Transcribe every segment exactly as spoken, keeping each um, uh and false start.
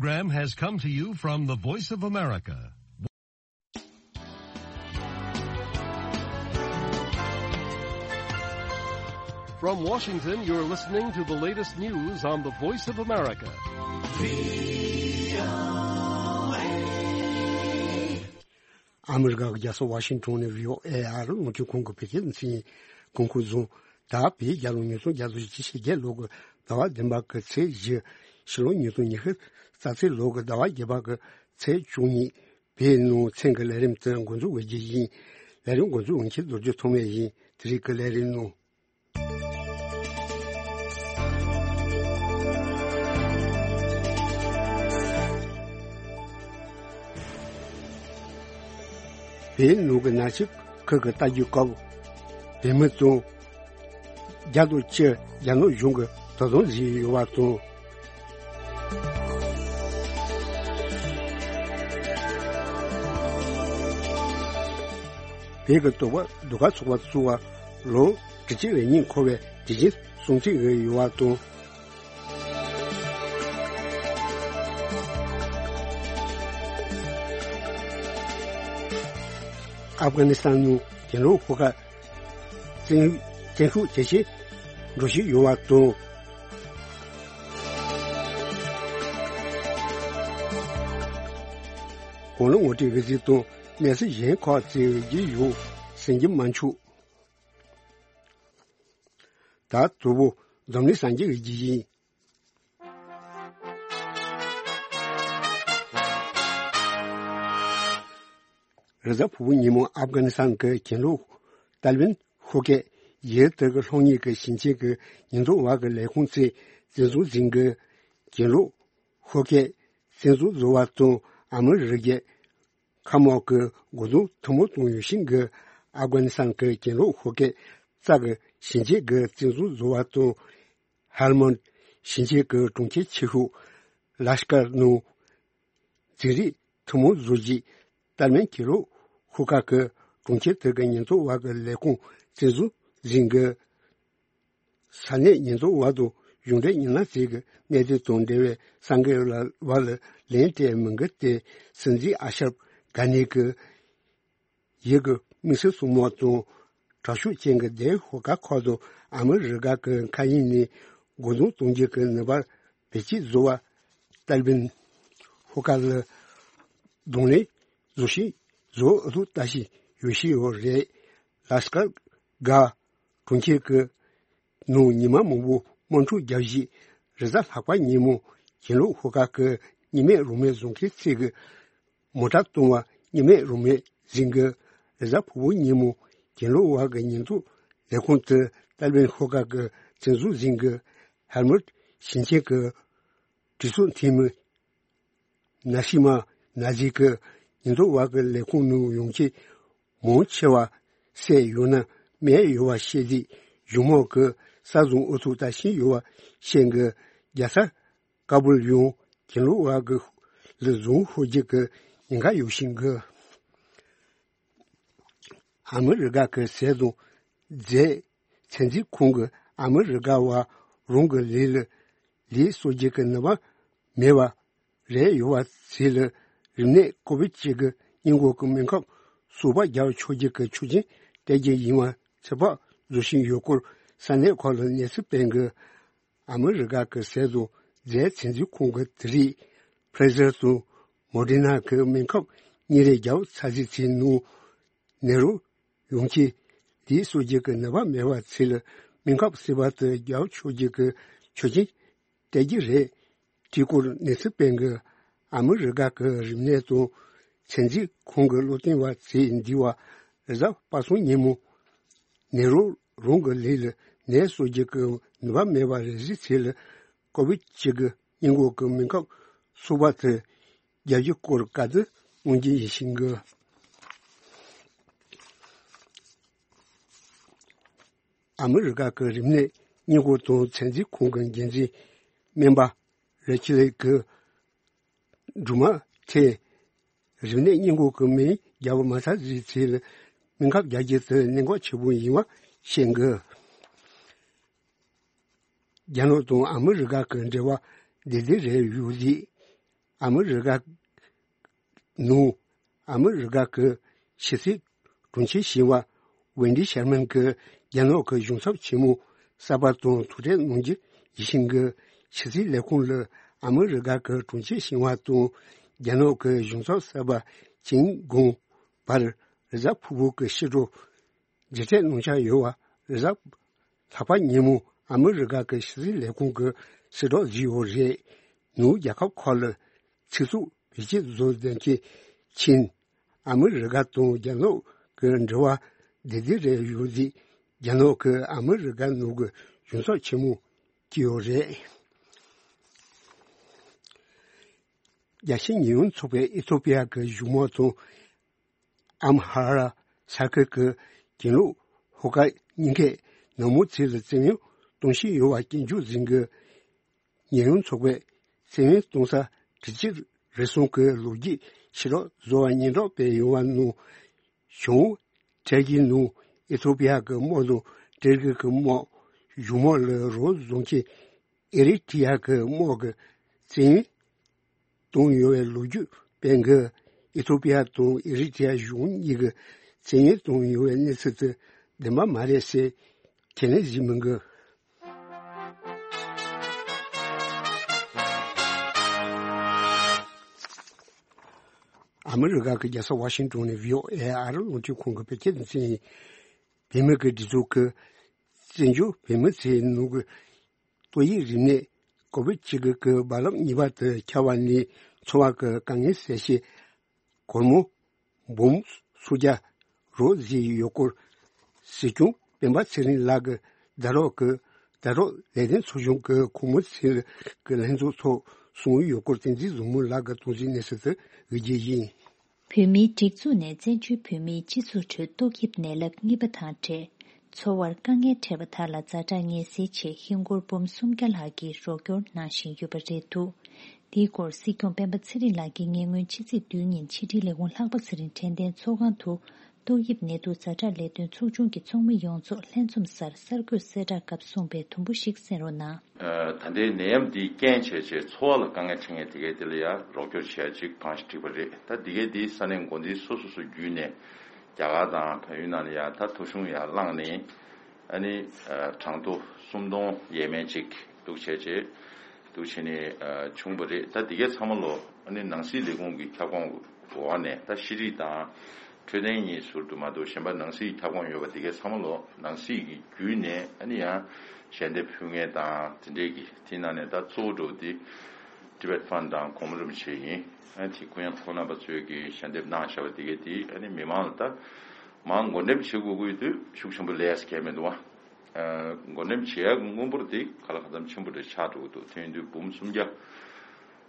Program has come to you from the Voice of America. From Washington, you're listening to the latest news on the Voice of America. ཨ་མི་རི་ཀ་གི་རྒྱལ་ས་ཝ་ཤིང་ཊོན་ནས་བྷི་ཨོ་ཨེ་ཨ་རི་རླུང་འཕྲིན་ཁང་གི་བོད་སྐད་སྡེ་ཚན་གྱིས་འགོ་འཁོར་བཟུང་། ད་བོད་རྒྱལ་ལོ་ཉིས་སྟོང་བརྒྱ་དང་བཞི་བཅུ་ཞེ་བརྒྱད་ལོ་གི་ཟླ་བ་བདུན་པ་གི་ཚེས་བཞི། ཕྱི་ལོ་ཉིས་སྟོང་ཉི་ཤུ་རྩ་ཚེས་ལོ་གི་ཟླ་བ་བརྒྱད་པ་གི་ཚེས་བཅུ་གཉིས། བོད་ནང་མཚན་གྱི་ལས་རིམ་དེ་འགོ་འཛུགས་འོས་རྒྱུ་ཡིན། ལས་རིམ་འགོ་འཛུགས་འོས་འཁྱེར་རྡོ་རྗེ་ཐོགས་མེད་ཡིན། དེ་རིང་གི་ལས་རིམ་ནང་། བོད་ནང་གི་ནག་ཆུ་ཁུལ་གྱི་རྟ་རྒྱུག་སྐབས་བོད་མི་ཚོ་བརྒྱ་དང་བཅུ་རྒྱ་ནག་གཞུང་གི་དོ་དམ་བྱས་ཡོད་པ་དང་། བོད་ཀྱི་དོགས་པ་ཟློས་གར་ཚོགས་པ་བཙུགས་པ་ལོ་དྲུག་ཅུ་རེ་གཉིས་འཁོར་བའི་དུས་ཆེན་སྲུང་བརྩི་ཡོད་པ་དང་། ཨབ་གྷ་ནི་སི་ཐན་ནང་གྱེན་ལོག་ཤོག་ཁག་བཙན་བཙན་ཤུགས་ཇེ་ཆེ་འགྲོ་བཞིན་ཡོད་པ་དང་། གོང་ལ་ངོ་སྤྲོད་འོས་འཚམ་དང་གནས་ཚུལ་གཞན་ཁག་བཙལ་བའི་རྒྱུ་ཡོད་ཟིན་གྱི་མ་འཆུག་ད་དུ་བོ་འཛམ་གླིང་སངས་རྒྱས་ཀྱི་རྒྱུ་ཡིན། རེས་གཟའ་ཕུར་བུ་ཉིན་མོ་ཨབ་གྷ་ནི་སི་ཐན་གྱི་གྱེན་ལོག་ཏཱ་ལི་བན་ཤོག་ཁག་ཡུལ་དེ་གི་ལྷོ་ངོས་ཀྱི་ཞིང་ཆེན་གྱི་ཉེན་རྟོག་པ་གི་ལས་ཁུངས་ཚོས་བཙན་འཛུལ་འཛིན་གྱི་གྱེན་ལོག་ཤོག་ཁག་བཙན་འཛུལ་བཟོ་བ་དང་ཨ་མི་རི་ཀའི་མཁའ་དམག་གི་འགོ་འཛིན་ཐུན་མོང་དང་ཡོད་ཤིང་གི་ཨབ་གྷ་ནི་སི་ཐན་གྱི་གྱེན་ལོག་ཤོག་ཁག་རྩ་གི་ཞིང་ཆེན་གྱི་བཙན་འཛུལ་བཟོ་བ་དང་། ཧལ་མོན་ཞིང་ཆེན་གྱི་གྲོང་ཁྱེར་ཆེ་ཤོས་ལ་ཤ་ཀར་ནང་འཛིང་རེས་ཐུན་མོང་བཟོ་རྒྱུའི་ཏཱ་ལི་བན་གྱེན་ལོག་ཤོག་ཁག་གི་གྲོང་ཁྱེར་དེ་གི་ཉེན་རྟོག་པ་གི་ལས་ཁུངས་བཙན་འཛུལ་འཛིན་གྱི་ས་གནས་ཉེན་རྟོག་པ་དང་གཞུང་འབྲེལ་ཉེ་ལམ་ཚོས་ཀྱི་གནད་དོན་དང་འབྲེལ་བའི་གསར་འགོད་པ་ལ་ལན་སྤྲད་མི་འགི་སྟེ། སྲིད་འཛིན་ཨ་ཤབ་གྷ་ནི་གི་ཡུལ་གྱི་དམིགས་བསལ་སྲུང་མ་དང་དྲག་ཤུགས་ཅན་གྱི་སྡེ་ཤོག་ཁག་ཁག་ཏུ་ཨ་མི་རི་ཀ་གི་མཁའ་དབྱིངས་ནས་འགོ་འཛིན་གཏོང་རྒྱུ་གི་ནུས་པ་བེད་སྤྱོད་བཟོ་བ། ཏཱ་ལི་བན་ཤོག་ཁག་ལ་གདོང་ལེན་བཟོ་ཞིང་བཟོ་ཨུ་ཐུག་ལྟ་བཞིན་ཡོད་བཞིན་ཡོད་རེད། ལ་སི་ཀར་གྷ་གྲོང་ཁྱེར་གྱི་ནང་ཉི་མ་མང་པོ་དམག་འཁྲུག་བརྒྱབ་རྗེས། རེས་གཟའ་ལྷག་པ་ཉིན་མོ་གྱེན་ལོག་ཤོག་ཁག་གི་གཉིས་མེད་རང་མོས་བཟོ་མཁན་ཚོས་ཀྱི་མོ་ཊ་གཏོང་བ་གཉིས་མེད་རང་མོས་འཛིན་གྱི། རེས་གཟའ་ཕུར་བུ་ཉིན་མོ་གྱེན་ལོག་པ་གི་ཉེན་རྟོག་ལས་ཁུངས་དེ་ཏཱ་ལི་བན་ཤོག་ཁག་གི་བཙན་འཛུལ་འཛིན་གྱི་ཧལ་མུད་ཞིང་ཆེན་གྱི་གྲོས་ཚོགས་འཐུས་མི་ན་ཤི་མ་ན་ཟི་གི་ཉེན་རྟོག་པ་གི་ལས་ཁུངས་ནང་ཡོང་ཆེད་མང་ཆེ་བ་བསད་ཡོད་ན་རྨས་ཡོད་པ་བཤད་དུས། གཞུང་མང་གི་ས་བཟུང་ཨུ་ཐུག་ལྟ་བཞིན་ཡོད་པ་བཤད་གི། རྒྱལ་ས་ཀ་བུལ་ཡང་གྱེན་ལོག་པ་གི་ལ་བཟུང་ཤོག་རྒྱུ་གི་ཉེན་ཁ་ཡོད་བཞིན་གི། ཨ་མི་རི་ཀ་གི་ཟས་དང་རྫས་ཚན་རྩལ་ཁང་གི་ཨ་མི་རི་ཀ་བ་རང་གི་ལུས་ལ་ལུས་གསོ་རྒྱུ་གི་ནུས་པ་མེད་པ་རེད། ཡོད་པ་ཚོས་ལ་རིམས་ནད་ཀོ་བིད་བཅུ་དགུ་སྔོན་འགོག་གི་སྨན་ཁབ་གསོག་པ་རྒྱག་ཆོག་རྒྱུ་གི་ཆོག་མཆན་སྤྲད་རྒྱུ་ཡིན་པ་ཚོད་དཔག་བཟོ་བཞིན་ཡོད་སྐོར་ས་གནས་ཁག་ལ་གནས་ཚུལ་སྤེལ་གི། ཨ་མི་རི་ཀ་གི་ཟས་དང་རྫས་ཚན་རྩལ་ཁང་གི་དེ་རིང་ཕ་ཟར་དང་མོ་ཌེ་ན་གི་སྨན་ཁབ་གཉིས་རེ་རྒྱག་ཚར་རྗེས་ཚེ་ནང་ནད་རོགས་ཡོང་ཆེད་ལུས་གསོ་རྒྱུ་གི་ནུས་པ་མེད་པ་ཚོས་ལ་སྨན་ཁབ་བསིལ་བ་དེ་རྒྱག་ཆོག་རྒྱུ་གི་ཆོག་མཆན་སྤྲད་རྒྱུ་རེད། དེའི་སྐོར་གནས་ཚུལ་སྤེལ་གི། ཨ་མི་རི་ཀ་གི་རིམས་ནད་དང་ཚན་རྩལ་ཁང་གི་བློ་བསྟན་པ་ཚོས་འདི་བ་རེས་གཟའ་པ་སངས་ཉིན་མོ་ནད་རོགས་རང་གི་ལུས་ལ་ནད་གསོ་རྒྱུ་གི་ནུས་པ་མེད་པ་རེད་ཟེར་ཚེ་ལ་ཀོ་བིད་བཅུ་དགུ་སྔོན་འགོག་གི་སྨན་ཁབ་གསོག་པ་དེ་རྒྱག་རྒྱུ་སྐོར་བཀའ་བསྡུར་གནང་རྒྱུ་ཡིན་ཞིང་གི། ཨ་མི་རི་ཀ་གི་རིམས་ནད་སྔོན་འགོག་དང་ཚན་རྩལ་ཁང་གི་འགན་འཛིན་སྨན་པ་རེ་ཆི་ལེ་གི་སྦྲུམ་མ་ཚོས་རིམས་ནད་སྔོན་འགོག་གི་སྨན་རྒྱག་པ་མ་ཚར་རྗེས་ཚེ་ལ་སྨན་ཁབ་རྒྱག་རྒྱུ་དེ་གནད་འགག་ཆེན་པོ་ཡིན་པ་བཤད་གི། རྒྱ་ནག་དང་ཨ་མི་རི་ཀ་གི་འབྲེལ་བ་བདེ་བདེ་རེད་ཡོད་ལེ། ཨ་མི་རི་ཀ་ནང་ཨ་མི་རི་ཀ་གི་ཕྱི་སྲིད་དྲུང་ཆེ་ཞི་བ་ཝེན་ཌི་ཤར་མན་གྱིས་རྒྱ་ནག་གི་གཞུང་ཚབ་ཆེན་མོ་གསར་པ་དང་ཐུག་འཕྲད་གནང་རྒྱུ་ཡིན་ཞིང་གི། ཕྱི་སྲིད་ལས་ཁུངས་ལ་ཨ་མི་རི་ཀ་གི་དྲུང་ཆེ་ཞི་བ་དང་རྒྱ་ནག་གི་གཞུང་ཚབ་གསར་པ་ཅིན་གུང་བར་རེས་གཟའ་ཕུར་བུ་གི་ཕྱི་དྲོ་མཇལ་འཕྲད་གནང་འཆར་ཡོད་པ། རེས་གཟའ་ལྷག་པ་ཉིན་མོ་ཨ་མི་རི་ཀ་གི་ཕྱི་སྲིད་ལས་ཁུངས་ཀྱི་གསལ་བསྒྲགས་བརྒྱུད་ཡོད་རེད། ནུབ་རྒྱལ་ཁབ་ཁག་ལ་ཚིག་རྩུབ་བེད་སྤྱོད་བཟོ་མཁན་ཕྱིན། ཨ་མི་རི་ཀ་དང་རྒྱ་ནག་གི་འབྲེལ་བ་བདེ་བདེ་རེད་ཡོད་དེ། རྒྱ་ནག་གིས་ཨ་མི་རི་ཀ་ནང་གི་གཞུང་ཚབ་ཆེན་མོ་བསྐོས་ཡོད་རེད། རྒྱལ་སྤྱིའི་ཉེས་ཡངས་ཚོགས་པས་ཨི་ཐོ་པི་ཡ་གི་གཞུང་དམག་དང་ཨམ་ཧ་ར་ས་ཁུལ་གྱི་གྱེན་ལོག་ཧོ་ཀ་གཉིས་ཀའི་ནང་མི་ཚོ་ལ་བཙན་གཡེམ་གཏོང་བཞིན་ཡོད་པ་སྐྱོན་བརྗོད་འཛིན་གྱི། ཉེས་ཡངས་ཚོགས་པས་བཙན་གཡེམ་གཏོང་ས་དྲི་ཆབ་རེ་ཟུང་གི་ལོ་རྒྱུས་ཕྱི་རོལ་བཟོ་བ་སྙན་གྲགས་སྤེལ་ཡོད་པ་ནང་། བྱང་ཁྲལ་གྱི་ནང་ཨི་ཐོ་པི་ཡ་གི་དམག་དང་ཏུར་ཀི་གི་དམག་གཞུང་དམག་ལ་རོགས་བཟོ་མཁན་ཨེ་རི་ཊི་ཡ་གི་དམག་གི་བཙན་གཏོང་ཡོད་པའི་ལོ་རྒྱུས་སྤེལ་གི། ཨི་ཐོ་པི་ཡ་དང་ཨེ་རི་ཊི་ཡ་གཞུང་གཉིས་ཀྱི་བཙན་གཏོང་ཡོད་པའི་གནས་ཚུལ་དེ་བདེན་པ་མ་རེད་ཟེར་ཁས་ལེན་བྱེད་མི་འགི། ཨ་མི་རི་ཀ་གི་རྒྱལ་ས་ཝ་ཤིང་ཏོན་ནས་བྷི་ཨོ་ཨེ་ཨ་རི་རླུང་འཕྲིན་ཁང་གི་བོད་སྐད་སྡེ་ཚན་ཡིན། བོད་མི་གི་སྒྲིག་འཛུགས་ཀྱི་བཙན་བྱོལ་བོད་མི་ཚོའི་ནང་གི་ཏོག་དབྱིབས་རིམས་ནད་ཀོ་བིད་བཅུ་དགུ་གི་རྦ་རླབས་གཉིས་པ་དེ་ཁྱབ་པ་ནས་འཚོ་བ་གི་དཀའ་ངལ་སེལ་ཆེད། སྒོར་མོ་འབུམ་སུམ་བརྒྱ་རོགས་ཟིན་ཡོད་སྐོར། སྲིད་སྐྱོང་སྤེན་པ་ཚེ་རིང་ལགས་ཀྱིས་ཟླ་རོགས་ཀྱི་ཟླ་རོགས་ལས་དོན་ཚོགས་ཆུང་གི་ཁོངས་མི་ཚོའི་ལྷན་ཚོགས་ཐོག་གསུངས་ཡོད་སྐོར། བསྟན་འཛིན་བཟང་མོ་ལགས་ཀྱིས་གཏོང་ཚིག་གནས་ཚུལ་དུ་འོས་བསྡུ་ཡིན། བོད་མིའི་སྒྲིག་འཛུགས་ནས་བཙན་བྱོལ་བོད་མིའི་སྤྱི་ཚོགས་ཁྲོད་ཏོག་དབྱིབས་ནད་རླབས་གཉིས་པ་དང་འབྲེལ། འཚོ་བར་དཀའ་ངལ་འཕྲད་པ་དག་ལ་ཛ་དྲག་ངལ་སེལ་ཆེད་ཧིན་སྒོར་འབུམ་སུམ་བརྒྱ་ལྷག་གི་རོགས་སྐྱོར་གནང་བཞིན་ཡོད་པ་རེད་འདུག། འདིའི་སྐོར་སྲིད་སྐྱོང་སྤེན་པ་ཚེ་རིང་ལགས་ཀྱིས་ཉེ་སྔོན་ཕྱི་ཚེས་བདུན་ཉིན་ཕྱི་དྲིལ་ལས་ཁུངས་ལྷག་པ་ཚེ་རིང་དྲན་རྟེན་ཚོགས་ཁང་དུ་ཏོག་དབྱིབས་ནད་དུག་ཛ་དྲག་ལས་དོན་ཚོགས་ཆུང་གི་ཚོགས་མི་ཡོངས་རྫོགས་ལྷན་འཛོམས་སར་གསར་འགོད་གསལ་བསྒྲགས་སྐབས་གསུངས་པའི་དུམ་བུ་ཞིག་གསན་རོགས་གནང་། ད་ལྟའི་ནད་ཡམས་འདིས་རྐྱེན་བྱས་བྱས་འཚོ་བ་ལ་དཀའ་ངལ་འཕྲད་མཁན་དེ་གའི་དེ་ལ་ཡང་རོགས་སྐྱོར་བྱེད་ཡ་ཅིག་གང་ཞིག་འགྲིག་པ་རེད། ད་འདི་གའི་འདི་ས་གནས་འགོ་འཛིན་སོ་སོ་སོ་བརྒྱུད་ནས་རྒྱ་གར་དང་བལ་ཡུལ་ནང་ལ་ཡང་ད་ཐོ་གཞུང་ཡང་བླངས་ནས་ཨ་ནི་གྲངས་ཐོ་སུམ་སྟོང་ཡས་མས་ཅིག་འདུག་བྱས་བྱས་འདུག་བྱས་ནས་བྱུང་བ་རེད། ད་འདི་གའི་ཚང་མ་ལོ་ཨ་ནི་ནང་སྲིད་ལས་ཁུངས་ཀྱི་ཁྱབ་ཁོངས་འོག་ནས་ད་ཤེས་རིག་དང་འཕྲོད་བསྟེན་གཉིས་ཟུར་དུ་མ་གཏོགས་གཞན་པ་ནང་སྲིད་ཁྱབ་ཁོངས་ཡོད་པ་འདི་གའི་ཚང་མ་ལོ་ནང་སྲིད་ཀྱི་བརྒྱུད་ནས་ཨ་ནི་ཡང་ཞལ་འདེབས་ཕུལ་མཁན་དང་དེ་འདྲས་ཀྱི་དེ་ནང་ནས་ད་གཙོ་བོ་འགྲོ་དེ་Tibet Fund དང་གོང་མ་རིན་པོ་ཆེ་ཡིན། ཨ་དེ་ཁོང་ཡང་ཁོང་རྣམ་པ་ཚོས་ཀྱི་ཞལ་འདེབས་གནང་བཞག་པ་དེ་གའི་དེ་ཨ་ནི་མི་མང་ལ་ད་མང་འགོ་འདེམས་བྱེད་དགོས་ཀྱི་ཡོད་དུས་ཤུགས་ཆེན་པོ་ལས་གལ་མི་འདུག་བ། འགོ་འདེམས་བྱེད་ཡག་གི་དངུལ་འབོར་དེ་ག་ལ་ག་ཙམ་ཆེན་པོ་རེ་ཆགས་འགྲོ་གི་འདུག། དེ་ཡིན་དུས་འབུམ་སུམ་བརྒྱ་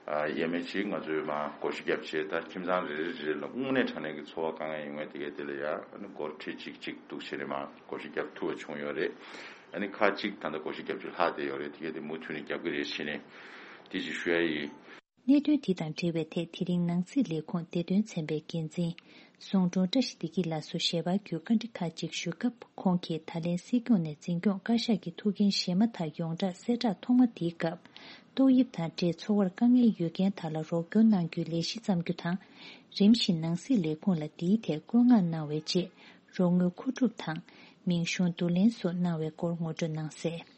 ཡས་མས་ཅིག་ང་ཚོས་མ་བགོ་བཤའ་བརྒྱབ་བྱས་ད་ཁྱིམ་ཚང་རེ་རེ་རེ་ལ་དངོས་གནས་དྲང་གནས་ཀྱི་འཚོ་བ་དཀའ་ངལ་ཡོང་ངེས་དེ་གའི་དེ་ལ་ཡ་ཨ་ནི་སྒོར་ཁྲི་གཅིག་གཅིག་འདུག་བྱས་ནས་མ་བགོ་བཤའ་བརྒྱབ་ཐུབ་པ་བྱུང་ཡོད་རེད། ཨ་ནི་ཁག་གཅིག་ད་ལྟ་བགོ་བཤའ་བརྒྱབ་ཚུལ་ལྷག་བསྡད་ཡོད་རེད། དེ་གའི་དེ་མུ་མཐུད་ནས་རྒྱབ་ཀྱི་རེད་བྱས་ནས་དེ་ཅིག་ཞུ་ཡ་ཡིན། གནད་དོན་དེ་དང་འབྲེལ་བའི་ཐད་དེ་རིང་ནང་སྲིད་ལས་ཁུངས་བདེ་དོན་ཚན་པའི་འགན་འཛིན་ཟུང་དྲུང་བཀྲ་ཤིས་བདེ་སྐྱིད་ལགས་སུ་ཞལ་པར་བརྒྱུད་བཀའ་འདྲི་ཁག་ཅིག་ཞུས་སྐབས་ཁོང་གིས་ད་ལན་སྲིད་སྐྱོང་ནས་འཛིན་སྐྱོང་བཀའ་ཤག་གི་ཐུགས་འགན་བཞེས་མ་ཐག་ཡོངས་གྲགས་གསལ་བསྒྲགས་ཐོག་མ་དེའི་སྐབས་ཏོག་དབྱིབས་དང་འབྲེལ་འཚོ་བར་དཀའ་ངལ་ཡོད་མཁན་དག་ལ་རོགས་སྐྱོར་གནང་རྒྱུའི་ལས་གཞི་བརྩམ་རྒྱུ་དང་། རིམ་བཞིན་ནང་སྲིད་ལས་ཁུངས་ལ་འདིའི་ཐད་བཀོད་མངགས་གནང་བའི་རྗེས་རོགས་དངུལ་མཁོ་སྒྲུབ་དང་མིང་གཞུང་བསྡུ་ལེན་སོགས་གནང་བའི་སྐོར་ངོ་སྤྲོད་གནང་གསལ།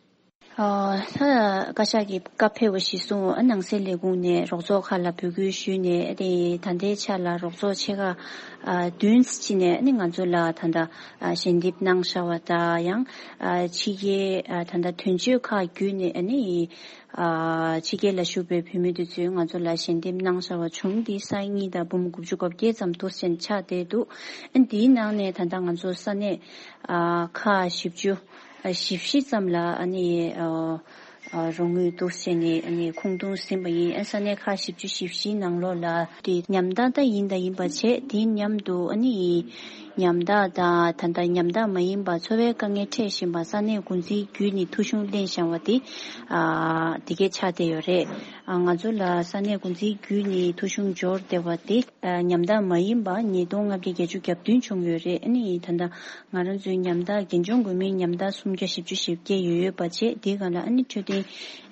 ཨ། ད་བཀའ་ཤག་གི་བཀའ་ཕེབས་པ་གཞིར་བཟུང་ཨ་ནང་སྲིད་ལས་ཁུངས་ནས་རོགས་ཚོགས་ཁག་ལ་འབོད་སྐུལ་ཞུས་ནས་ཨ་ནི་ད་ལྟའི་ཆ་ལ་རོགས་ཚོགས་ཆེ་ཁག་ཨ་བདུན་ཙམ་ཅིག་ནས་ཨ་ནི་ང་ཚོ་ལ་ད་ལྟ་ཨ་ཞལ་འདེབས་གནང་བཞག་པ་དང་ཡང་ཨ་ཕྱི་རྒྱལ་ཨ་ད་ལྟ་དོན་གཅོད་ཁག་བརྒྱུད་ནས་ཨ་ནི་ཨ་ཕྱི་རྒྱལ་ལ་བཞུགས་པའི་བོད་མི་དེ་ཚོས་ང་ཚོ་ལ་ཞལ་འདེབས་གནང་བཞག་པ་བྱུང་། འདི་ས་ཡ་གཉིས་དང་འབུམ་དགུ་བཅུ་གོ་བརྒྱད་ཙམ་འདུག་ཟེར་ཆགས་བསྡད་འདུག། ཨ་འདིའི་ནང་ནས་ད་ལྟ་ང་ཚོ་ས་གནས་ཨ་ཁག་བཞི་བཅུ། བཞི་བཞི་ཙམ་ལ་ཨ་ནི་ཨ་ཨ་རོགས་དངུལ་འདུག་ཟེར་ནས་ཨ་ནི་ཁུངས་གཏོང་ཟིན་པ་ཡིན། ཨ་ས་གནས་ཁག་བཞི་བཅུ་ཞེ་བཞིའི་ནང་ལོགས་ལ་དེ་ཉམས་ཐག་ད་ཡིན་ད་ཡིན་པ་བྱས། དེ་མཉམ་དུ་ཨ་ནི་ ཉམ་ཐག་དང་ད་ལྟ་ཉམ་ཐག་མ་ཡིན་པ་འཚོ་བའི་དཀའ་ངལ་འཕྲད་བཞིན་པ་ས་གནས་འགོ་འཛིན་བརྒྱུད་ནས་ཐོ་གཞུང་ལེན་བཞིན་པ་དེ་ཨ་དེ་གས་ཆགས་བསྡད་ཡོད་རེད། ཨ་ང་ཚོ་ལ་ས་གནས་འགོ་འཛིན་བརྒྱུད་ནས་ཐོ་གཞུང་འབྱོར་བསྡད་པ་དེ་ཨ་ཉམ་ཐག་མ་ཡིན་པ་ཉིས་སྟོང་ལྔ་བརྒྱ་བརྒྱད་ཅུ་གྱ་བདུན་བྱུང་ཡོད་རེད། ཨ་ནི་ད་ལྟ་ང་རང་ཚོའི་ཉམ་ཐག་རྒན་གཞོན་འགོས་མིན་ཉམ་ཐག་སུམ་བརྒྱ་བཞི་བཅུ་ཞེ་བརྒྱད་ཡོད་པ་བྱས། དེའི་སྒང་ལ་ཨ་ནི་འཕྲོད་བསྟེན་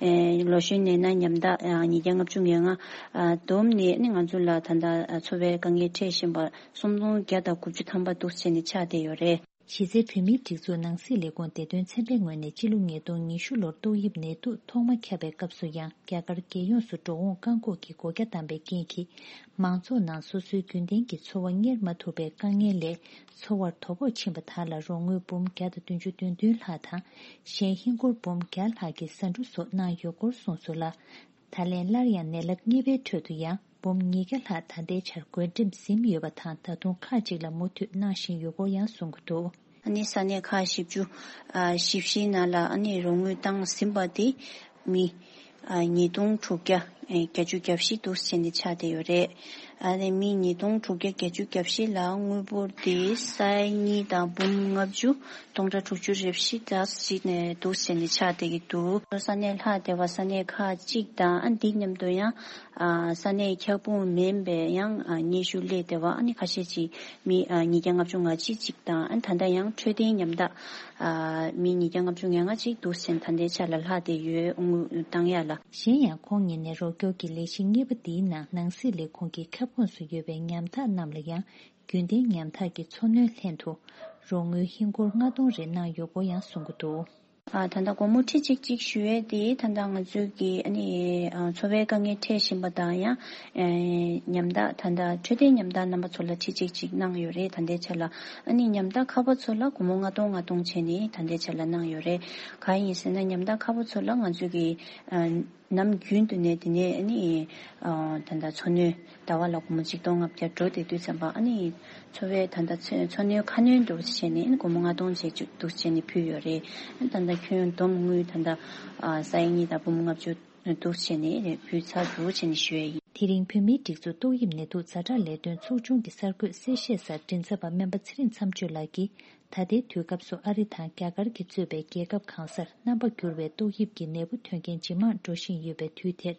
ཨེ་ལོ་གཞོན་ནད་མནར་ཉམ་ཐག་ཨ་ཉིས་བརྒྱ་ལྔ་བཅུ་ང་ལྔ་ཨ་བསྡོམས་ནས་ཨ་ནི་ང་ཚོ་ལ་ད་ལྟ་ཨ་འཚོ་བའི་དཀའ་ངལ་འཕྲད་བཞིན་པ་སུམ་སྟོང་བརྒྱ་དང་དགུ་བཅུ་ཐམ་པ་འདུག་བྱས་ནས་ཆགས་བསྡད་ཡོད་རེད། གཞི་རྩའི་བོད་མིའི་སྒྲིག་འཛུགས་ནང་སྲིད་ལས་ཁུངས་བདེ་དོན་ཚན་པའི་ངོས་ནས་སྤྱི་ལོ་ཉིས་སྟོང་ཉི་ཤུ་ལོར་ཏོག་དབྱིབས་ནད་དུག་ཐོག་མ་ཁྱབ་པའི་སྐབས་སུ་ཡང་རྒྱ་གར་རྒྱལ་ཡོངས་སུ་འགྲོ་འོང་བཀག་འགོག་གི་སྒོ་རྒྱ་བསྡམས་པའི་རྐྱེན་གྱིས། མང་ཚོགས་ནང་སོ་སོའི་རྒྱུན་ལྡན་གྱི་འཚོ་བ་གཉེར་མ་ཐུབ་པའི་དཀའ་ངལ་ལས་འཚོ་བར་དོ་ཕོག་ཕྱིན་པ་དག་ལ་རོགས་དངུལ་འབུམ་བརྒྱ་དང་བདུན་ཅུ་དོན་བདུན་ལྷག་དང་། གཞན་ཧིན་སྒོར་འབུམ་བརྒྱ་ལྷག་གི་ཟ་འབྲུ་སོགས་གནང་ཡོད་སྐོར་གསུངས་སོང་ལ། ད་ལན་སླར་ཡང་ནད་རླབས་གཉིས་པའི་ཁྲོད་དུ་ཡང་འབུམ་ཉིས་བརྒྱ་ལྷག་ད་ལྟའི་ཆར་བགོ་འགྲེམས་ཟིན་ཡོད་པ་དང་། ད་དུང་ཁག་ཅིག་ལ་མུ་མཐུད་གནང་བཞིན་ཡོད་སྐོར་ཡང་གསུང་གི་འདུག། ཨ་ནི་ས་གནས་ཁག་བཞི་བཅུ་ཨ་བཞི་བཞིའི་ནང་ལ་ཨ་ནི་རོགས་དངུལ་བཏང་ཟིན་པ་དེ་མི་ཨ་ཉིས་སྟོང་དྲུག་བརྒྱ་ཨེ་བརྒྱད་ཅུ་གྱ་བཞི་འདུག་བྱས་ནས་ཆགས་བསྡད་ཡོད་རེད། ཨ་ནི་མི་ཉིས་སྟོང་དྲུག་བརྒྱ་བརྒྱད་ཅུ་གྱ་བཞི་ལ་དངུལ་འབོར་དེ་ས་ཡ་གཉིས་དང་འབུམ་ལྔ་བཅུ་སྟོང་ཕྲག་དྲུག་ཅུ་རེ་བཞི་དང་གཅིག་ནས་འདུག་བྱས་ནས་ཆགས་བསྡད་ཀྱི་འདུག། ས་གནས་ལྷག་བསྡད་པ་ས་གནས་ཁག་གཅིག་དང་ཨ་འདི་མཉམ་དུ་ཡང་ཨ་ས་གནས་ཁྱབ་ཁོངས་མིན་པའི་ཡང་ཨ་སྙན་ཞུ་སླེབས་བསྡད་པ་ཨ་ནི་ཁ་ཤས་ཅིག་མི་ཨ་ཉིས་བརྒྱ་ལྔ་བཅུ་ང་གཅིག་ཅིག་དང་ཨ་ད་ལྟ་ཡང་འཕྲོད་བསྟེན་ཉམ་ཐག་ཨ་མི་ཉིས་བརྒྱ་ལྔ་བཅུ་ང་ལྔ་ཅིག་འདུག་ཟེར་ད་ལྟའི་ཆ་ལ་ལྷག་བསྡད་ཡོད། དངུལ་བཏང་ཡག་ལ། གཞན་ཡང་ཁོང་ཉིད་ནས་རོགས་སྐྱོར་གྱི་ལས་གཞི་གཉིས་པ་འདིའི་ནང་ནང་སྲིད་ལས་ཁུངས་ཀྱི་ཁྱབ་ཁོངས་སུ་ཡོད་པའི་ཉམ་ཐག་རྣམས་ལ་ཡང་རྒྱུན་ལྡན་ཉམ་ཐག་གི་འཚོ་སྣོན་ལྷན་དུ་རོགས་དངུལ་ཧིན་སྒོར་ལྔ་སྟོང་རེ་གནང་ཡོད་སྐོར་ཡང་གསུང་གི་འདུག། ཨ་ད་ལྟ་སྒོར་མོ་ཁྲི་གཅིག་གཅིག་ཞུ་ཡས་དེ་ད་ལྟ་ང་ཚོའི་གི་ཨ་ནི་ཨ་འཚོ་བའི་དཀའ་ངལ་འཕྲད་བཞིན་པ་དང་ཡང་ཨེ་ཉམ་ཐག་ད་ལྟ་འཕྲོད་བསྟེན་ཉམ་ཐག་རྣམ་པ་ཚོ་ལ་ཁྲི་གཅིག་གཅིག་གནང་ཡོད་རེད། ད་ལྟའི་ཆ་ལ་ཨ་ནི་ཉམ་ཐག་ཁག་པོ་ཚོ་ལ་སྒོར་མོ་ལྔ་སྟོང་ལྔ་སྟོང་བྱས་ནས་ད་ལྟའི་ཆ་ལ་གནང་ཡོད་རེད། གང་ཡིན་ཟེར་ན་ཉམ་ཐག་ཁག་པོ་ཚོ་ལ་ང་ཚོའི་གི་ཨ་ནམ་རྒྱུན་དུ་ནས་དེ་ནས་ཨ་ནི་ཨ་ད་ལྟ་འཚོ་སྣོན་ཟླ་བ་ལ་སྒོར་མོ་ཆིག་སྟོང་ལྔ་བརྒྱ་འགྲོ་བསྡད་དུས་ཙམ་པ་ཨ་ནི་འཚོ་བའི་ད་ལྟ་འཚོ་འཚོ་སྣོན་ཁ་སྣོན་འདུག་བྱས་ནས་ཨ་ནི་སྒོར་མོ་ལྔ་སྟོང་བྱས་བཅུག་འདུག་བྱས་ནས་ཕུལ་ཡོད་རེད། ཨ་ད་ལྟ་ཁྱོན་བསྡོམས་དངུལ་ད་ལྟ་ཨ་ས་ཡ་གཉིས་དང་འབུམ་ལྔ་བཅུ་འདུག་བྱས་ནས་ཕུལ་ཚར་འདུག་བྱས་ནས་ཞུ་ཡས་ཡིན། དེ་རིང་བོད་མིའི་སྒྲིག་འཛུགས་ཏོག་དབྱིབས་ནད་དུག་ཛ་དྲག་ལས་དོན་ཚོགས་ཆུང་གི་གསར་འགོད་གསལ་བཤད་སར་མགྲིན་ཚབ་པ་སྨན་པ་ཚེ་རིང་མཚམས་གཅོད་ལགས་ཀྱིས། ད་ལྟའི་དུས་སྐབས་སུ་ཨ་རི་དང་རྒྱ་གར་གྱིས་གཙོས་པའི་རྒྱལ་ཁབ་གང་སར་རྣམ་པ་འགྱུར་བའི་ཏོག་དབྱིབས་ཀྱི་ནད་འབུ་ཐོན་མཁན་ཇེ་མང་འགྲོ་བཞིན་ཡོད་པའི་དུས་དེར།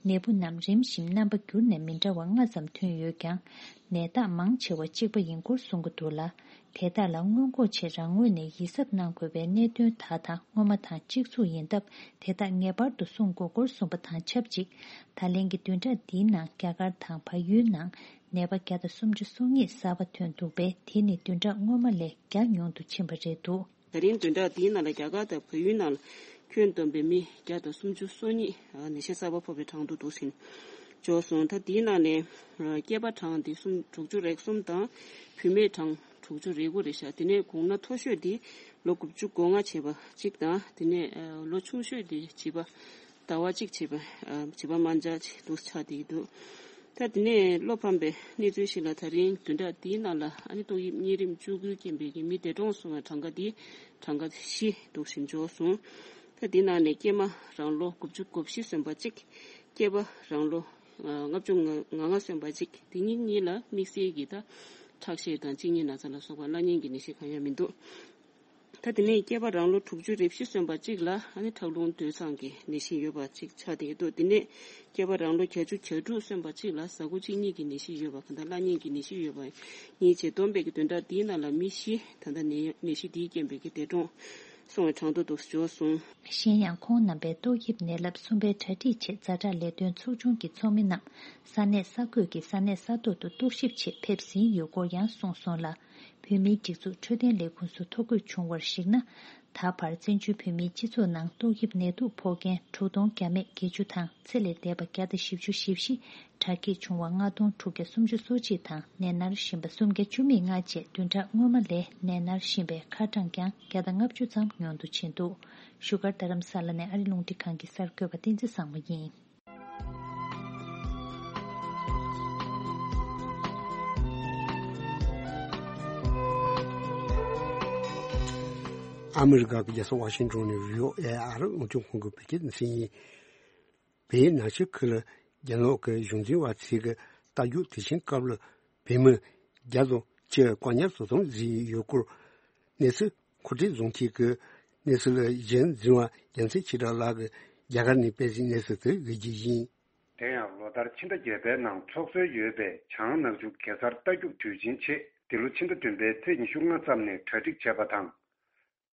ནད་འབུ་རྣམས་རིམ་བཞིན་རྣམ་པ་འགྱུར་ནས་མི་འདྲ་བ་ལྔ་ཙམ་ཐོན་ཡོད་ཀྱང་། ནད་རྟགས་མང་ཆེ་བ་གཅིག་པ་ཡིན་སྐོར་གསུང་གི་འདུག་ལ། དེ་དག་ལ་སྔོན་འགོག་ཆེད་རང་ངོས་ནས་ཡིད་གཟབ་གནང་དགོས་པའི་གནད་དོན་དག་དང་སྔོན་མ་དང་གཅིག་མཚུངས་ཡིན་སྟབས། དེ་དག་ངེས་པར་དུ་སྲུང་དགོས་སྐོར་གསུངས་པ་དང་ཆབས་ཅིག། ད་ལན་གྱི་བདུན་ཕྲག་འདིའི་ནང་རྒྱ་གར་དང་བལ་ཡུལ་ནང་། ནད་པ་བརྒྱ་དང་སུམ་ཅུ་སོ་གཉིས་གསར་པ་ཐོན་འདུག་པས། དེ་ནི་བདུན་ཕྲག་སྔོན་མ་ལས་བརྒྱ་ཉུང་དུ་ཕྱིན་པ་རེད་འདུག། ད་རིང་བདུན་ཕྲག་འདིའི་ནང་ལ་རྒྱ་གར་དང་བལ་ཡུལ་ནང་ལ་ཁྱོན་བསྡོམས་པའི་མི་བརྒྱ་དང་སུམ་ཅུ་སོ་གཉིས་ནད་གཞི་གསར་པ་ཕོག་པའི་གྲངས་ཐོ་འདུག་ཟིན་འབྱོར་སོང་། ད་འདིའི་ནང་ནས་སྐྱེས་པ་གྲངས་འདི་གསུམ་དྲུག་ཅུ་རེ་གསུམ་དང་བུད་མེད་གྲངས་དྲུག་ཅུ་རེ་དགུ་རེད་ཤག། དེ་ནས་གོང་ན་མཐོ་ཤོས་འདི་ལོ་དགུ་བཅུ་གོ་ལྔ་བྱས་པ་གཅིག་དང་། དེ་ནས་ལོ་ཆུང་ཤོས་འདི་བྱིས་པ་ཟླ་བ་གཅིག་བྱས་པ། ཨ་བྱིས་པ་དམར་འབྱར་ཅིག་འདུག་ཆགས་བསྡད་ཀྱི་འདུག། ད་དེ་ནས་བློ་ཕམ་པའི་གནས་ཚུལ་ཞིག་ལ། ད་རིང་བདུན་ཕྲག་འདིའི་ནང་ལ་ཨ་ནི་ཏོག་དབྱིབས་གཉན་རིམས་བཅུ་དགུའི་རྐྱེན་པས་ཀྱི་མི་འདས་གྲོངས་སོང་བའི་གྲངས་ཀ་འདི་གྲངས་ཀ་བཞི་འདུག་ཟིན་འབྱོར་སོང་། ད་འདི་ནང་ནས་སྐྱེས་མ་རང་ལོ་དགུ་བཅུ་གོ་བཞི་སོན་པ་གཅིག། སྐྱེས་པ་རང་ལོ་ལྔ་བཅུ་ང་ལྔ་སོན་པ་གཅིག། དེ་གཉིས་གཉིས་ལ་དམིགས་བསལ་གྱི་ད་ཁྲག་ཤེད་དང་གཅིན་སྙི་ན་ཚ་ལ་སོགས་པ་བླ་གཉན་གྱི་ནད་གཞི་གང་ཡང་མི་འདུག། ད་དེ་ནས་སྐྱེས་པ་རང་ལོ་དྲུག་ཅུ་རེ་བཞི་སོན་པ་གཅིག་ལ་ཨ་ནི་ཁྲག་རླུང་དུད་ཚང་གི་ནད་གཞི་ཡོད་པ་གཅིག་ཆགས་བསྡད་ཀྱི་འདུག། དེ་ནས་སྐྱེས་པ་རང་ལོ་བརྒྱད་ཅུ་གྱ་དྲུག་སོན་པ་གཅིག་ལ་ཟ་ཁུ་གཅིན་སྙི་གི་ནད་གཞི་ཡོད་པ། གང་ལྟར་བླ་གཉན་གྱི་ནད་གཞི་ཡོད་པ་གཉིས་བྱས་བསྡོམས་པས་ཀྱི་བདུན་ཕྲག་འདིའི་ནང་ལ་མི་བཞི་ད་ལྟ་ནད་ནད་གཞི་འདིའི་རྐྱེན་པས་ཀྱི་འདས་གྲོངས་སོང་བའི་གྲངས་ཐོ་འདུག་འབྱོར་སོང་། གཞན་ཡང་ཁོང་རྣམ་པས་ཏོག་དབྱིབས་ནད་རླབས་གསུམ་པའི་གྲ་སྒྲིག་ཆེད་ཛ་དྲག་ལས་དོན་ཚོགས་ཆུང་གི་ཚོགས་མི་རྣམས་ས་གནས་ས་ཁུལ་གྱི་ས་གནས་ས་ཐོག་ཏུ་རྟོག་ཞིབ་ཆེད་ཕེབས་ཟིན་ཡོད་སྐོར་ཡང་གསུངས་སོང་ལ། བོད་མིའི་སྒྲིག་འཛུགས་འཕྲོད་བསྟེན་ལས་ཁུངས་སུ་ཐོ་འགོད་བྱུང་བར་གཞིགས་ན། ད་བར་བཙན་བྱོལ་བོད་མིའི་སྤྱི་ཚོགས་ནང་ཏོག་དབྱིབས་ནད་དུག་ཕོག་མཁན་དྲུག་སྟོང་བརྒྱ་མེད་བརྒྱད་ཅུ་དང་། ཚེ་ལས་འདས་པ་བརྒྱ་དང་བཞི་བཅུ་ཞེ་བཞི། དྲག་སྐྱེད་བྱུང་བ་ལྔ་སྟོང་དྲུག་བརྒྱ་སུམ་ཅུ་སོ་གཅིག་དང་། ནད་མནར་བཞིན་པ་སུམ་བརྒྱ་བཅུ་མེད་ལྔ་བཅས་བདུན་ཕྲག་སྔོན་མ་ལས་ནད་མནར་བཞིན་པའི་ཁ་གྲངས་ཀྱང་བརྒྱ་དང་ལྔ་བཅུ་ཙམ་ཉུང་དུ་ཕྱིན་འདུག། བཞུགས་སྒར་རྡ་རམ་ས་ལ་ནས་ཨ་རི་རླུང་འཕྲིན་ཁང་གི་གསར་འགོད་པ་བསྟན་འཛིན་བཟང་མོ་ཡིན། ཨ་མི་རི་ཀ་གི་རྒྱལ་ས་ཝ་ཤིང་ཏོན་ནས་བྷི་ཨོ་ཨེ་ཨ་རི་རླུང་འཕྲིན་ཁང་གི་བོད་སྐད་སྡེ་ཚན་ཡིན། བོད་ནང་ཆོས་ཁུལ་ལ་རྒྱ་ནག་གི་གཞུང་འཛིན་པ་ཚོས་ཀྱི་རྟ་རྒྱུག་དུས་ཆེན་སྐབས་ལ་བོད་མི་བརྒྱ་དང་ ཆེད་བཀག་ཉར་དོ་དམ་བཟོས་ཡོད་སྐོར། གནས་ཚུལ་མཁོ་སྤྲོད་བཟོ་མཁན་གྱི་གནས་ཚུལ་གཞན་འཛིན་པ་རྒྱལ་མཚན་ཆོས་གྲགས་ལགས་ཀྱིས་རྒྱ་གར་ནས་སྤེལ་གཟིགས་གནས་ཚུལ་དེ་ཡིན་གྱི་ཡིན། དེ་ཡང་ལོ་ལྟར་ཕྱི་ཟླ་བརྒྱད་པའི་ནང་འཚོགས་སྲོལ་ཡོད་པའི་བྱང་ནག་ཆུ་གེ་སར་རྟ་རྒྱུག་དུས་ཆེན་ཆེད་འདི་ལོ་ཕྱི་ཟླ་བདུན་པའི་ཚེས་ཉི་ཤུ་ལྔ་ཙམ་ནས་གྲ་སྒྲིག་བྱས་པ་དང་།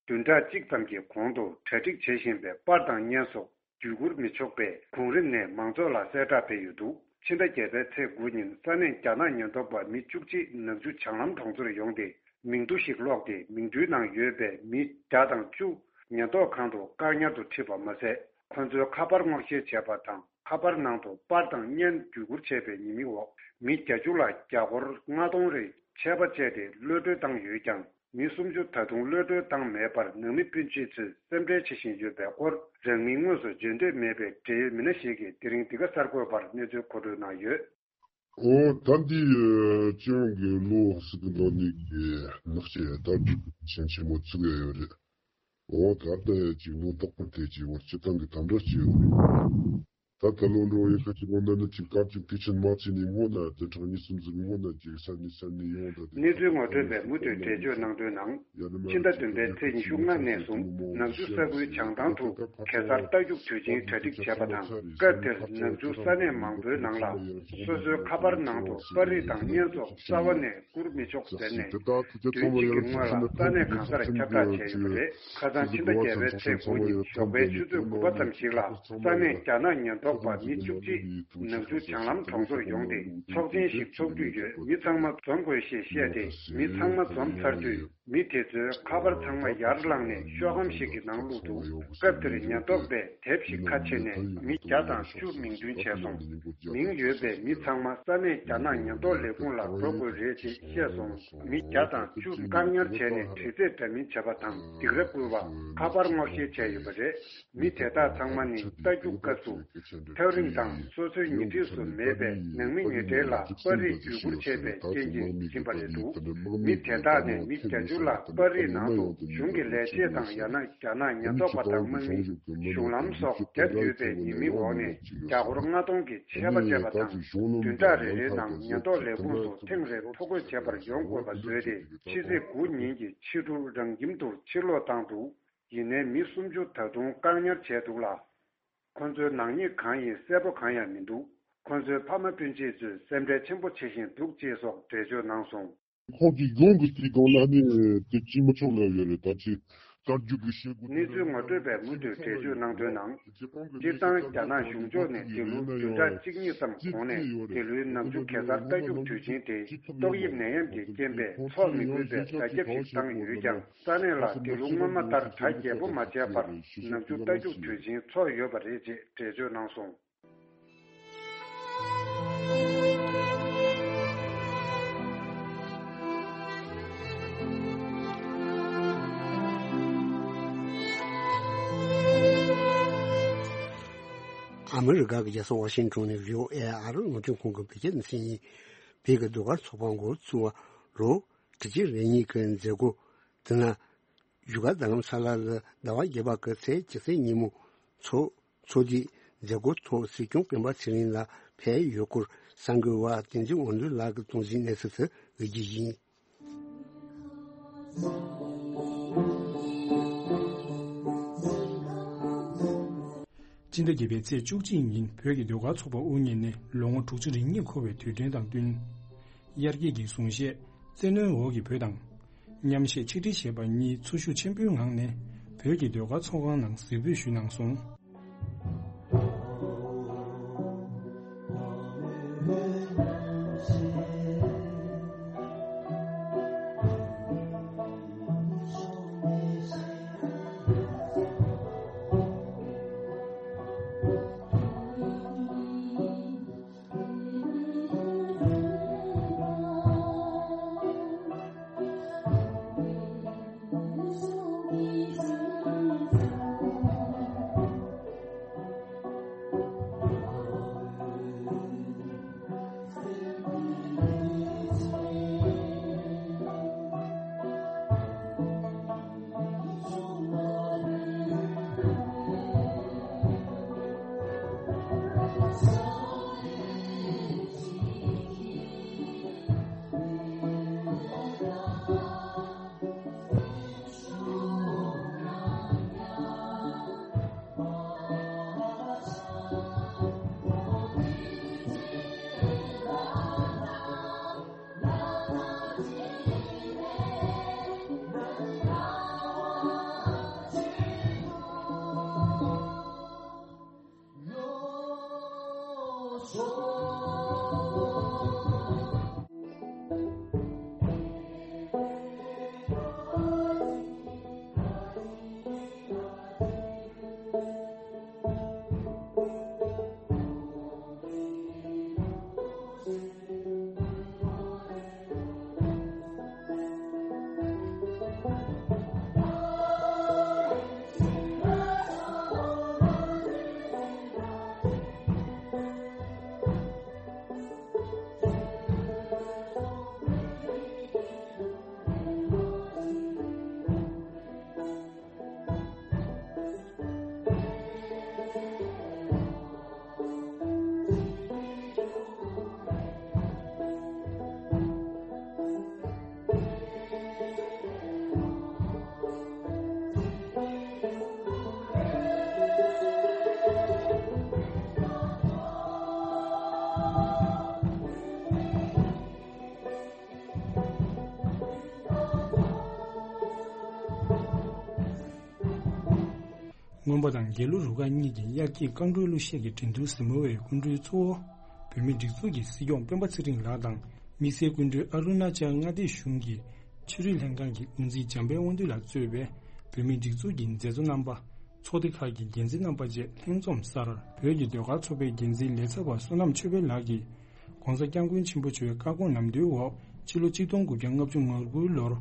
བདུན་ཕྲག་གཅིག་ཙམ་གྱི་གོང་དུ་གྲ་སྒྲིག་བྱེད་བཞིན་པའི་པར་དང་བརྙན་སོགས་བརྒྱུད་བསྐུར་མི་ཆོག་པའི་གོང་རིམ་ནས་མང་ཚོགས་ལ་གསལ་བསྒྲགས་སྤེལ་ཡོད་འདུག་ཕྱི་ཟླ་བརྒྱད་པའི་ཚེས་དགུ་ཉིན་ས་གནས་རྒྱ་ནག་ཉེན་རྟོག་པ་མི་བཅུ་གཅིག་ནག་ཆུ་བྱང་ལམ་གྲོང་ཚོར་ཡོང་སྟེ། མིང་ཐོ་ཞིག་ཀློག་སྟེ། མིང་ཐོའི་ནང་ཡོད་པའི་མི་བརྒྱ་དང་བཅུ་ཉེན་རྟོག་ཁང་དུ་བཀག་ཉར་དུ་ཁྲིད་པ་མ་ཟད། ཁོ་ཚོའི་ཁ་པར་སྔོག་བཤེར་བྱས་པ་དང་། ཁ་པར་ནང་དུ་པར་དང་བརྙན་བརྒྱུད་བསྐུར་བྱས་པའི་ཉེས་དམིགས་འོག་མི་བརྒྱད་ཅུ་ལ་རྒྱ་སྒོར་ལྔ་སྟོང་རེ་ཆད་པ་བཅད་དེ་གློད་གྲོལ་བཏང་ཡོད་ཀྱང་། མི་སུམ་ཅུ་ད་དུང་གློད་གྲོལ་བཏང་མེད་པར་ནང་མི་སྤུན་མཆེད་ཚོས་སེམས་ཁྲལ་བྱེད་བཞིན་ཡོད་པའི་སྐོར། རང་མིང་དངོས་སུ་བརྗོད་འདོད་མེད་པའི་འབྲེལ་ཡོད་མི་སྣ་ཞིག་གིས་དེ་རིང་འདི་ག་གསར་འགོད་པར་གནས་ཚུལ་མཁོ་སྤྲོད་གནང་ཡོད། ཨོ་ད་འདི་སྤྱི་ཡོངས་ཀྱི་ལོ་ཟེར་གི་འདུག་ནི་གི་ནག་ཆེ་ད་རྒྱུག་ཆེན་ཆེན་མོ་བཙུགས་ཡ་ཡོད་རེད། ཨོ་ད་ལྟ་ཡ་ཅིག་ལོ་ཏོག་པར་དེ་ཅིག་བར་སྤྱི་བཏང་གི་དམ་དྲག་ཅིག་ཡོད་རེད། ད་ད་ལོ་འགྲོ་ཡི་ཁ་ཅིག་འོ་ན་ནི་ཅིག་དཀར་ཅིག་དེ་ཆེན་མ་ཅི་ནི་འོ་ན་དེ་གྲངས་ཉི་ཤུ་ཟིག་འོ་ན་ཅིག་ས་ནི་ས་ནི་ཡོང་ད་དེ་གནས་ཚུལ་ངོ་སྤྲོད་པས་མུ་མཐུད་འགྲེལ་བརྗོད་གནང་དོན་ནང་། ཕྱི་ཟླ་བདུན་པའི་ཚེས་ཉི་ཤུ་ལྔ་ནས་བཟུང་ནག་ཆུ་ས་ཁུལ་བྱང་ཐང་དུ་གེ་སར་རྟ་རྒྱུག་དུས་ཆེན་གྲ་སྒྲིག་བྱས་པ་དང་། སྐབས་དེར་ནག་ཆུ་ས་གནས་མང་པོའི་ནང་ལ་སོ་སོའི་ཁ་པར་ནང་དུ་པར་རིས་དང་བརྙན་སོགས་རྩ་བ་ནས་བསྐུར་མི་ཆོག་ཟེར་ནས། དུས་གཅིག་གི་སྔོན་ལ་ས་གནས་གང་སར་ཁྱབ་བསྒྲགས་བྱས་ཡོད་པ་རེད། ཁ་སང་ཕྱི་ཟླ་བརྒྱད་པའི་ཚེས་དགུ་ཉིན་ཞོགས་པའི་ཆུ་ཚོད་དགུ་པ་ཙམ་ཞིག་ལ་ས་གནས་རྒྱ་ནག་ཉེན་རྟོག་པ་མི་བཅུ་གཅིག་ནག་ཆུ་བྱང་ལམ་གྲོང་ཚོར་ཡོང་སྟེ། ཚོགས་ཆེན་ཞིག་ཚོགས་རྒྱུ་ཡོད། མི་ཚང་མ་འཛོམས་དགོས་ཞེས་བཤད་དེ། མི་ཚང་མ་འཛོམས་ཚར་དུས། མི་དེ་ཚོའི་ཁ་པར་ཚང་མ་ཡར་བླངས་ནས་ཤོག་སྒམ་ཞིག་གི་ནང་བླུགས་འདུག་སྐབས་དེར་ཉེན་རྟོག་པས་དེབ་ཞིག་ཁ་ཕྱེ་ནས་མི་བརྒྱ་དང་བཅུ་མིང་འདོན་བྱས་སོང་། མིང་ཡོད་པའི་མི་ཚང་མ་ས་གནས་རྒྱ་ནག་ཉེན་རྟོག་ལས་ཁུངས་ལ་འགྲོ་དགོས་རེད་ཅེས་བཤད་སོང་། མི་བརྒྱ་དང་བཅུ་བཀག་ཉར་བྱས་ནས་དྲི་རྩད་འདྲ་མིན་བྱས་པ་དང་སྡིགས་ར་བསྐུལ་བ། ཁ་པར་སྔོག་བཤེར་བྱས་ཡོད་པ་རེད། མི་དེ་དག་ཚང་མ་ནི་རྟ་རྒྱུག་སྐབས་སུ་ཐག་རིང་དང་སོ་སོའི་ཉེ་འཁྲིས་སུ་མེད་པའི་ནང་མི་ཉེ་འབྲེལ་ལ་པར་རིས་བརྒྱུད་བསྐུར་བྱས་པའི་རྐྱེན་གྱིས་ཡིན་པ་རེད་འདུག་མི་དེ་དག་ནས་མི་བརྒྱད་ཅུ་ལ་པར་རིས་ནང་དུ་གཞུང་གི་ལས་བྱེད་དང་ཡང་ན་རྒྱ་ནག་ཉེན་རྟོག་པ་དང་དམག་མི། གཞུང་ལམ་སོགས་བརྒྱབ་ཡོད་པའི་ཉེས་མིང་འོག་ནས་རྒྱ་སྒོར་ལྔ་སྟོང་གི་ཆད་པ་བཅད་པ་དང་། བདུན་ཕྲག་རེ་རེའི་ནང་ཉེན་རྟོག་ལས་ཁུངས་སུ་ཐེངས་རེར་ཐོ་འགོད་བྱེད་པར་ཡོང་དགོས་པ་བཟོས་ཏེ། ཕྱི་ཚེས་དགུ་ཉིན་གྱི་ཕྱི་དྲོ་རང་ཁྱིམ་དུ་ཕྱིར་ལོག་བཏང་འདུག་ཡིན་ནའི་མི་སུམ་ཅུ་ད་དུང་བཀག་ཉར་བྱས་འདུག་ལ། ཁོ་ཚོའི་ནག་ཉེས་གང་ཡིན་གསལ་པོ་གང་ཡང་མི་འདུག་ཁོ་ཚོའི་ཕ་མ་སྤུན་མཆེད་ཚོས་སེམས་ཁྲལ་ཆེན་པོ་བྱེད་བཞིན་འདུག་ཅེས་སོགས་འགྲེལ་བརྗོད་གནང་སོང་། ཁོང་གི་གཞུང་གི་སྲིད་སྒང་ལ་ནི་དེ་ཅི་མི་ཆོག་ལབ་ཡོད་རེད། ད་ཅི་རྟ་རྒྱུག་གི་བྱེད་སྒོ་དེ་གནས་ཚུལ་ངོ་སྤྲོད་པས་མུ་མཐུད་འགྲེལ་བརྗོད་གནང་དོན་ནང་། སྤྱིར་བཏང་རྒྱ་ནག་གཞུང་ཕྱོགས་ནས་འདི་ལོ་བདུན་ཕྲག་གཅིག་གཉིས་ཙམ་གོང་ནས་འདི་ལོའི་ནག་ཆུ་གེ་སར་རྟ་རྒྱུག་དུས་ཆེན་དེ་ཏོག་དབྱིབས་ནད་ཡམས་ཀྱི་རྐྱེན་པས་འཚོགས་མི་དགོས་པའི་བརྡ་ཁྱབ་ཞིག་བཏང་ཡོད་ཀྱང་། ས་གནས་ལ་འདི་ལོ་སྔོན་མ་ལྟར་གྲ་རྒྱས་པོ་མ་བྱས་པར་ནག་ཆུ་རྟ་རྒྱུག་དུས་ཆེན་འཚོགས་ཡོད་པ་རེད་ཅེས་འགྲེལ་བརྗོད་གནང་སོང་། ཨ་མི་རི་ཀ་གི་རྒྱལ་ས་ཝ་ཤིང་ཊོན་ནས་བྷི་ཨོ་ཨེ་ཨ་རི་རླུང་འཕྲིན་ཁང་གི་བོད་སྐད་སྡེ་ཚན་ཡིན། བོད་ཀྱི་ཟློས་གར་ཚོགས་པ་འགོ་བཙུགས་པ་ལོ་དྲུག་ཅུ་རེ་གཉིས་ཀྱི་མཛད་སྒོ་དེ་ན། བཞུགས་སྒར་རྡ་རམ་ས་ལ་ལ་ཟླ་བ་བརྒྱད་པ་གི་ཚེས་བཅུ་ཚེས་ཉིན་མོ་ཚོགས། ཚོགས་འདུའི་མཛད་སྒོའི་ཐོག་སྲིད་སྐྱོང་སྤེན་པ་ཚེ་རིང་ལགས་ཕེབས་ཡོད་སྐོར་གསར་འགོད་པ་བསྟན་འཛིན་དབང་འདུས་ལགས་ཀྱིས་གཏོང་གཟིགས་གནས་ཚུལ་དེ་ཡོད་རྒྱུ་ཡིན། སྤྱི་ཟླ་བརྒྱད་པའི་ཚེས་བཅུ་གཅིག་ཉིན་བོད་ཀྱི་ཟློས་གར་ཚོགས་པ་དབུ་བརྙེས་ནས་ལོ་ངོ་དྲུག་ཅུ་རེ་གཉིས་འཁོར་བའི་དུས་དྲན་དང་བསྟུན། དབྱར་སྐྱིད་ཀྱི་གཟུངས་བཞེས་བཙན་གནོན་འོག་གི་བོད་དང་། མཉམ་གཞས་ཆིག་སྒྲིལ་ཞེས་པ་གཉིས་འཚོ་བཞུགས་ཆེན་པོའི་ངང་ནས་བོད་ཀྱི་ཟློས་གར་ཚོགས་ཁང་ནང་གཟིགས་འབུལ་ཞུས་གནང་སོང་། རྔོན་པ་དང་དགེ་ལུགས་རུ་ཁག་གཉིས་ཀྱི་དབྱར་སྐྱིད་རྐང་བྲོའི་གླུ་གཞས་ཀྱི་འགྲན་བསྡུར་གཟིགས་མོ་བའི་སྐུ་མགྲོན་གཙོ་བོ། བོད་མིའི་སྒྲིག་འཛུགས་ཀྱི་སྲིད་སྐྱོང་སྤེན་པ་ཚེ་རིང་ལགས་དང་། དམིགས་བསལ་སྐུ་མགྲོན་ཨ་རུ་ན་ཅལ་མངའ་སྡེ་གཞུང་གི་ཕྱི་དྲིལ་ལྷན་ཁང་གི་དབུ་འཛིན་འཇམ་དཔལ་དབང་འདུས་ལགས་གཙོས་པའི་བོད་མིའི་སྒྲིག་འཛུགས་ཀྱི་མཛད་གཙོ་རྣམ་པ། ཚོགས་སྡེ་ཁག་གི་འགན་འཛིན་རྣམ་པ་བཅས་ལྷན་འཛོམས་སར། བོད་ཀྱི་ཟློས་གར་ཚོགས་པའི་འགན་འཛིན་ལས་ཚབ་པ་བསོད་ནམས་ཆོས་འཕེལ་ལགས་ཀྱིས། ༸གོང་ས་༸སྐྱབས་མགོན་ཆེན་པོ་མཆོག་བཀའ་དགོངས་ལམ་སྟོན་འོག་ཕྱི་ལོ་ཆིག་སྟོང་དགུ་བརྒྱ་ལྔ་བཅུ་ང་དགུའི་ལོར་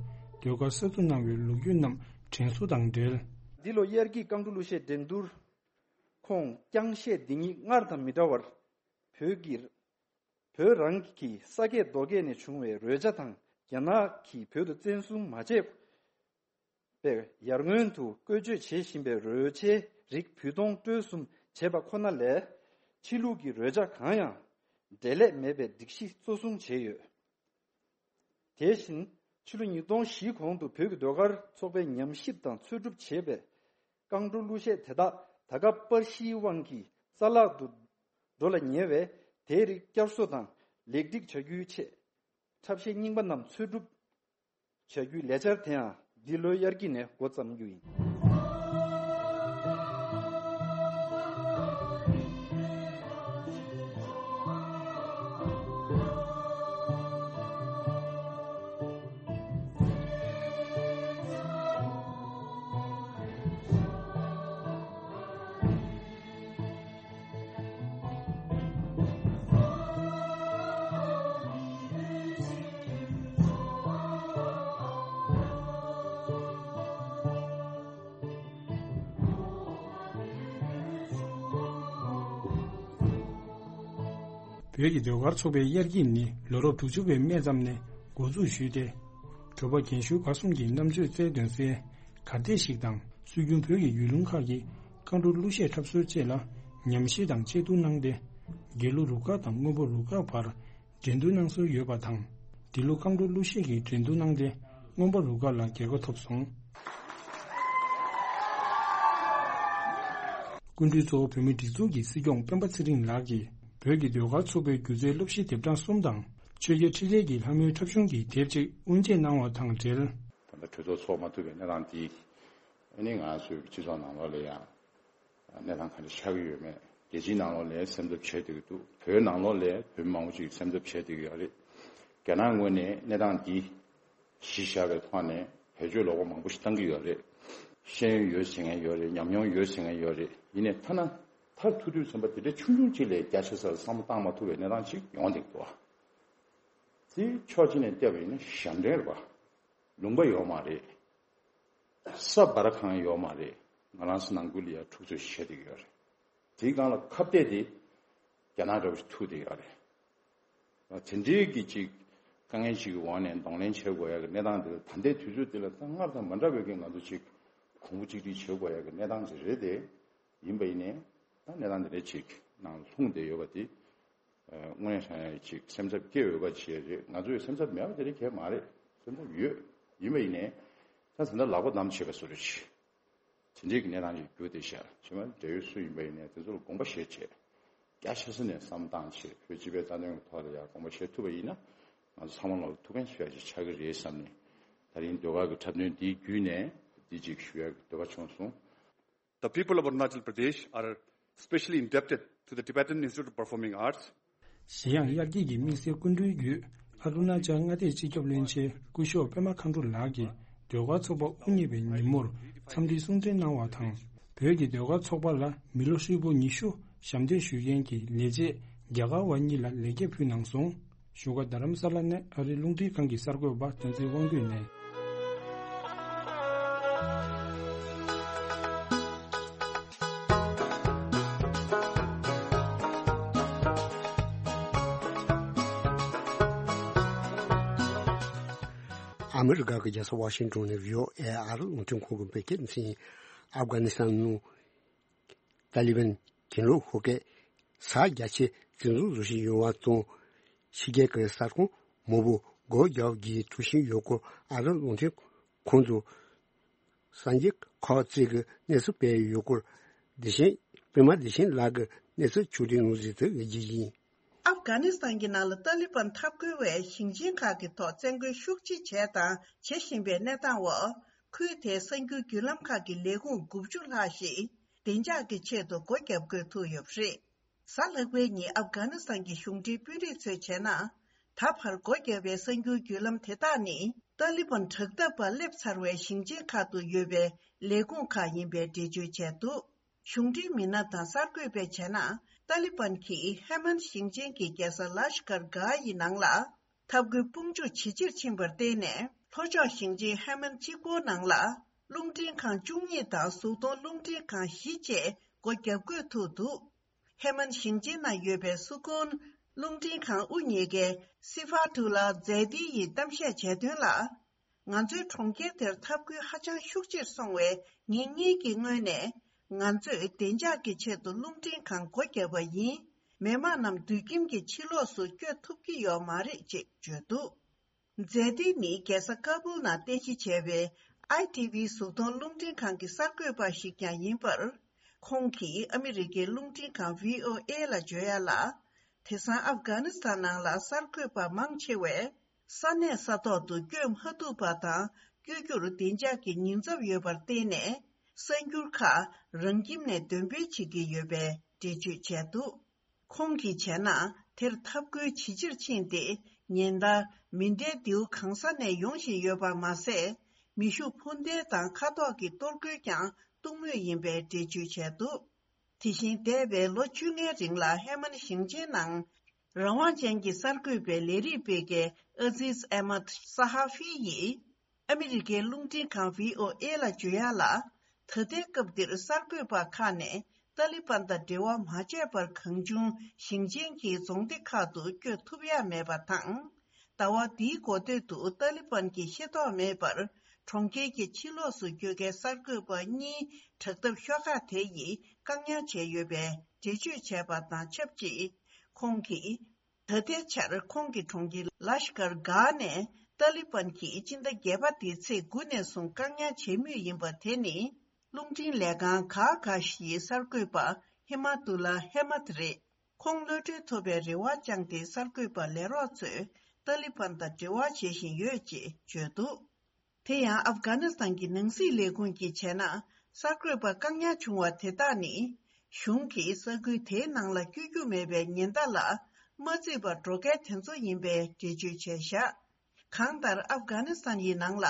ཟློས་གར་གསར་འཛུགས་གནང་བའི་ལོ་རྒྱུས་རྣམས་དྲན་གསོ་དང་འབྲེལ། འདི་ལོ་དབྱར་སྐྱིད་རྐང་བྲོ་གླུ་གཞས་འགྲན་བསྡུར། ཁོང་རྐྱང་གཞས་འདི་ཉིད་སྔར་དང་མི་འདྲ་བར། བོད་ཀྱི། བོད་རང་གི་ས་སྐྱེས་རྡོ་སྐྱེས་ནས་བྱུང་བའི་རོལ་ཆ་དང་རྒྱ་ནག་གིས་བོད་དུ་བཙན་བཟུང་མ་བྱས་པའི་ཡར་སྔོན་དུ་བཀོལ་སྤྱོད་བྱེད་བཞིན་པའི་རོལ་ཆའི་རིགས་བུད་གཏོང་སྤྲོད་གསུམ་བྱས་པ་ཁོ་ན་ལས། ཕྱི་ལུགས་ཀྱི་རོལ་ཆ་གང་ཡང་འབྲེལ་ལད་མེད་པའི་སྒྲིག་གཞི་གཙོ་བཟུང་བྱས་ཡོད། དེ་བཞིན། ཕྱི་ལོ་ཉིས་སྟོང་བཞི་གོང་དུ་བོད་ཀྱི་ཟློས་གར་ཚོགས་པས་ཉམས་ཞིབ་དང་འཚོལ་སྒྲུབ་བྱས་པའི་རྐང་བྲོ་གླུ་གཞས་དེ་དག་ད་སྐབས་པར་གཞིའི་དབང་གིས་རྩ་བརླག་ཏུ་འགྲོ་ལ་ཉེ་བས། དེའི་རིགས་བསྐྱར་གསོ་དང་ལེགས་སྒྲིག་བྱ་རྒྱུའི་ཆེད། འཁྲབ་གཞས་རྙིང་པ་རྣམས་འཚོལ་སྒྲུབ་བྱ་རྒྱུའི་ལས་འཆར་དེའང་འདི་ལོའི་དབྱར་དཀྱིལ་ནས་འགོ་བརྩམ་རྒྱུ་ཡིན། བོད་ཀྱི་ཟློས་གར་ཚོགས་པའི་དབྱར་སྐྱིད་ནི་ལོ་རབས་དྲུག་ཅུ་པའི་སྨད་ཙམ་ནས་འགོ་འཛུགས་ཞུས་ཏེ། གྲོགས་པོ་རྒན་ཤོས་བར་གསུམ་གྱིས་རྣམ་དཔྱོད་རྩལ་འདོན་སའི་གར་སྟེགས་ཤིག་དང་། སྲོལ་རྒྱུན་བོད་ཀྱི་ཡུལ་ལུང་ཁག་གི་རྐང་བྲོ་གླུ་གཞས་འཁྲབ་སྲོལ་བཅས་ལ་ཉམས་ཞིབ་དང་དཔྱད་བསྡུར་གནང་སྟེ། དགེ་ལུགས་རུ་ཁག་དང་སྔོན་པོ་རུ་ཁག་བར་འགྲན་བསྡུར་གནང་སྲོལ་ཡོད་པ་དང་། འདི་ལོ་རྐང་བྲོ་གླུ་གཞས་ཀྱི་འགྲན་བསྡུར་གནང་སྟེ། སྔོན་པོ་རུ་ཁག་ལ་རྒྱལ་ཁ་ཐོབ་སོང་། སྐུ་མགྲོན་གཙོ་བོ་བོད་མིའི་སྒྲིག་འཛུགས་ཀྱི་སྲིད་སྐྱོང་སྤེན་པ་ཚེ་རིང་ལགས་ཀྱིས། བོད་ཀྱི་ཟློས་གར་ཚོགས་པའི་སྒྱུ་རྩལ་སློབ་གཞི་དེབ་གྲངས་གསུམ་དང་། ཆོས་རྒྱལ་འཕྲིན་ལས་ཀྱི་ལྷ་མོའི་འཁྲབ་གཞུང་གི་དེབ་ཅིག་དབུ་འབྱེད་གནང་བ་དང་འབྲེལ། ད་ལྟ་གྲོས་ཚོགས་ཚོགས་མ་ཐུབ་པའི་གནས་སྟངས་འདི། ཨ་ནི་ང་ཚོའི་སྤྱི་ཚོགས་ནང་ལོགས་ལ་ཡང་། གནས་སྟངས་ག་འདྲ་ཆགས་ཀྱི་ཡོད་མེད། རྒྱལ་སྤྱིའི་ནང་ལོགས་ལ་སེམས་འཚབ་བྱས་བསྡད་ཀྱི་འདུག་བོད་ནང་ལོགས་ལ་བོད་མི་མང་པོ་ཅིག་སེམས་འཚབ་བྱས་བསྡད་ཀྱི་ཡོད་རེད། རྒྱ་ནག་ངོས་ནས་གནས་སྟངས་འདི་གཞི་བཞག་པའི་ཐོག་ནས་བེད་སྤྱོད་ལོག་པ་མང་པོ་ཞིག་བཏང་གི་ཡོད་རེད། ཤེས་ཡོན་ཡོད་ཟེར་མཁན་ཡོད་རེད། ཉམས་མྱོང་ཡོད་ཟེར་མཁན་ཡོད་རེད། ཡིན་ནའི་ཐ་ན་མཐར་ཐུག་དུས་ཙམ་པ་དེ་འདྲའི་ཆུང་ཆུང་ཅིག་ལས་རྒྱ་ཆེ་ས་ལ་བསམ་བློ་བཏང་མ་ཐུབ་པའི་གནས་སྟངས་ཅིག་ཡོང་བསྡད་འདུག་བ། དེ་ཕྱོགས་གཅིག་ནས་བལྟས་པ་ཡིན་ན་ཞབས་འདྲེན་རེད་བ། ལུང་པ་ཡོད་མ་རེད། ས་བར་ཁང་ཡོད་མ་རེད། ང་རང་ཚོ་ནང་ཁུལ་ལ་ཡང་འཁྲུག་རྩོད་བྱེད་བསྡད་ཀྱི་ཡོད་རེད། དེའི་སྒང་ལ་ཁ་གཏད་དེ་རྒྱ་ནག་འདྲ་བོ་ཞིག་ཐུག་བསྡད་ཡོད་རེད། དེ་འདྲའི་གི་ཅིག་དཀའ་ངལ་ཅིག་གི་འོག་ནས་གདོང་ལེན་བྱེད་དགོས་ཡ་གི་གནས་སྟངས་དེ་ལ། ད་ལྟའི་དུས་ཚོད་དེ་ལ་ད་སྔར་དང་མ་འདྲ་བའི་གི་ང་ཚོ་ཅིག་གོང་བུ་གཅིག་སྒྲིལ་བྱེད་དགོས་ཡ་གི་གནས་སྟངས་ཅིག་རེད་དེ། ཡིན་པ་ཡིན་ནའི་ད་གནས་སྟངས་དེ་འདྲ་ཅིག་ནང་ལྷུང་བསྡད་ཡོད་པ་དེ། དངོས་གནས་དྲང་གནས་ཅིག་སེམས་འཚབ་སྐྱེ་འོས་པ་ཅིག་རེད། ང་ཚོས་སེམས་འཚབ་མེད་པ་དེ་རིགས་གང་ཡང་མ་རེད། སེམས་འཚབ་ཡོད། ཡིན་པ་ཡིན་ནའི་ད་ད་ལྟ་ལག་པ་བསྣམས་བྱེད་པ་བཟོ་འདྲ་ཅིག་དེ་འདྲའི་གི་གནས་སྟངས་ཅིག་གྱུར་བསྡད་ཤག་ཕྱི་མ་འབྲེལ་ཡོད་སུ་ཡིན་པ་ཡིན་ནའི་དེ་ཚོ་ལ་དགོངས་པ་བཞེས་བྱས། རྒྱ་ཆེ་ས་ནས་བསམ་བཏང་བྱས། བོད་སྤྱི་པའི་རྩ་དོན་གྱི་ཐོག་ལ་ཡང་དགོངས་པ་བཞེས་ཐུབ་པ་ཡིན་ན། ང་ཚོ་ཚང་མ་ལ་ཐུགས་ཕན་གསོས་ཡ་ཅིག་ཆགས་ཀྱི་རེད་བསམ་ནས། ད་རིང་ཟློས་གར་གྱི་འཁྲབ་སྟོན་འདིའི་བརྒྱུད་ནས་འདི་ཅིག་ཞུ་ཡ་གི་འདོད་པ་བྱུང་སོང་། The people of Arunachal Pradesh are specially indebted to the Tibetan Institute of Performing Arts. གཞན་ཡང་། དབྱར་སྐྱིད་ཀྱི་དམིགས་བསལ་སྐུ་མགྲོན་བརྒྱུད། ཨ་རུ་ན་ཅལ་མངའ་སྡེའི་སྤྱི་ཁྱབ་བློན་ཆེན་སྐུ་ཞབས་པད་མ་མཁའ་འགྲོ་ལགས་ཀྱིས་ཟློས་གར་ཚོགས་པ་དབུ་བརྙེས་པའི་ཉིན་མོར་འཚམས་འདྲིའི་གསུང་འཕྲིན་གནང་བ་དང་། བོད་ཀྱི་ཟློས་གར་ཚོགས་པ་ལ་མི་ལོ་ཧྲིལ་པོ་ཉི་ཤུ་ཞབས་འདེགས་ཞུ་མཁན་གྱི་ལས་བྱེད་རྒྱ་གར་བ་གཉིས་ལ་ལེགས་སྐྱེས་ཕུལ་གནང་སོང་། བཞུགས་སྒར་རྡ་རམ་ས་ལ་ནས་ཨ་རིའི་རླུང་འཕྲིན་ཁང་གི་གསར་འགོད་པ་བསྟན་འཛིན་དབང་འདུས་ནས། ཨ་མི་རི་ཀ་གི་རྒྱལ་ས་ཝ་ཤིང་ཏོན་ནས་བྷི་ཨོ་ཨེ་ཨ་རི་རླུང་འཕྲིན་ཁང་གི་བོད་སྐད་སྡེ་ཚན། ཨབ་གྷ་ནི་སི་ཐན་ནང་ཏཱ་ལི་བན་གྱེན་ལོག་ཤོག་ཁག་གིས་ས་རྒྱ་ཆེ་འཛིན་བཟུང་བཟོ་བཞིན་ཡོད་པ་དང་། ཕྱི་རྒྱལ་གྱི་ས་ཁོངས་མང་པོ་སྒོ་རྒྱག་རྒྱུའི་གྲོས་གཞི་ཡོད་སྐོར་ཨ་རིའི་རླུང་འཕྲིན་ཁང་དུ་གསར་འགྱུར་ཁག་ཅིག་གིས་གནས་ཚུལ་སྤེལ་ཡོད་སྐོར། བདེ་ཆེན། པད་མ་བདེ་ཆེན་ལགས་ཀྱིས་གནས་ཚུལ་ཕྱོགས་སྒྲིག་གནང་གཟིགས་དུ་ཡོད་རྒྱུ་ཡིན། ཨབ་གྷ་ནི་སི་ཐན་གྱི་ནང་ལ་ཏཱ་ལི་བན་འཐབ་རྒོལ་བས་ཞིང་ཆེན་ཁག་གི་ཐོག་བཙན་རྒོལ་ཤུགས་ཆེ་བྱས་དང་བྱེད་བཞིན་པའི་གནས་སྟངས་འོག་ཁུལ་དེའི་གསར་འགྱུར་བརྒྱུད་ལམ་ཁག་གི་ལས་ཁུངས་དགུ་བཅུ་ལྷག་ཞིག་ བདེ་འཇགས་ཀྱི་ཆེད་དུ་སྒོ་བརྒྱབ་དགོས་ཐུག་ཡོད་པ་རེད། གཟའ་ལྷག་པའི་ཉིན་ཨབ་གྷ་ནི་སི་ཐན་གྱི་གཞུང་འབྲེལ་དཔོན་རིགས་ཚོས་བྱས་ན། ད་བར་སྒོ་བརྒྱབ་པའི་གསར་འགྱུར་བརྒྱུད་ལམ་དེ་དག་ནི་ཏཱ་ལི་བན་དྲག་འཐབ་པ་སླེབས་ཚར་བའི་ཞིང་ཆེན་ཁག་ཏུ་ཡོད་པའི་ལས་ཁུངས་ཁག་ཡིན་པའི་འགྲེལ་བརྗོད་བྱས་འདུག་གཞུང་འབྲེལ་མི་སྣ་དང་གསར་འགོད་པས་བྱས་ན། ཏཱ་ལི་བན་གྱིས་ཧེ་མན་ཞིང་ཆེན་གྱི་རྒྱལ་ས་ལ་ཤ་ཀར་གྷ་ཡི་ནང་ལ་འཐབ་རྒོལ་དཔུང་འཇུག་ཇེ་ཆེར་ཕྱིན་པར་བརྟེན་ནས། ལྷོ་ཕྱོགས་ཞིང་ཆེན་ཧེ་མན་གཅིག་པོའི་ནང་ལ་རླུང་འཕྲིན་ཁང་བཅུ་གཉིས་དང་གཟུགས་མཐོང་རླུང་འཕྲིན་ཁང་བཞི་བཅས་སྒོ་བརྒྱབ་དགོས་ཐུག་འདུག་ཧེ་མན་ཞིང་ཆེན་ནང་ཡོད་པའི་སུ་ཁོན་རླུང་འཕྲིན་ཁང་དབུ་བརྙེས་མཁན་སི་ཧྥ་ཐུ་ལ་ཛེ་ཏི་ཡིས་གཏམ་བཤད་བྱས་དོན་ལ། ང་ཚོའི་གྲོང་ཁྱེར་དེར་འཐབ་རྒོལ་ཧ་ཅང་ཤུགས་ཆེར་སོང་བས། ངེད་གཉིས་ཀྱི་ངོས་ནས་ང་ཚོས་བདེ་འཇགས་ཀྱི་ཆེད་དུ་རླུང་འཕྲིན་ཁང་སྒོ་བརྒྱབ་པ་ཡིན། མི་མང་རྣམས་སྡོད་ཁྱིམ་གྱི་ཕྱི་ལོགས་སུ་བསྐྱོད་ཐུབ་ཀྱི་ཡོད་མ་རེད་ཅེས་བརྗོད་འདུག་ཛེ་ཏི་ནི་རྒྱལ་ས་ཀ་བུལ་ནང་རྟེན་གཞི་བྱས་པའི་ཨའི་ཊི་ཝི་གཟུགས་མཐོང་རླུང་འཕྲིན་ཁང་གི་གསར་འགོད་པ་ཞིག་ཀྱང་ཡིན་པར། ཁོང་གིས་ཨ་མི་རི་ཀའི་རླུང་འཕྲིན་ཁང་བྷི་ཨོ་ཨེ་ལ་བརྗོད་ཡ་ལ། དེང་སང་ཨབ་གྷ་ནི་སི་ཐན་ནང་ལ་གསར་འགོད་པ་མང་ཆེ་བས། ས་གནས་ས་ཐོག་ཏུ་བསྐྱོད་མ་ཐུབ་པ་དང་། བསྐྱོད་རྒྱུར་བདེ་འཇགས་ཀྱི་ཉེན་ཚབས་ཡོད་པར་བརྟེན་ནས། གསར་འགྱུར་ཁག་རང་ཁྱིམ་ནས་འདོན་སྤེལ་བྱེད་ཀྱི་ཡོད་པའི་འགྲེལ་བརྗོད་བྱས་འདུག་ཁོང་གིས་བྱས་ན། དེར་འཐབ་རྒོལ་ཇེ་ཆེར་ཕྱིན་ཏེ། ཉིན་ལྟར་མེ་འདྲའི་མདེའུ་གང་ས་ནས་ཡོང་བཞིན་ཡོད་པ་མ་ཟད། མེ་ཤུགས་འཕུར་མདེལ་དང་མཁའ་ཐོག་གི་གཏོར་རྒོལ་ཀྱང་གཏོང་མུས་ཡིན་པའི་འགྲེལ་བརྗོད་བྱས་འདུག་དེ་བཞིན་འདས་པའི་ལོ་བཅོ་ལྔའི་རིང་ལ་ཧེ་མན་ཞིང་ཆེན་ནང་རང་དབང་ཅན་གྱི་གསར་འགོད་པའི་ལས་རིགས་སྤེལ་མཁན་ཨ་ཛིས་ཨེ་མད་ས་ཧ་ཧྥི་ཡིས་ཨ་མི་རི་ཀའི་རླུང་འཕྲིན་ཁང་བྷི་ཨོ་ཨེ་ལ་བརྗོད་ཡ་ལ། ད་ལྟའི་སྐབས་འདིར་གསར་འགོད་པ་ཁག་ནས་ཏཱ་ལི་པན་དང་འབྲེལ་བ་མ་བྱས་པར་གང་བྱུང་ཞིང་ཆེན་གྱི་རྫོང་སྡེ་ཁག་ཏུ་བསྐྱོད་ཐུབ་ཡ་མེད་པ་དང་། ཟླ་བ་འདིའི་འགོ་སྟོད་དུ་ཏཱ་ལི་པན་གྱིས་ཤེས་རྟོགས་མེད་པར་གྲོང་ཁྱེར་གྱི་ཕྱི་ལོགས་སུ་བསྐྱོད་མཁན་གསར་འགོད་པ་གཉིས་དྲག་འཐབ་ཤོག་ཁག་དེ་ཡིས་བཀག་ཉར་བྱས་ཡོད་པའི་འགྲེལ་བརྗོད་བྱས་པ་དང་ཆབས་ཅིག་ཁོང་གིས། ད་ལྟའི་ཆར་ཁོང་གི་གྲོང་ཁྱེར་ལ་ཤ་ཀར་གྷ་ནས་ཏཱ་ལི་པན་གྱིས་སྤྱི་ཟླ་བརྒྱད་པ་འདིའི་ཚེས་དགུ་ནས་བཟུང་བཀག་ཉར་བྱེད་མུས་ཡིན་པ་དེ་ནི། རླུང་འཕྲིན་ལས་ཁང་གྷ་གྷ་ཤིའི་གསར་འགོད་པ་ཧི་མ་ཏུ་ལ་ཧེ་མད་རེད། ཁོང་གློད་གྲོལ་ཐོབ་པའི་རེ་བ་བཅངས་ཏེ། གསར་འགོད་པ་ལས་རོགས་ཚོས་ཏཱ་ལི་པན་དང་འབྲེལ་བ་བྱེད་བཞིན་ཡོད་ཅེས་བརྗོད་འདུག་དེ་ཡང་ཨབ་གྷ་ནི་སི་ཐན་གྱི་ནང་སྲིད་ལས་ཁུངས་ཀྱིས་བྱས་ན། གསར་འགོད་པ་བཀག་ཉར་བྱུང་བ་དེ་དག་ནི། གཞུང་གིས་ས་ཁུལ་དེའི་ནང་ལ་བསྐྱོད་རྒྱུ་མེད་པའི་ཉེན་བརྡ་ལ་མ་བརྩིས་པར་འགྲོ་མཁན་དེ་ཚོ་ཡིན་པའི་འགྲེལ་བརྗོད་བྱས་བཞག་གང་ལྟར། ཨབ་གྷ་ནི་སི་ཐན་ཡི་ནང་ལ་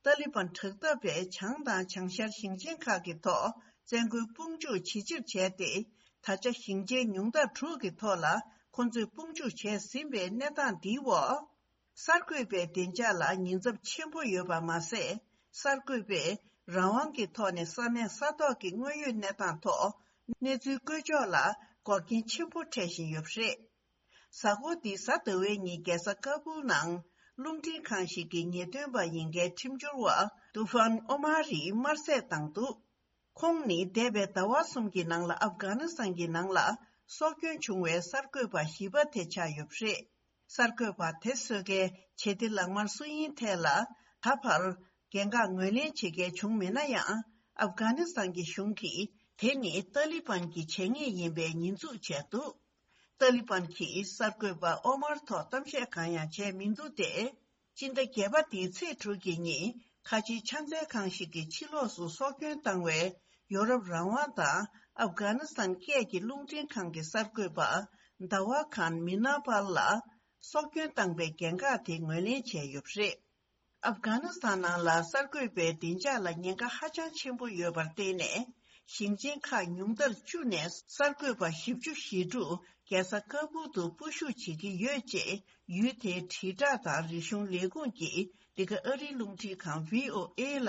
ཏཱ་ལི་པན་དྲག་འཐབ་པས་བྱང་དང་བྱང་ཤར་ཞིང་ཆེན་ཁག་གི་ཐོག་བཙན་རྒོལ་དཔུང་འཇུག་ཇེ་ཆེར་བྱས་ཏེ། ད་ཆ་ཞིང་ཆེན་ཉུང་མཐར་དྲུག་གི་ཐོག་ལ་ཁོ་ཚོས་དཔུང་འཇུག་བྱས་ཟིན་པའི་གནས་སྟངས་འདིའི་འོག་གསར་འགོད་པའི་བདེ་འཇགས་ལ་ཉེན་ཚབས་ཆེན་པོ་ཡོད་པ་མ་ཟད། གསར་འགོད་པས་རང་དབང་གི་ཐོག་ནས་ས་གནས་ས་ཐོག་གི་དངོས་ཡོད་གནས་སྟངས་ཐོག་གནས་ཚུལ་བཀོད་ཕྱོགས་ལ་འགོག་རྐྱེན་ཆེན་པོ་འཕྲད་བཞིན་ཡོད་པ་རེད། གཟའ་འཁོར་འདིའི་གཟའ་ཟླ་བའི་ཉིན་རྒྱལ་ས་ཀ་བུལ་ནང་རླུང་འཕྲིན་ཁང་ཞིག་གི་ཉེས་དོན་པ་ཡིན་མཁན་ཁྲིམས་སྦྱོར་བ་ཏུ་ཧྥན་ཨོ་མར་ཡིས་དམར་གསོད་བཏང་འདུག་ཁོང་ནི་འདས་པའི་ཟླ་བ་གསུམ་གྱི་ནང་ལ་ཨབ་གྷ་ནི་སི་ཐན་གྱི་ནང་ལ་སྲོག་སྐྱོན་བྱུང་བའི་གསར་འགོད་པ་བཞི་པ་དེ་ཆགས་ཡོད་པ་རེད། གསར་འགོད་པ་དེ་གསོད་མཁན་བྱེད་གཏེ་ལག་དམར་སུ་ཡིན་ཐད་ལ་ད་བར་འགན་ཁག་ངོས་ལེན་བྱེད་མཁན་བྱུང་མེད་ན་ཡང་། ཨབ་གྷ་ནི་སི་ཐན་གྱི་གཞུང་གིས་དེ་ནི་ཏཱ་ལི་པན་གྱི་བྱས་ཉེས་ཡིན་པའི་ཉེས་འཛུགས་བྱས་འདུག་ཏཱ་ལི་པན་གྱིས་གསར་འགོད་པ་ཨོ་མར་ཐོག་གཏམ་བཤད་གང་ཡང་བྱས་མི་འདུག་སྟེ། སྤྱི་ཟླ་བརྒྱད་པ་འདིའི་ཚེས་དྲུག་གི་ཉིན་ཁ་ཆེའི་ཕྱག་འཚལ་ཁང་ཞིག་གི་ཕྱི་ལོགས་སུ་སྲོག་སྐྱོན་བཏང་བའི་ཡོ་རོབ་རང་དབང་དང་ཨབ་གྷ་ནི་སི་ཐན་སྐད་ཀྱི་རླུང་འཕྲིན་ཁང་གི་གསར་འགོད་པ་ཟླ་བ་ཁཱན་མི་ན་པལ་ལ་སྲོག་སྐྱོན་བཏང་པའི་འགན་ཁག་དེ་ངོས་ལེན་བྱས་ཡོད་པ་རེད། ཨབ་གྷ་ནི་སི་ཐན་ནང་ལ་གསར་འགོད་པའི་བདེ་འཇགས་ལ་ཉེན་ཁ་ཧ་ཅང་ཆེན་པོ་ཡོད་པར་བརྟེན་ནས། ཞིང་ཆེན་ཁག་ཉུང་མཐར་བཅུ་ནས་གསར་འགོད་པ་བཞི་བཅུ་ཞེ་དྲུག་རྒྱལ་ས་ཀ་བུལ་དུ་སྤོ་བཞུད་བྱེད་ཀྱི་ཡོད་ཅེས་ཡུལ་དེའི་དྲིལ་བསྒྲགས་དང་རིག་གཞུང་ལས་ཁུངས་ཀྱིས་འདི་ག་ཨ་རིའི་རླུང་འཕྲིན་ཁང་བྷི་ཨོ་ཨེ་ལ་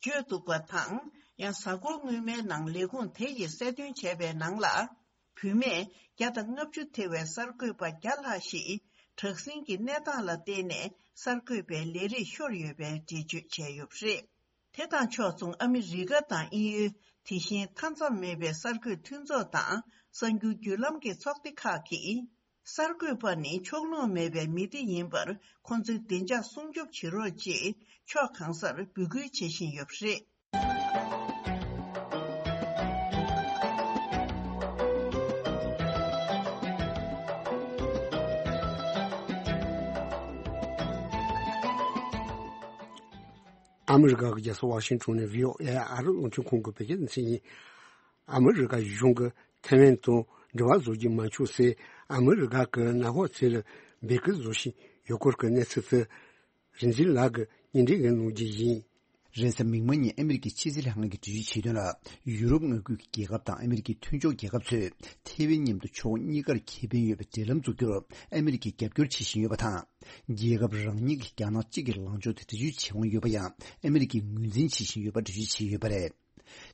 བརྗོད་འདུག་པ་དང་། ཡང་གཟའ་འཁོར་སྔོན་མའི་ནང་ལས་ཁུངས་དེ་ཡིས་གསལ་སྟོན་བྱས་པའི་ནང་ལ། བུད་མེད་བརྒྱ་དང་ལྔ་བཅུ་ཐེ་བའི་གསར་འགོད་པ་བརྒྱ་ལྷག་ཞིག་དྲག་ཟིང་གི་གནས་སྟངས་ལ་བརྟེན་ནས་གསར་འགོད་པའི་ལས་རིགས་ཤོར་ཡོད་པའི་འགྲེལ་བརྗོད་བྱས་ཡོད་པ་རེད། དེ་དང་ཕྱོགས་མཚུངས་ཨ་མི་རི་ཀ་དང་དབྱིན་ཡུལ། དེ་བཞིན་མཐའ་མཚམས་མེད་པའི་གསར་འགོད་མཐུན་ཚོགས་དང་གསར་འགྱུར་བརྒྱུད་ལམ་གྱི་ཚོགས་སྡེ་ཁག་གིས། གསར་འགོད་པ་ནི་ཕྱོགས་ལྷུང་མེད་པའི་མི་སྡེ་ཡིན་པར་ཁོང་ཚོའི་བདེ་འཇགས་སྲུང་སྐྱོབ་བྱེད་རོགས་ཅེས་ཕྱོགས་གང་སར་འབོད་སྐུལ་བྱེད་བཞིན་ཡོད་པ་རེད། ཨ་མི་རི་ཀ་གི་རྒྱལ་ས་ཝ་ཤིང་ཊོན་ནས་བྷི་ཨོ་ཨེ་ཨ་རི་རླུང་འཕྲིན་ཁང་གི་བོད་སྐད་སྡེ་ཚན་ཡིན། ཨ་མི་རི་ཀ་གཞུང་གིས་ཐའེ་ཝན་དང་འབྲེལ་བ་བཟོ་རྒྱུ་མ་འཁྱོངས་ཚེ། ཨ་མི་རི་ཀ་གི་ནང་ཧོ་ཚེ་ལ་འབོད་སྐུལ་བཟོ་བཞིན་ཡོད་སྐོར་གྱི་གནས་ཚུལ་དེ། རིག་འཛིན་ལགས་ཀྱིས་སྙན་སྒྲོན་གནང་རྒྱུ་ཡིན། རེས་གཟའ་མིག་དམར་ཉིན་ཨ་མི་རི་ཀའི་ཕྱི་སྲིད་ལྷན་ཁང་གིས་འགྲེལ་བརྗོད་བྱས་དོན་ལ། ཡུ་རོབ་མངའ་ཁུལ་གྱི་རྒྱལ་ཁབ་དང་ཨ་མི་རི་ཀའི་མཐུན་ཕྱོགས་རྒྱལ་ཁབ་ཚོས་ཐའེ་ཝན་མཉམ་དུ་ཕྱོགས་གཉིས་ཀར་ཁེ་ཕན་ཡོད་པའི་འབྲེལ་ལམ་འཛུགས་རྒྱུར་ཨ་མི་རི་ཀས་རྒྱབ་སྐྱོར་བྱེད་བཞིན་ཡོད་པ་དང་། རྒྱལ་ཁབ་རང་ཉིད་ཀྱིས་རྒྱ་ནག་གཅིག་གི་ལངས་ཕྱོགས་དེ་འདྲ་བརྗོད་བྱེད་དབང་ཡོད་པ་ཡང་ཨ་མི་རི་ཀས་ངོས་འཛིན་བྱེད་བཞིན་ཡོད་པ་འགྲེལ་བརྗོད་བྱས་ཡོད་པ་རེད།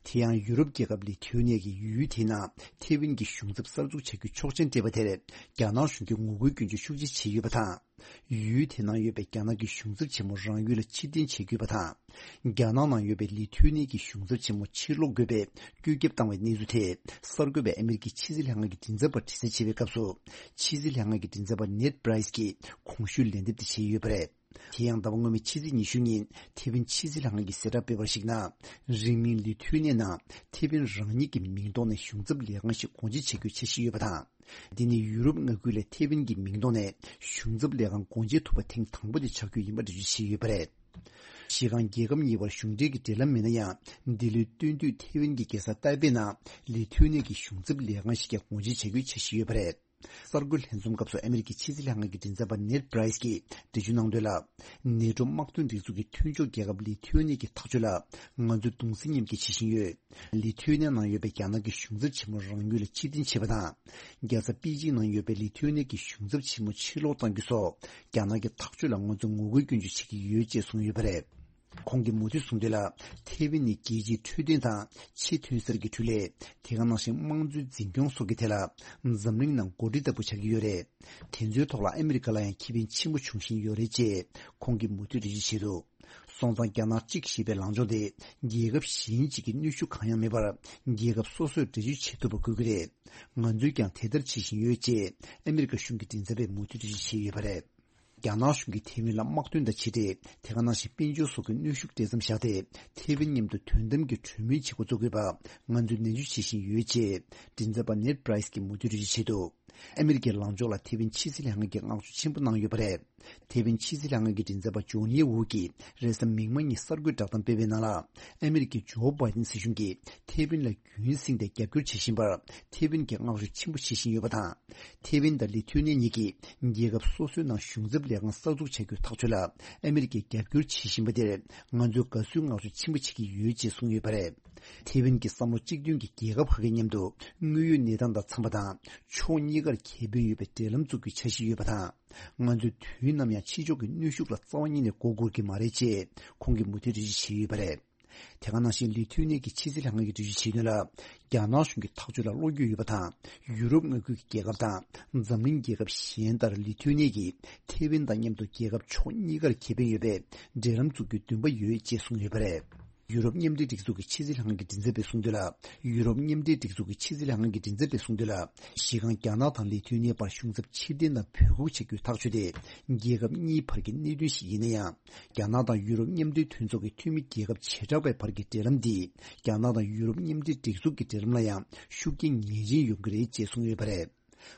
དེ་ཡང་ཡུ་རོབ་རྒྱལ་ཁབ་ལི་ཐུ་ནི་ཡ་གིས་ཡུལ་དེའི་ནང་ཐའེ་ཝན་གྱི་གཞུང་ཚབ་གསར་འཛུགས་བྱ་རྒྱུའི་ཆོག་མཆན་སྤྲད་པ་དེར་རྒྱ་ནག་གཞུང་གིས་ངོ་རྒོལ་སྐྱོན་བརྗོད་ཤུགས་ཆེ་བྱས་ཡོད་པ་དང་། ཡུལ་དེའི་ནང་ཡོད་པའི་རྒྱ་ནག་གི་གཞུང་ཚབ་ཆེན་མོ་རང་ཡུལ་ལ་ཕྱིར་འཐེན་བྱེད་དགོས་པ་དང་། རྒྱ་ནག་ནང་ཡོད་པའི་ལི་ཐུ་ནི་ཡ་གི་གཞུང་ཚབ་ཆེན་མོ་ཕྱིར་སློག་དགོས་པའི་བཀོད་ཁྱབ་བཏང་བའི་གནས་ཚུལ་དེ་གསར་འགོད་པས་ཨ་མི་རི་ཀའི་ཕྱི་སྲིད་ལྷན་ཁང་གི་མགྲིན་ཚབ་པར་དྲི་རྩད་བྱས་པའི་སྐབས་སུ། ཕྱི་སྲིད་ལྷན་ཁང་གི་མགྲིན་ཚབ་པ་ནེད་པྲའི་སི་ཀྱིས་གོང་ཞུས་ལན་འདེབས་དེ་བྱས་ཡོད་པ་རེད། དེ་ཡང་ཟླ་བ་སྔོན་མའི་ཕྱི་ཚེས་ཉི་ཤུ་ཉིན་ཐེ་ཝན་ཕྱི་སྲིད་ལྷན་ཁང་གིས་གསལ་བསྒྲགས་སྤེལ་བར་གཞིགས་ན། རིང་མིན་ལི་ཐུ་ནི་ཡ་ནང་ཐེ་ཝན་རང་ཉིད་ཀྱི་མིང་ཐོག་ནས་གཞུང་ཚབ་ལས་ཁང་ཞིག་སྒོ་འབྱེད་བྱ་རྒྱུའི་འཆར་གཞི་ཡོད་པ་དང་། འདི་ནི་ཡུ་རོབ་མངའ་ཁུལ་ལས་ཐེ་ཝན་གྱི་མིང་ཐོག་ནས་གཞུང་ཚབ་ལས་ཁང་སྒོ་འབྱེད་ཐུབ་པ་ཐེངས་དང་པོ་དེ་ཆགས་རྒྱུ་ཡིན་པ་འགྲེལ་བརྗོད་བྱས་ཡོད་པ་རེད། གཞི་རྐང་རྒྱལ་ཁབ་གཉིས་བར་གཞུང་འབྲེལ་གྱི་འབྲེལ་ལམ་མེད་ན་ཡང་། འདི་ལོའི་སྟོན་དུས་ཐེ་ཝན་གྱི་རྒྱལ་ས་ཏའེ་པེ་ནང་ལི་ཐུ་ནི་ཡ་གི་གཞུང་ཚབ་ལས་ཁང་ཞིག་ཀྱང་སྒོ་འབྱེད་བྱ་རྒྱུའི་འཆར་གཞི་ཡོད་པ་རེད། གསར་འགོད་ལྷན་འཛོམས་སྐབས་སུ་ཨ་མི་རི་ཀའི་ཕྱི་སྲིད་ལྷན་ཁང་གི་མགྲིན་ཚབ་པ་ནེད་པྲའི་སི་ཀྱིས་འགྲེལ་བརྗོད་གནང་དོན་ལ། ནེ་ཊོ་དམག་དོན་སྒྲིག་འཛུགས་ཀྱི་མཐུན་ཕྱོགས་རྒྱལ་ཁབ་ལི་ཐུ་ནི་ཡ་གི་ཐག་གཅོད་ལ་ང་ཚོས་གདུང་སེམས་མཉམ་སྐྱེད་བྱེད་བཞིན་ཡོད། ལི་ཐུ་ནི་ཡ་ནང་ཡོད་པའི་རྒྱ་ནག་གི་གཞུང་ཚབ་ཆེན་མོ་རང་ཡུལ་ལ་ཕྱིར་འཐེན་བྱས་པ་དང་། རྒྱལ་ས་པེ་ཅིང་ནང་ཡོད་པའི་ལི་ཐུ་ནི་ཡ་གི་གཞུང་ཚབ་ཆེན་མོ་ཕྱིར་སློག་གཏང་རྒྱུ་སོགས་རྒྱ་ནག་གི་ཐག་གཅོད་ལ་ང་ཚོས་ངོ་རྒོལ་སྐྱོན་བརྗོད་བྱེད་ཀྱི་ཡོད་ཅེས་གསུངས་ཡོད་པ་རེད། ཁོང་གིས་མུ་མཐུད་གསུངས་དོན་ལ། ཐེ་ཝན་ནི་རྒྱལ་སྤྱིའི་འཕྲོད་བསྟེན་དང་ཆེས་ཐོན་གསར་གྱི་འཕྲུལ་ལས། དེ་ག་ནང་བཞིན་དམངས་གཙོའི་འཛིན་སྐྱོང་སོགས་ཀྱི་ཐད་ལ་འཛམ་གླིང་ནང་འགོ་ཁྲིད་ལྟ་བུ་ཆགས་ཀྱི་ཡོད་རེད། དེ་ཚོའི་ཐོག་ལ་ཨ་མི་རི་ཀ་ལ་ཡང་ཁེ་ཕན་ཆེན་པོ་འབྱུང་བཞིན་ཡོད་རེད་ཅེས་ཁོང་གིས་མུ་མཐུད་འགྲེལ་བརྗོད་བྱས་འདུག་སོང་ཙང་རྒྱ་ནག་གཅིག་ཞེས་པའི་ལངས་ཕྱོགས་དེ་རྒྱལ་ཁབ་གཞན་གཅིག་གིས་གནོན་ཤུགས་གང་ཡང་མེད་པར་རྒྱལ་ཁབ་སོ་སོས་འགྲེལ་བརྗོད་བྱེད་ཐུབ་པ་དགོས་ཀྱི་རེད། ང་ཚོས་ཀྱང་དེ་ལྟར་བྱེད་བཞིན་ཡོད་ཅེས་ཨ་མི་རི་ཀ་གཞུང་གི་མགྲིན་ཚབ་པས་མུ་མཐུད་འགྲེལ་བརྗོད་བྱས་ཡོད་པ་རེད། རྒྱ་ནག་གཞུང་གིས་ཐེ་ཝན་ལ་དམག་དོན་དང་ཕྱི་འབྲེལ། དེ་ག་ནང་བཞིན་དཔལ་འབྱོར་སོགས་ཀྱི་གནོན་ཤུགས་སྤྲད་མཚམས་བཞག་སྟེ། ཐེ་ཝན་མཉམ་དུ་དོན་དམ་གྱི་གྲོས་མོལ་བྱེད་འགོ་བཙུགས་དགོས་པ་ང་ཚོས་ནན་བརྗོད་བྱེད་བཞིན་ཡོད་ཅེས་མགྲིན་ཚབ་པ་ནེད་པྲའི་སི་ཀྱིས་མུ་མཐུད་འགྲེལ་བརྗོད་བྱས་འདུག་ཨ་མི་རི་ཀའི་ལངས་ཕྱོགས་ལ་ཐེ་ཝན་ཕྱི་སྲིད་ལྷན་ཁང་གིས་བསྔགས་བརྗོད་ཆེན་པོ་གནང་ཡོད་པ་རེད། ཐེ་ཝན་ཕྱི་སྲིད་ལྷན་ཁང་གི་མགྲིན་ཚབ་པ་ཇོན་ཡེ་ཝུ་གིས་རེས་གཟའ་མིག་དམར་ཉིན་གསར་འགོད་བསྒྲགས་གཏམ་སྤེལ་བའི་ནང་ལ། ཨ་མི་རི་ཀའི་ཇོ་བྷའི་ཏིན་སྲིད་གཞུང་གིས་ཐེ་ཝན་ལ་རྒྱུན་བསྲིངས་ཏེ་རྒྱབ་སྐྱོར་བྱེད་བཞིན་པར་ཐེ་ཝན་གྱིས་བསྔགས་བརྗོད་ཆེན་པོ་བྱེད་བཞིན་ཡོད་པ་དང་། ཐེ་ཝན་དང་ལི་ཐུ་ནི་ཡ་གཉིས་ཀྱིས་རྒྱལ་ཁབ་སོ་སོའི་ནང་གཞུང་ཚབ་ལས་ཁང་གསར་འཛུགས་བྱ་རྒྱུའི་ཐག་གཅོད་ལ་ཨ་མི་རི་ཀས་རྒྱབ་སྐྱོར་བྱེད་བཞིན་པ་དེར་ང་ཚོས་དགའ་བསུའི་བསྔགས་བརྗོད་ཆེན་པོ་བྱེད་ཀྱི་ཡོད་ཅེས་གསུངས་ཡོད་པ་རེད། ཐེ་ཝན་གྱི་བསམ་བློ་གཅིག་མཐུན་གྱི་རྒྱལ་ཁབ་ཁག་གི་མཉམ་དུ་དངོས་ཡོད་གནས་སྟངས་དང་འཚམས་པ་དང་ཕྱོགས་གཉིས་ཀར་ཁེ་ཕན་ཡོད་པའི་འབྲེལ་ལམ་འཛུགས་རྒྱུའི་འཆར་གཞི་ཡོད་པ་དང་། ང་ཚོས་དུས་ནམ་ཡང་ཕྱི་ཕྱོགས་ཀྱི་གནོན་ཤུགས་ལ་རྩ་བ་ཉིད་ནས་མགོ་སྒུར་གྱི་མ་རེད་ཅེས་ཁོང་གིས་མུ་མཐུད་འགྲེལ་བརྗོད་བྱས་ཡོད་པ་རེད། དེ་ག་ནང་བཞིན་ལི་ཐུ་ནི་ཡ་གི་ཕྱི་སྲིད་ལྷན་ཁང་གིས་འགྲེལ་བརྗོད་བྱས་དོན་ལ། རྒྱ་ནག་གཞུང་གི་ཐག་གཅོད་ལ་བློ་འགྱོད་ཡོད་པ་དང་། ཡུ་རོབ་མངའ་ཁུལ་གྱི་རྒྱལ་ཁབ་དང་འཛམ་གླིང་རྒྱལ་ཁབ་གཞན་ལྟར་ལི་ཐུ་ནི་ཡ་གིས་ཐེ་ཝན་དང་མཉམ་དུ་རྒྱལ་ཁབ་ཕྱོགས་གཉིས་ཀར་ཁེ་ཕན་ཡོད་པའི་འབྲེལ་ལམ་འཛུགས་རྒྱུའི་འདུན་པ་ཡོད་ཅེས་གསུངས་ཡོད་པ་རེད། ཡུ་རོབ་མཉམ་འབྲེལ་སྒྲིག་འཛུགས་ཀྱི་ཕྱི་སྲིད་ལྷན་ཁང་གི་མགྲིན་ཚབ་པས་གསུངས་དོན་ལ། ཡུ་རོབ་མཉམ་འབྲེལ་སྒྲིག་འཛུགས་ཀྱི་ཕྱི་སྲིད་ལྷན་ཁང་གི་མགྲིན་ཚབ་པས་གསུངས་དོན་ལ། གཞི་རྐང་རྒྱ་ནག་དང་ལི་ཐུ་ནི་ཡ་བར་གཞུང་ཚབ་ཕྱིར་འཐེན་དང་འབོད་འགུག་བྱ་རྒྱུའི་ཐག་གཅོད་དེ། རྒྱལ་ཁབ་གཉིས་བར་གྱི་གནད་དོན་ཞིག་ཡིན་ན་ཡང་། རྒྱ་ནག་དང་ཡུ་རོབ་མཉམ་འབྲེལ་མཐུན་ཚོགས་ཀྱི་འཐུས་མི་རྒྱལ་ཁབ་བྱེ་བྲག་པའི་བར་གྱི་འབྲེལ་ལམ་འདིས། རྒྱ་ནག་དང་ཡུ་རོབ་མཉམ་འབྲེལ་སྒྲིག་འཛུགས་ཀྱི་འབྲེལ་ལམ་ལ་ཡང་ཤུགས་རྐྱེན་ངེས་ཅན་ཡོང་གི་རེད་ཅེས་གསུངས་ཡོད་པ་རེད།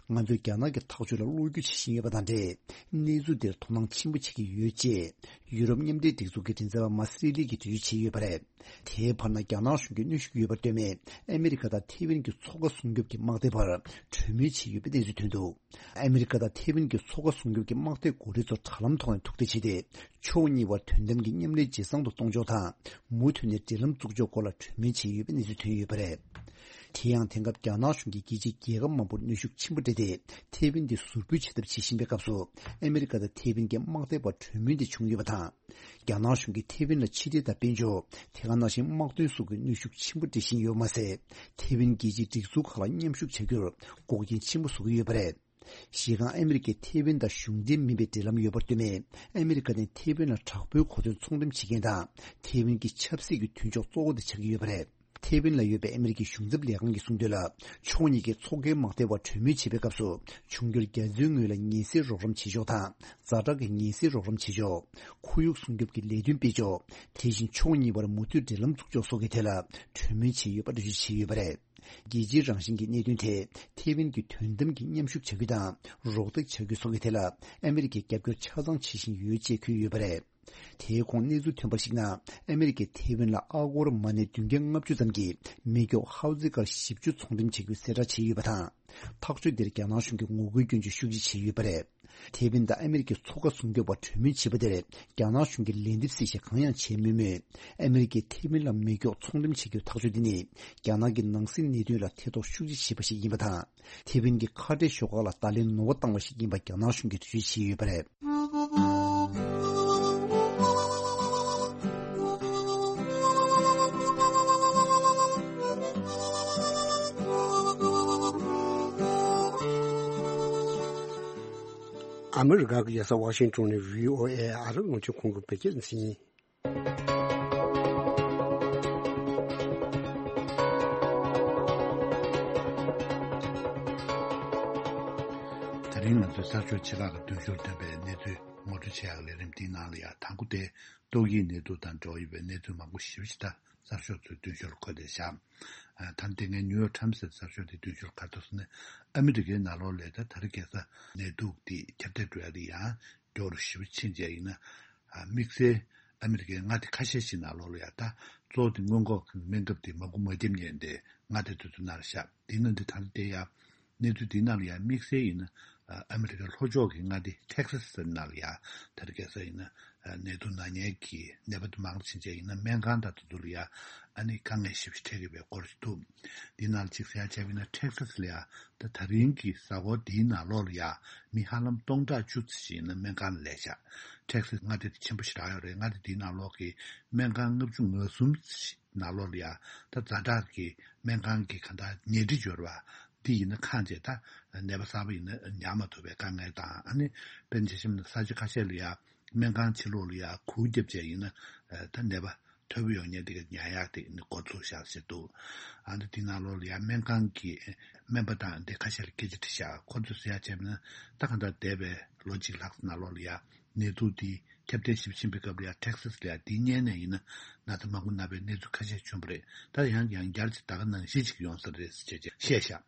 ང་ཚོས་རྒྱ་ནག་གི་ཐག་གཅོད་ལ་བློ་འགྱོད་བྱེད་བཞིན་ཡོད་པ་དང་འབྲེལ། གནས་ཚུལ་འདིར་དོ་སྣང་ཆེན་པོ་བྱེད་ཀྱི་ཡོད་ཅེས། ཡུ་རོབ་མཉམ་འབྲེལ་སྒྲིག་འཛུགས་ཀྱི་མགྲིན་ཚབ་པ་མ་སི་རི་ལི་གིས་འགྲེལ་བརྗོད་བྱས་ཡོད་པ་རེད། དེའི་བར་ན་རྒྱ་ནག་གཞུང་གིས་གནོན་ཤུགས་ཡོད་པར་ལྟོས་མེད། ཨ་མི་རི་ཀ་དང་ཐེ་ཝན་གྱི་མཚོ་ཁ་སྲུང་སྐྱོབ་ཀྱི་དམག་སྡེ་བར་གྲོས་མོལ་བྱས་ཡོད་པའི་གནས་ཚུལ་ཐོན་འདུག་ཨ་མི་རི་ཀ་དང་ཐེ་ཝན་གྱི་མཚོ་ཁ་སྲུང་སྐྱོབ་ཀྱི་དམག་སྡེའི་འགོ་ཁྲིད་ཚོ་དྲ་ལམ་ཐོག་ནས་ཐུག་འཕྲད་བྱས་ཏེ། ཕྱོགས་གཉིས་བར་དོན་དམ་གྱི་མཉམ་ལས་ཇེ་བཟང་དུ་གཏོང་ཕྱོགས་དང་། མུ་མཐུད་ནས་འབྲེལ་ལམ་བཙུགས་ཕྱོགས་སྐོར་ལ་གྲོས་མོལ་བྱས་ཡོད་པའི་གནས་ཚུལ་ཐོན་ཡོད་པ་རེད། དེ་ཡང་དེང་སྐབས་རྒྱ་ནག་གཞུང་གིས་རྒྱལ་སྤྱིའི་རྒྱལ་ཁབ་མང་པོར་གནོན་ཤུགས་ཆེན་པོ་སྤྲད་དེ། ཐེ་ཝན་དེ་ཟུར་འབུད་བྱེད་ཐབས་བྱེད་བཞིན་པའི་སྐབས་སུ། ཨ་མི་རི་ཀ་དང་ཐེ་ཝན་གྱི་དམག་སྡེ་བར་གྲོས་མོལ་དེ་བྱུང་ཡོད་པ་དང་། རྒྱ་ནག་གཞུང་གིས་ཐེ་ཝན་ལ་ཕྱི་འབྲེལ་དང་དཔལ་འབྱོར། དེ་ག་ནང་བཞིན་དམག་དོན་སོགས་ཀྱི་གནོན་ཤུགས་ཆེན་པོ་སྤྲད་བཞིན་ཡོད་མ་ཟད། ཐེ་ཝན་རྒྱལ་སྤྱིའི་སྒྲིག་འཛུགས་ཁག་ལ་མཉམ་ཞུགས་བྱ་རྒྱུར་འགོག་རྐྱེན་ཆེན་པོ་བཟོ་གི་ཡོད་པ་རེད། གཞི་རྐང་ཨ་མི་རི་ཀས་ཐེ་ཝན་དང་གཞུང་འབྲེལ་མིན་པའི་འབྲེལ་ལམ་ཡོད་པར་ལྟོས་མེད། ཨ་མི་རི་ཀ་ནི་ཐེ་ཝན་ལ་དྲག་པོའི་གོ་དོན་ཚོང་འགྲེམས་བྱེད་མཁན་དང་། ཐེ་ཝན་གྱི་ཆབ་སྲིད་ཀྱི་མཐུན་ཕྱོགས་གཙོ་བོ་དེ་ཆགས་ཀྱི་ཡོད་པ་རེད། ཐེ་ཝན་ལ་ཡོད་པའི་ཨ་མི་རི་ཀའི་གཞུང་ཚབ་ལས་ཁང་གིས་གསུངས་དོན་ལ། ཕྱོགས་གཉིས་ཀས་མཚོ་ཁའི་དམག་སྡེ་བར་གྲོས་མོལ་བྱེད་པའི་སྐབས་སུ། འབྱུང་འགྱུར་རྒྱ་མཚོའི་ངོས་ལ་ཉེན་སེལ་རོགས་རམ་བྱེད་ཕྱོགས་དང་། ཛ་དྲག་གི་ཉེན་སེལ་རོགས་རམ་བྱེད་ཕྱོགས། ཁོར་ཡུག་སྲུང་སྐྱོབ་ཀྱི་ལས་དོན་སྤེལ་ཕྱོགས། དེ་བཞིན་ཕྱོགས་གཉིས་བར་མུ་མཐུད་འབྲེལ་ལམ་འཛུགས་ཕྱོགས་སོགས་ཀྱི་ཐད་ལ་གྲོས་མོལ་བྱས་ཡོད་པ་འགྲེལ་བརྗོད་བྱས་ཡོད་པ་རེད། རྒྱལ་སྤྱིའི་རང་བཞིན་གྱི་གནད་དོན་ཐད་ཐེ་ཝན་གྱིས་དོན་དམ་གྱི་མཉམ་ཞུགས་བྱ་རྒྱུ་དང་རོགས་འདེགས་བྱ་རྒྱུ་སོགས་ཀྱི་ཐད་ལ་ཨ་མི་རི་ཀས་རྒྱབ་སྐྱོར་ཆ་ཚང་བྱེད་བཞིན་ཡོད་ཅེས་འཁོད་ཡོད་པ་རེད། དེའི་གོང་གནས་ཚུལ་ཐོན་པར་གཞིགས་ན། ཨ་མེ་རི་ཀས་ཐེ་ཝན་ལ་ཨ་སྒོར་མ་ཎི་བདུན་བརྒྱ་ལྔ་བཅུ་ཙམ་གྱི་མེ་སྒྱོགས་ཧའོ་ཙི་ཀར་བཞི་བཅུ་ཚོང་འགྲེམས་བྱེད་རྒྱུའི་གསལ་བསྒྲགས་བྱས་ཡོད་པ་དང་། ཐག་གཅོད་འདིར་རྒྱ་ནག་གཞུང་གིས་ངོ་རྒོལ་སྐྱོན་བརྗོད་ཤུགས་ཆེ་བྱས་ཡོད་པ་རེད། ཐེ་ཝན་དང་ཨ་མེ་རི་ཀའི་མཚོ་ཁ་སྲུང་སྐྱོབ་པ་གྲོས་མོལ་བྱས་པ་དེར་རྒྱ་ནག་གཞུང་གིས་ལན་འདེབས་གཟིགས་ཞིབ་གང་ཡང་བྱས་མེད་མོད། ཨ་མེ་རི་ཀས་ཐེ་ཝན་ལ་མེ་སྒྱོགས་ཚོང་འགྲེམས་བྱེད་རྒྱུའི་ཐག་གཅོད་འདི་ནི་རྒྱ་ནག་གི་ནང་སྲིད་གནད་དོན་ལ་ཐེ་གཏོགས་ཤུགས་ཆེ་བྱས་པ་ཞིག་ཡིན་པ་དང་། ཐེ་ཝན་གྱི་ཁ་བྲལ་ཤོག་ཁག་ལ་བརྡ་ལན་ནོར་བ་བཏང་བ་ཞིག་ཡིན་པ་རྒྱ་ནག་གཞུང་གིས་འགྲེལ་བརྗོད་བྱས་ཡོད་པ་རེད། ཨ་མི་རི་ཀ་གི་རྒྱལ་ས་ཝ་ཤིང་ཏོན་ནས་བྷི་ཨོ་ཨེ་ཨ་རི་རླུང་འཕྲིན་ཁང་གི་བོད་སྐད་སྡེ་ཚན་ཡིན། དེ་རིང་ང་ཚོའི་གསར་ཤོག་ཆེ་ཁག་གི་མདུན་ཤོག་ཐོན་པའི་གནས་ཚུལ་ངོ་སྤྲོད་བྱེད་ཡག་ལས་རིམ་འདིའི་ནང་ལ་ཡང་དང་པོ་དེ་ཏོག་དབྱིབས་ནད་དུག་དང་འབྲེལ་བ་ཡོད་པའི་གནས་ཚུལ་མང་པོ་ཞེ་པོ་ཅིག་ད་གསར་ཤོག་ཚོའི་མདུན་ཤོག་ལ་འཁོད་བསྡད་བཞག་ད་དེ་སྔའི་ནིའུ་ཡོག་ཊའིམ་སི་ཟེར་གསར་ཤོག་དེའི་མདུན་ཤོག་ལ་ག་རེ་འདུག་ཟེར་ན། ཨ་མི་རི་ཀའི་ནང་ལོགས་ལ་ད་ད་རེས་ཁ་སང་ནད་དུག་འདི་ཁྱབ་གདལ་འགྲོ་ཡ་དེ་ཡང་མགྱོགས་རུ་ཞེ་པོ་ཕྱིན་བྱས་ཡིན་ན། ཨ་དམིགས་བསལ་ཨ་མི་རི་ཀའི་མངའ་སྡེ་ཁ་ཤས་ཤིག་ནང་ལོགས་ལ་ཡ་ད་གཙོ་བོ་དེ་སྔོན་འགོག་གི་སྨན་ཁབ་དེ་མ་འགོ་མ་བརྒྱབ་མཁན་དེ་མངའ་སྡེ་དེ་ཚོ་ནང་ལ་བཞག་དེ་ནང་དེ་ད་ལྟ་དེ་ཡ་གནས་ཚུལ་དེའི་ནང་ལ་ཡང་དམིགས་བསལ་ཡིན་ན། ཨ་མི་རི་ཀའི་ལྷོ་ཕྱོགས་ཀྱི་མངའ་སྡེ་ཊེག་སཱ་ཟེར་ནང་ལ་ཡང་དེར་ཁ་སང་ཡིན་ན། ཨ་ནད་དུག་ན་མཁན་གྱི་ནད་པ་དེ་མང་རུ་ཕྱིན་བྱས་ཡིན་ན་སྨན་ཁང་དང་དེ་ཚོ་ལ་ཡང་ཨ་ནི་དཀའ་ངལ་ཞེ་པོ་ཅིག་འཕྲད་ཀྱི་ཡོད་པའི་སྐོར་ཞིག་འདུག་འདིའི་ནང་ལ་ཅིག་གསལ་བཤད་བྱས་པ་ཡིན་ན་ཊེག་སཱ་ལ་ཡང་ད་ད་རིང་གི་གཟའ་འཁོར་འདིའི་ནང་ལོགས་ལ་ཡང་མི་ཧ་ལམ་སྟོང་ཕྲག་བཅུ་ཙམ་ཞིག་ཡིན་ན་སྨན་ཁང་ལ་ལས་བཞག་ཊེག་སཱ་མངའ་སྡེ་དེ་ཆེན་པོ་ཞེ་དྲག་ཡོད་རེད། མངའ་སྡེ་འདིའི་ནང་ལོགས་ཀྱི་སྨན་ཁང་ལྔ་བཅུ་ང་གསུམ་ཞིག་ནང་ལོགས་ལ་ཡ་ད་ཛ་དྲག་གི་སྨན་ཁང་གི་ག་ད་ཉལ་ཁྲི་འབྱོར་བ་འདི་ཡིན་ན་ཁེངས་བྱས་ད་ནད་པ་གསར་པ་ཡིན་ན་ཉར་མ་ཐུབ་པའི་དཀའ་ངལ་དང་། ཨ་ནི་དཔེར་ན་ཆ་བཞག་ན་ས་ཆ་ཁ་ཤས་ལ་ཡ་སྨན་ཁང་ཕྱི་ལོགས་ལ་ཡ་གུར་བརྒྱབ་བྱས་ཡིན་ན་ད་ནད་པ་ཐོབ་ཡོང་མཁན་དེ་ག་ཉར་ཡག་དེ་ནི་འགོ་ཚུགས་བཞག་བྱས་འདུག་ཨ་ནི་དེ་ནང་ལོགས་ལ་ཡ་སྨན་ཁང་གི་སྨན་པ་དང་དེ་ཁ་ཤས་ལ་སྐད་ཆ་དྲིས་བཞག་ཁོ་ཚོས་ཟེར་ཡ་བྱས་པ་ན་ད་ག་ད་འདས་པའི་ལོ་གཅིག་ལྷག་ནང་ལོགས་ལ་ཡ་ནད་དུག་འདི་ཁྱབ་གདལ་ཞེ་པོ་ཕྱིན་པའི་སྐབས་ལ་ཡང་ཊེག་སཱ་ལ་ཡང་འདི་སྔོན་ནས་ཡིན་ན་ན་ཚ་མང་པོ་ན་བའི་གནས་ཚུལ་ཁ་ཤས་བྱུང་བ་རེད། ད་ཡང་ཡང་བསྐྱར་གྱི་ད་ག་ནང་བཞིན་ཅིག་ཡོང་ས་རེད་ཅེས་བཤད་ཤག་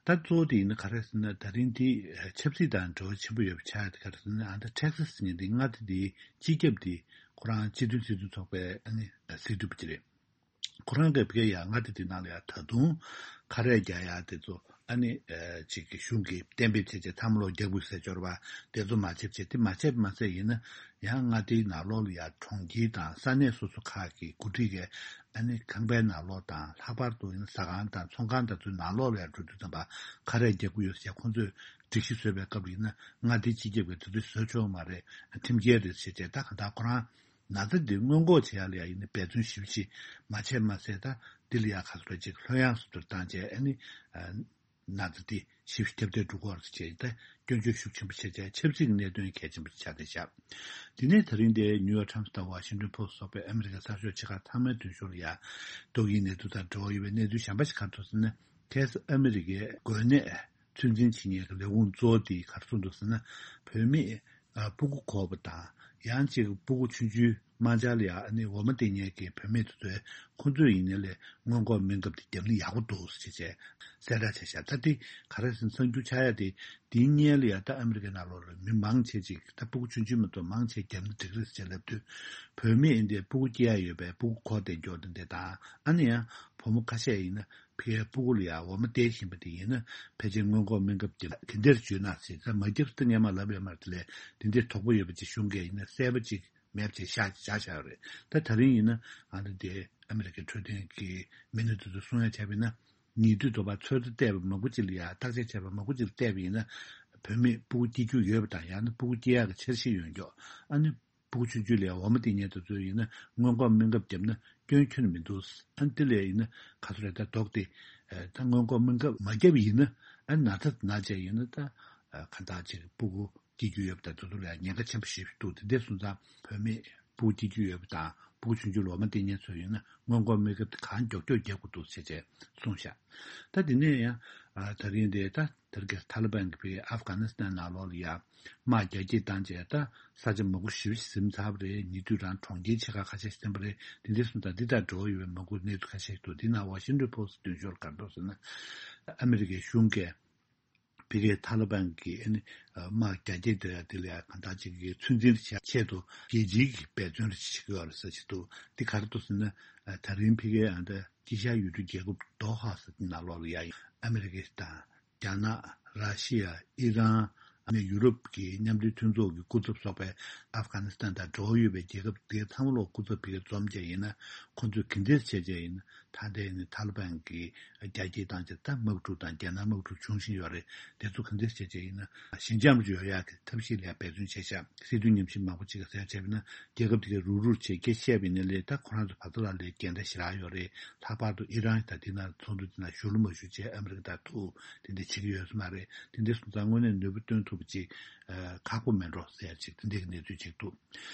ད་གཙོ་བོ་དེ་ཡིན་ན་ག་རེ་ཟེར་ན་ད་རིང་འདི་ཆབ་སྲིད་དང་འབྲེལ་བ་ཆེན་པོ་ཡོད་པ་ཆགས་ཡ་དེ་ག་རེ་ཟེར་ན་ཨ་ད་ཊེག་སཱ་ཟེར་མཁན་འདི་མངའ་སྡེ་འདིའི་སྤྱི་ཁྱབ་འདི་ཁོ་རང་སྤྱི་མཐུན་སྲིད་དོན་ཚོགས་པའི་ཨ་ནི་སྲིད་སྤྱི་པ་ཅིག་རེད། ཁོ་རང་གིས་ཕ་གིར་ཡང་མངའ་སྡེ་དེ་ནང་ལ་ཡང་ད་དུང་ཁ་རས་རྒྱག་ཡ་དེ་ཚོ་ཨ་ནི་ཅིག་གི་གཞུང་གིས་གཏན་འབེབས་བྱས་རྗེས་ཚང་མ་ལོག་རྒྱག་དགོས་ཟེར་འབྱོར་བ་དེ་ཚོ་མ་བྱེད་བྱས་དེ་མ་བྱས་མ་ཟད་ཡིན་ན་ཡང་མངའ་སྡེའི་ནང་ལོགས་ལ་ཡང་གྲོང་ཁྱེར་དང་ས་གནས་སོ་སོ་ཁག་གི་འགོ་ཁྲིད་ཀྱིས་ཨ་ནི་ཁང་པའི་ནང་ལོགས་དང་ལྷག་པར་དུ་ཡིན་ན་ཟ་ཁང་དང་ཚོང་ཁང་དང་ཚོའི་ནང་ལོགས་ལ་ཡང་འགྲོ་དུས་ཙམ་པ་ཁ་རས་རྒྱག་དགོས་ཡོད་ཟེར་ཁོང་ཚོས་སྒྲིག་གཞི་བཟོས་པའི་སྐབས་ལ་ཡིན་ན་མངའ་སྡེའི་སྤྱི་ཁྱབ་ཀྱིས་དེ་ཚོ་བཟོས་ཆོག་མ་རེད། ཁྲིམས་འགལ་རེད་ཟེར་བྱས་ད་ག་ད་ཁོ་རང་ན་ཚ་འདི་སྔོན་འགོག་བྱེད་ཡ་ལ་ཡ་ཡིན་ན་འབད་བརྩོན་ཞེ་པོ་ཅིག་མ་བྱས་མ་ཟད་ད་འདི་ལ་ཡ་ག་ཚོད་ཅིག་ལྷོད་ཡངས་སུ་དུར་བཏང་བྱས་ཨ་ནི་ན་ཚ་འདི་ཞེ་པོ་ཁྱབ་གདལ་འགྲོ་གི་རེད་ཅེས་ད་སྐྱོན་བརྗོད་ཤུགས་ཆེན་པོ་བྱས་བྱས་ཆབ་སྲིད་ཀྱི་གནད་དོན་གལ་ཆེན་པོ་ཆགས་བསྡད་ཤག་དེ་ནས་ད་རིང་འདིའི་ནིའུ་ཡོག་ཊའིམ་སི་དང་ཝ་ཤིང་ཊོན་པོ་སི་ཊི་སོགས་པའི་ཨ་མི་རི་ཀའི་གསར་ཤོག་ཆེ་ཁག་ཚང་མའི་མདུན་ཤོག་ལ་ཡ་ཏོག་དབྱིབས་ནད་དུག་དང་འབྲེལ་བ་ཡོད་པའི་གནས་ཚུལ་གཞན་པ་ཞིག་ག་རེ་འདུག་ཟེར་ན་ཁ་སང་ཨ་མི་རི་ཀའི་འགོས་ནད་ཚོད་འཛིན་བྱེད་མཁན་གྱི་ལས་ཁུངས་གཙོ་བོ་དེས་ག་རེ་གསུངས་འདུག་ཟེར་ན། བུད་མེད་ཨ་སྤུ་གུ་འགོས་པ་དང་ཡང་ཅིག་སྤུ་གུ་ཆུང་ཆུང་དམར་འབྱར་ལ་ཡ་ཨ་ནི་འོ་མ་བསྟེན་མཁན་གྱི་བུད་མེད་དེ་ཚོས་ཁོང་ཚོས་ཡིན་ནའི་ལས་སྔོན་འགོག་སྨན་ཁབ་དེ་བརྒྱབ་ན་ཡག་པོ་འདུག་ཟེར་བྱས་གསལ་བསྒྲགས་བྱས་ཤག་ད་དེ་ག་རེ་ཟེར་ན་གསར་འགྱུར་ཆགས་ཡ་དེ་དེའི་སྔོན་ལ་ཡ་ད་ཨ་མི་རི་ཀའི་ནང་ལོགས་ལ་མི་མང་ཆེ་ཅིག་ད་སྤུ་གུ་ཆུང་ཆུང་མ་གཏོགས་མང་ཆེ་བརྒྱབ་ན་འགྲིག་རེད་ཟེར་ལབ་དུས་བུད་མེད་ཡིན་དེ་སྤུ་གུ་སྐྱེ་ཡ་ཡོད་པའི་སྤུ་གུ་འགོས་བསྡད་མཁན་དེ་འདྲ་དང་ཨ་ནི་ཡང་བུ་མོ་ཁ་ཤས་ཡིན་ན། ཕ་གིའི་སྤུ་གུ་ལ་ཡང་འོ་མ་སྟེར་བཞིན་པ་དེ་ཡིན་ན་ཕལ་ཆེར་སྔོན་འགོག་སྨན་ཁབ་ཀྱི་ག་འདྲ་བྱུང་ན་ཟེར་ད་མ་བརྒྱབ་ད་སྔོན་མ་ལབ་ཡོད་མ་རེད། དེ་ལས་དེ་འདྲའི་དོགས་པ་ཡོད་པ་ཅིག་གཞུང་གིས་ཡིན་ན་གསལ་པོ་ཅིག་མེད་པ་ཅིག་བཞག་བཞག་བཞག་ཡོད་རེད། ད་ད་རིང་ཡིན་ན་ཨ་ནི་དེ་ཨ་མི་རི་ཀའི་འཕྲོད་བསྟེན་གྱི་མི་སྣ་དེ་ཚོས་གསུང་ཡ་བྱས་པ་ཡིན་ན་ཉེ་དུས་དོ་བར་ཚོད་ལྟ་བལྟས་པ་མང་པོ་ཅིག་ལ་ཡང་བརྟག་དཔྱད་བྱས་པ་མང་པོ་ཅིག་ལ་བལྟས་པ་ཡིན་ན་བུད་མེད་སྤུ་གུ་སྐྱེ་རྒྱུ་ཡོད་པ་དང་ཡང་ན་སྤུ་གུ་སྐྱེ་ཡག་གི་འཆར་གཞི་ཡོད་མཁན་ཨ་ནི། སྤུ་གུ་ཆུང་ཆུང་ལ་འོ་མ་སྟེར་མཁན་དེ་ཚོ་ཡིན་ན་སྔོན་འགོག་སྨན་ཁབ་བརྒྱབ་ན་སྐྱོན་ཁྱོན་ནས་མི་འདུག་ཨ་ནི་དེ་ལས་ཡིན་ན་ག་ཚོད་རེད་ད་དོགས་ཏེ་ད་སྔོན་འགོག་སྨན་ཁབ་མ་བརྒྱབ་ཡིན་ན་ཨ་ནི་ན་ཚ་ན་བྱས་ཡིན་ན་ད་གང་ལྟར་ཅིག་སྤུ་གུ་སྐྱེ་རྒྱུ་ཡོད་པ་དང་དེ་ཚོ་ལ་ཉེན་ཁ་ཆེན་པོ་ཞེ་པོ་འདུག་དེ་འདྲ་སོང་ཙང་བུད་མེད་སྤུ་གུ་སྐྱེ་རྒྱུ་ཡོད་པ་དང་སྤུ་གུ་ཆུང་ཆུང་ལ་འོ་མ་སྟེར་མཁན་ཚོ་ཡིན་ན་སྔོན་འགོག་སྨན་ཁབ་དེ་གང་མགྱོགས་མགྱོགས་རྒྱག་དགོས་འདུག་ཟེར་བྱས་གསུངས་ཤག་ད་དེ་ནས་ཡང་ད་རིང་དེ་ད། དེར་གྱི་ཐ་ལི་བན་གྱི་བོད་ཨབ་གྷ་ནི་སི་ཐན་ནང་ལོགས་ལ་ཡ་དམག་རྒྱ་སྐྱེད་བཏང་རྗེས་ད་ས་ཆ་མང་པོ་ཞེ་པོ་ཞིག་ཟིན་ཚར་བ་རེད། ཉེ་དུས་རང་གྲོང་ཁྱེར་ཆེ་ཁག་ཁ་ཤས་ཟིན་པ་རེད། དེ་འདྲའི་སོང་ཙང་འདི་དང་འབྲེལ་བ་ཡོད་པའི་མང་པོ་གནས་ཚུལ་ཁ་ཤས་ཤིག་འདུག་འདི་ནང་ཝ་ཤིང་ཊོན་པོ་སི་ཊི་མདུན་ཤོག་ལ་ག་རེ་འདུག་ཟེར་ན། ཨ་མི་རི་ཀའི་གཞུང་གིས་ ཕ་གིའི་ཐ་ལི་བན་གྱི་ཨ་ནི་དམག་རྒྱ་སྐྱེད་དེ་དེ་ལ་ཡང་གང་ལྟར་ཅིག་གི་ཚོད་འཛིན་བྱ་ཆེད་དུ་རྒྱལ་སྤྱིའི་གི་འབད་བརྩོན་རེ་བྱེད་ཀྱི་ཡོད་རེད་ཟེར་བྱེད་དུ་འདི་ག་རེ་འདུག་ཟེར་ན། ད་རིང་ཕ་གིའི་ཨ་ད་དཀྱིལ་ཤར་ཡུལ་གྲུ་རྒྱལ་ཁབ་དོ་ཧ་ཟེར་དེ་ནང་ལོགས་ལ་ཡ་ཨ་མི་རི་ཀ་དང་། རྒྱ་ནག་ར་ཤི་ཡ། ཨི་རན། ཨ་ནི་ཡུ་རོབ་ཀྱི་མཉམ་འབྲེལ་མཐུན་ཚོགས་ཀྱི་སྐུ་ཚབ་ཚོགས་པས་ཨབ་གྷ་ནི་སི་ཐན་དང་འབྲེལ་བ་ཡོད་པའི་རྒྱལ་ཁབ་དེ་ཚང་མ་ལོག་སྐུ་ཚབ་ཕ་གིར་འཛོམས་བྱས་ཡིན་ན། ཁོང་ཚོས་ག་འདྲས་བྱས་བྱས་ཡིན་ན། ད་ལྟའི་ནི་ཐ་ལི་བན་གྱི་རྒྱ་སྐྱེད་བཏང་བྱས་ད་དམག་འཁྲུག་དང་རྒྱལ་ནང་དམག་འཁྲུག་འབྱུང་བཞིན་ཡོད་རེད། དེ་ཚོ་ག་འདྲས་བྱས་བྱས་ཡིན་ན་ཞི་འཇམ་རུ་ཡོང་ཡག་གི་ཐབས་ཤེས་ལ་འབད་བརྩོན་བྱས་ཤག་སྲིད་དོན་ཉམས་ཞིབ་མང་པོ་ཅིག་གིས་ཟེར་བྱས་པ་ཡིན་ན། རྒྱལ་ཁབ་དེ་གའི་རུག་རུག་བྱས་སྐད་བཤད་པ་ཡིན་ན་ལས་ད་ཁོ་རང་ཚོ་བར་དོ་ལ་ལས་འགལ་ཟླ་ཞེ་དྲག་ཡོད་རེད། ལྷག་པར་དུ་ཨི་རན་དང་དེ་ན་ཚོགས་འདུ་དེ་ན་ཞུགས་ལ་མ་ཞུགས་བྱས་ཨ་མི་རི་ཀ་དང་ཐུག་དེ་འདྲ་བྱེད་ཀྱི་ཡོད་ས་མ་རེད། དེ་འདྲ་སོང་ཙང་དངོས་གནས་ནུས་པ་བཏོན་ཐུབ་པ་ཅིག་ཨ་ཁག་པོ་མེད་འགྲོ་ཟེར་ཅིག་དེ་འདྲ་གི་གནས་ཚུལ་ཅིག་འདུག་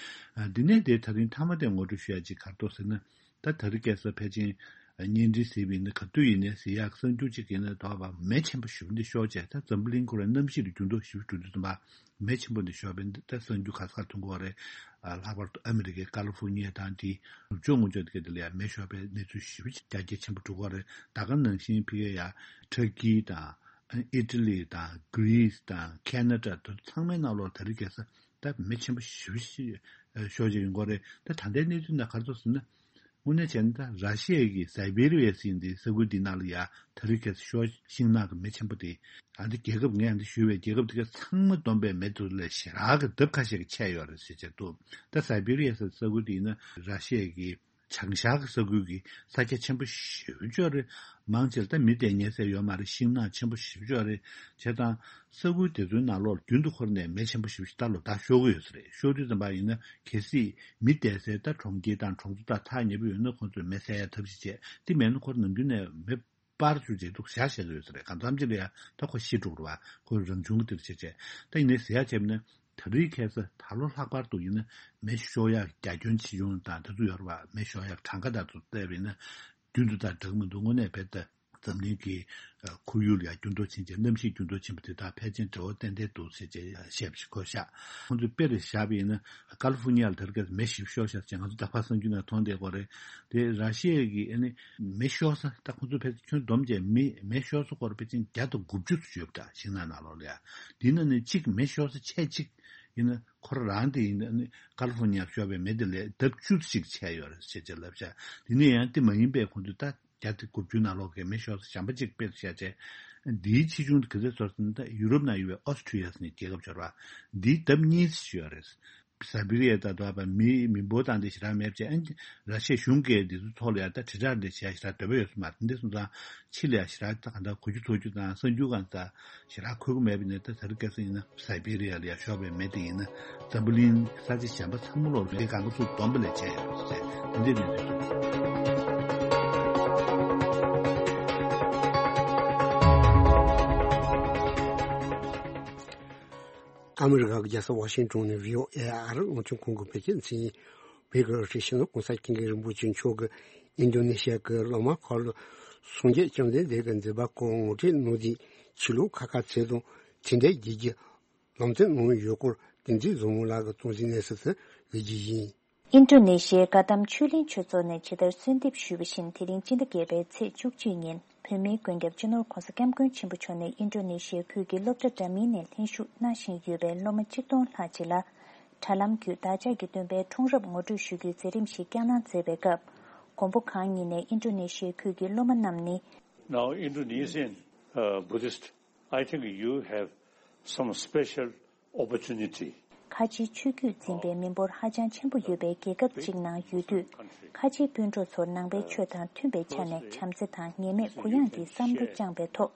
ཨ་འདི་ནས་དེ་ད་རིང་མཐའ་མ་དེ་ངོ་སྤྲོད་ཞུ་ཡ་ཅིག་ག་རེ་འདུག་ཟེར་ན། ད་ད་རེས་ཁ་སང་ཕལ་ཆེར་བརྙན་འཕྲིན་ཟེར་བ་ཡིན་ན་ག་དུས་ཡིན་ནའི་ཟེར་ཡག་གསར་འགྱུར་ཅིག་ཡིན་ན་དོགས་པ་མེ་ཆེན་པོ་ཞེ་པོ་འདི་ཤོར་བྱས། ད་འཛམ་བུ་གླིང་ཁོ་རང་གནམ་གཤིས་ལ་འགྱུར་ལྡོག་ཞེ་པོ་འགྲོ་དུས་ཙམ་པ་མེ་ཆེན་པོ་འདི་ཤོར་བས་འདི་ད་གསར་འགྱུར་ག་ས་ག་ཐོན་གྱི་ཡོད་རེད། ཨ་ལྷག་པར་དུ་ཨ་མི་རི་ཀའི་ཀ་ལི་ཧྥོར་ཉི་ཡ་དང་དེའི་ནུབ་ཕྱོགས་ངོས་ཕྱོགས་དེ་ག་དེ་ལ་ཡང་མེ་ཤོར་བའི་གནས་ཚུལ་ཞེ་པོ་ཅིག་རྒྱ་སྐྱེད་ཆེན་པོ་འགྲོ་གི་ཡོད་རེད། ད་ག་ནང་བཞིན་ཕ་གི་ཡ་ཊར་ཀི་དང་ཨི་ཊ་ལི་དང་གྷི་རི་སི་དང་ཁེ་ན་ཌ་དེ་ཚང་མའི་ནང་ལོགས་ད་རེས་ཁ་སང་ད་མེ་ཆེན་པོ་ཞེ་པོ་ཅིག་ཤོར་བཞིན་ཡོད་ཀྱི་ཡོད་རེད། ད་ད་ལྟའི་གནས་ཚུལ་ནང་ག་རེ་འདུག་ཟེར་ན། དངོས་གནས་བྱས་ན་ད་ར་ཤི་ཡ་གི་སའི་བེ་རི་ཡ་ཟེར་འདི་ས་ཁུལ་འདི་ནང་ལ་ཡ་ད་རེས་ཁ་སང་ཤོར་ཤིང་ནགས་ཀྱི་མེ་ཆེན་པོ་དེ། ཨ་འདི་རྒྱལ་ཁབ་ངས་ཨ་འདི་ཞུས་པའི་རྒྱལ་ཁབ་དེ་ག་ཚང་མ་བསྡོམས་པའི་མེ་དེ་ལས་ཞེ་དྲག་གི་ལྡབ་ཁ་ཤས་ཀྱི་ཆེ་ཡོད་རེད་ཟེར་བྱས་འདུག་ད་སའི་བེ་རི་ཡ་ཟེར་ས་ཁུལ་དེ་ཡིན་ན་ར་ཤི་ཡ་གི་བྱང་ཤར་གྱི་ས་ཁུལ་གྱི་ས་ཆ་ཆེན་པོ་ཞེ་པོ་ཅིག་རེད། མང་ཆེ་ལ་ད་མི་བསྡད་ཉན་ས་ཡོད་མ་རེད། ཤིང་ནགས་ཆེན་པོ་ཞེ་པོ་ཅིག་རེད། བྱས་ཙང་ས་ཁུལ་དེ་ཚོའི་ནང་ལོགས་རྒྱུན་དུ་འཁོར་ནས་མེ་ཆེན་པོ་ཞེ་པོ་ཅིག་ད་ལོ་ཟླ་ཤོར་གྱི་ཡོད་ས་རེད། ཤོར་དུས་ཙམ་པ་ཡིན་ན་གལ་སྲིད་མི་བསྡད་སའི་ད་གྲོང་ཁྱེར་དང་གྲོང་ཚོ་དང་ཐག་ཉེ་པོ་ཡོད་ན་ཁོང་ཚོས་མེ་བསད་ཡ་ཐབས་ཤེས་བྱས། དེ་མེད་ན་ཁོ་ནམ་རྒྱུན་ནས་མེ་སྤར་བཅུག་བྱས་འདུག་བཞག་བཞག་ཡོད་ས་རེད། གང་འཚམ་ཅིག་ལ་ཡ་ད་ཁོ་ཤི་འགྲོ་གི་རེད་པ། ཁོ་རང་བྱུང་གི་དེར་བྱས་བྱས། ད་ཡིན་ནའི་ཟེར་ཡ་བྱས་པ་ན་ད་རེས་ཁ་སང་ད་ལོ་ལྷག་པར་དུ་ཡིན་ན་མེ་ཤོར་ཡ་རྒྱ་ཁྱོན་ཆེ་ཆུང་དང་དེ་ཚོ་ཡོད་རེད་པ། མེ་ཤོར་ཡ་གྲངས་ཀ་དང་ཚོ་བལྟས་པ་ཡིན་ན་རྒྱུན་དུ་དང་འདྲ་གི་མི་འདུག་དངོས་གནས་བལྟས་ད་འཛམ་གླིང་གི་ཁོར་ཡུག་ལ་ཡ་འགྱུར་ལྡོག་ཕྱིན་བྱས། གནམ་གཤིས་འགྱུར་ལྡོག་ཕྱིན་པ་དེ་དག་ཕལ་ཆེར་འབྲེལ་བ་ཏན་ཏན་འདུག་ཟེར་བྱས་བཤད་པ་ཞིག་གོ་ཤག་ཁོང་ཚོས་དཔེ་རེ་བཞག་པ་ཡིན་ན་ཀ་ལི་ཧྥོར་ཉི་ཡ་ལ་དེར་ག་མེ་ཞིག་ཤོར་ཤག་ཅེས་ང་ཚོ་ད་ཕར་གསར་འགྱུར་ནང་མཐོང་བསྡད་ཀྱི་ཡོད་རེད། དེ་ར་ཤི་ཡ་གི་ཨ་ནི་མེ་ཤོར་ས་ད་ཁོང་ཚོ་ཕལ་ཆེར་ཁྱོན་བསྡོམས་བྱས་མི་མེ་ཤོར་ས་སྐོར་ཕལ་ཆེར་བརྒྱ་དང་དགུ་བཅུ་ཙམ་ཡོད་པ་འདྲ། ཤིང་ནགས་ནང་ལོགས་ལ་ཡ། དེ་ནང་ནས་གཅིག་མེ་ཤོར་ས་ཆེ་གཅིག་ཡིན་ན་ཁོ་རང་དེ་ཡིན་ན་ཨ་ནི་ཀ་ལི་ཧྥོར་ཉི་ཡ་ཤོར་བའི་མེ་དེ་ལས་ལྡབ་བཅུ་ཙམ་ཞིག་ཆེ་ཡོད་རེད་ཅེས་ཅེས་ལབ་ཤག་དེ་ནས་ཡང་དེ་མ་ཡིན་པའི་ཁོང་ཚོས་ད་བརྒྱ་དང་དགུ་བཅུ་ནང་ལོགས་ཀྱི་མེ་ཤོར་ས་གཞན་པ་གཅིག་དཔེ་བཞག་བྱས། འདིའི་ཆེ་ཆུང་དེ་ག་ཚོད་ཚོར་ཟིན་ད་ཡུ་རོབ་ནང་ཡོད་པའི་ཨོ་སི་ཁྲུ་ལི་ཡ་ཟེར་ནས་རྒྱལ་ཁབ་ཆགས་པ། འདིའི་ལྡབ་གཉིས་ཤིག་ཡོད་རེད། སའི་བེ་རི་ཡ་དང་འདྲ་བ་མི་མི་འབོར་དང་འདི་ཞེ་དྲག་མེད་པ་བྱས། ཨ་ནི་ར་ཤི་ཡའི་གཞུང་གིས་འདི་ཚོའི་ཐོག་ལ་ཡ་ད་དྲིལ་བསྒྲགས་འདི་བྱས་ཞེ་དྲག་འདོད་པ་ཡོད་ས་མ་རེད། འདི་སོང་ཙང་ཕྱི་ལ་ཡ་ཞེ་དྲག་ད་གང་ལྟར་གོ་རྒྱུ་ཚོར་རྒྱུ་དང་གསར་འགྱུར་གང་ལྟར་ཞེ་དྲག་འཁོད་ཀྱི་མེད་པ་ཡིན་ན། ད་ད་རེས་ཁ་སང་ཡིན་ན་སའི་བེ་རི་ཡ་ལ་ཡ་ཤོར་བའི་མེ་དེ་ཡིན་ན་འཛམ་བུ་གླིང་ས་ཆ་གཞན་པ་ཚང་མ་ལོག་མེ་གང་ག་ཚུགས་བསྡོམས་པ་ལས་ཆེ་ཡོད་ཟེར་འདི་འདྲའི་གནས་ཚུལ་འདུག་ཨ་མི་རི་ཀ་གི་རྒྱལ་ས་ཝ་ཤིང་ཏོན་ནས་བྷི་ཨོ་ཨེ་ཨ་རི་རླུང་འཕྲིན་ཁང་གི་བོད་སྐད་མཚན་ཡིན། བོད་ཀྱི་རིག་གཞུང་ལ་༸གོང་ས་༸སྐྱབས་མགོན་རིན་པོ་ཆེ་མཆོག་གིས་ཨིན་ཌོ་ནེ་ཤི་ཡ་གི་གླང་མ་མཁར་ལ་སངས་རྒྱས་བཅོམ་ལྡན་འདས་ཀྱི་མཛད་པ་སྐོར་ངོ་སྤྲོད་གནང་དུས། ཆོས་ལུགས་ཁ་ཁ་ཚད་དང་དེ་འདྲའི་རྒྱལ་གྱི་ལམ་སྟོན་གནང་ཡོད་སྐོར་བསྟན་འཛིན་བཟང་མོ་ལགས་ཀྱིས་གཙང་གསུམ་གནས་ཚུལ་དུ་འགོད་རྒྱུ་ཡིན། ཨིན་ཌོ་ནེ་ཤི་ཡའི་བཀའ་གདམས་ཆོས་གླིང་ཆོས་ཚོགས་ནས་ཇི་ལྟར་གསོལ་འདེབས་ཞུས་པ་བཞིན། དེ་རིང་སྤྱི་ཟླ་བརྒྱད་པའི་ཚེས་བཅུ་གཅིག་ཉིན་བོད་མིའི་མགོན་སྐྱབས་སྤྱི་ནོར་༸གོང་ས་༸སྐྱབས་མགོན་ཆེན་པོ་མཆོག་ནས་ཨིན་ཌོ་ནེ་ཤི་ཡའི་ཁུལ་གྱི་སློབ་གྲྭ་འདྲ་མིན་ནས་ལྷན་ཞུགས་གནང་བཞིན་ཡོད་པའི་སློབ་མ་གཅིག་སྟོང་ལྷག་ཅིག་ལ་དྲ་ལམ་བརྒྱུད་བདག་ཅག་གི་སྟོན་པའི་འཁྲུངས་རབས་ངོ་སྤྲོད་ཞུ་རྒྱུའི་མཛད་རིམ་ཞིག་བསྐྱངས་གནང་མཛད་པའི་སྐབས། མགོན་པོ་གང་ཉིད་ནས་ཨིན་ཌོ་ནེ་ཤི་ཡའི་ཁུལ་གྱི་སློབ་མ་རྣམས་ནི། Now, Indonesian, uh, Buddhist, I think you have some special opportunity. ཁ་ཆེའི་ཆོས་བརྒྱུད་འཛིན་པའི་མི་འབོར་ཧ་ཅང་ཆེན་པོ་ཡོད་པའི་རྒྱལ་ཁབ་ཅིག་ནང་ཡོད་དུས། ཁ་ཆེའི་སྤུན་གྲོགས་ཚོར་ནང་པའི་ཆོས་དང་མཐུན་པའི་ཆ་ནས་བྱམས་བརྩེ་དང་ངེས་མེད་གུ་ཡངས་ཀྱི་བསམ་བློ་བཅངས་པའི་ཐོག་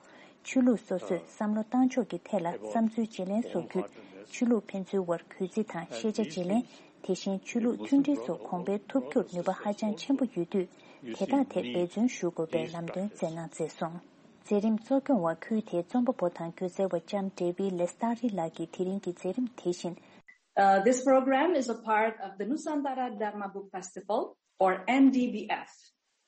ཆོས་ལུགས་སོ་སོས་བསམ་བློ་བཏང་ཕྱོགས་ཀྱི་ཐད་ལ་བསམ་ཚུལ་བརྗེ་ལེན་སོགས་བརྒྱུད། ཆོས་ལུགས་ཕན་ཚུན་དབར་གུས་བརྩི་དང་ཤེས་བྱ་བརྗེ་ལེན། དེ་བཞིན་ཆོས་ལུགས་མཐུན་སྒྲིལ་སོགས་གོང་འཕེལ་ཐུབ་རྒྱུར་ནུས་པ་ཧ་ཅང་ཆེན་པོ་ཡོད་དུས། དེ་དག་ཐད་འབད་བརྩོན་ཞུ་དགོས་པའི་ལམ་སྟོན་མཛད་གནང་མཛད་སོང་། མཛད་རིམ་གཙོ་སྐྱོང་བ་ཁུལ་དེའི་རྩོམ་པ་པོ་དང་སྒྱུ་རྩལ་བ་ལྕམ་ཌེ་བི་ལེ་སྟ་རི་ལགས་ཀྱིས་དེ་རིང་གི་མཛད་རིམ་དེ་བཞིན། Uh, this program is a part of the Nusantara Dharma Book Festival, or N D B F,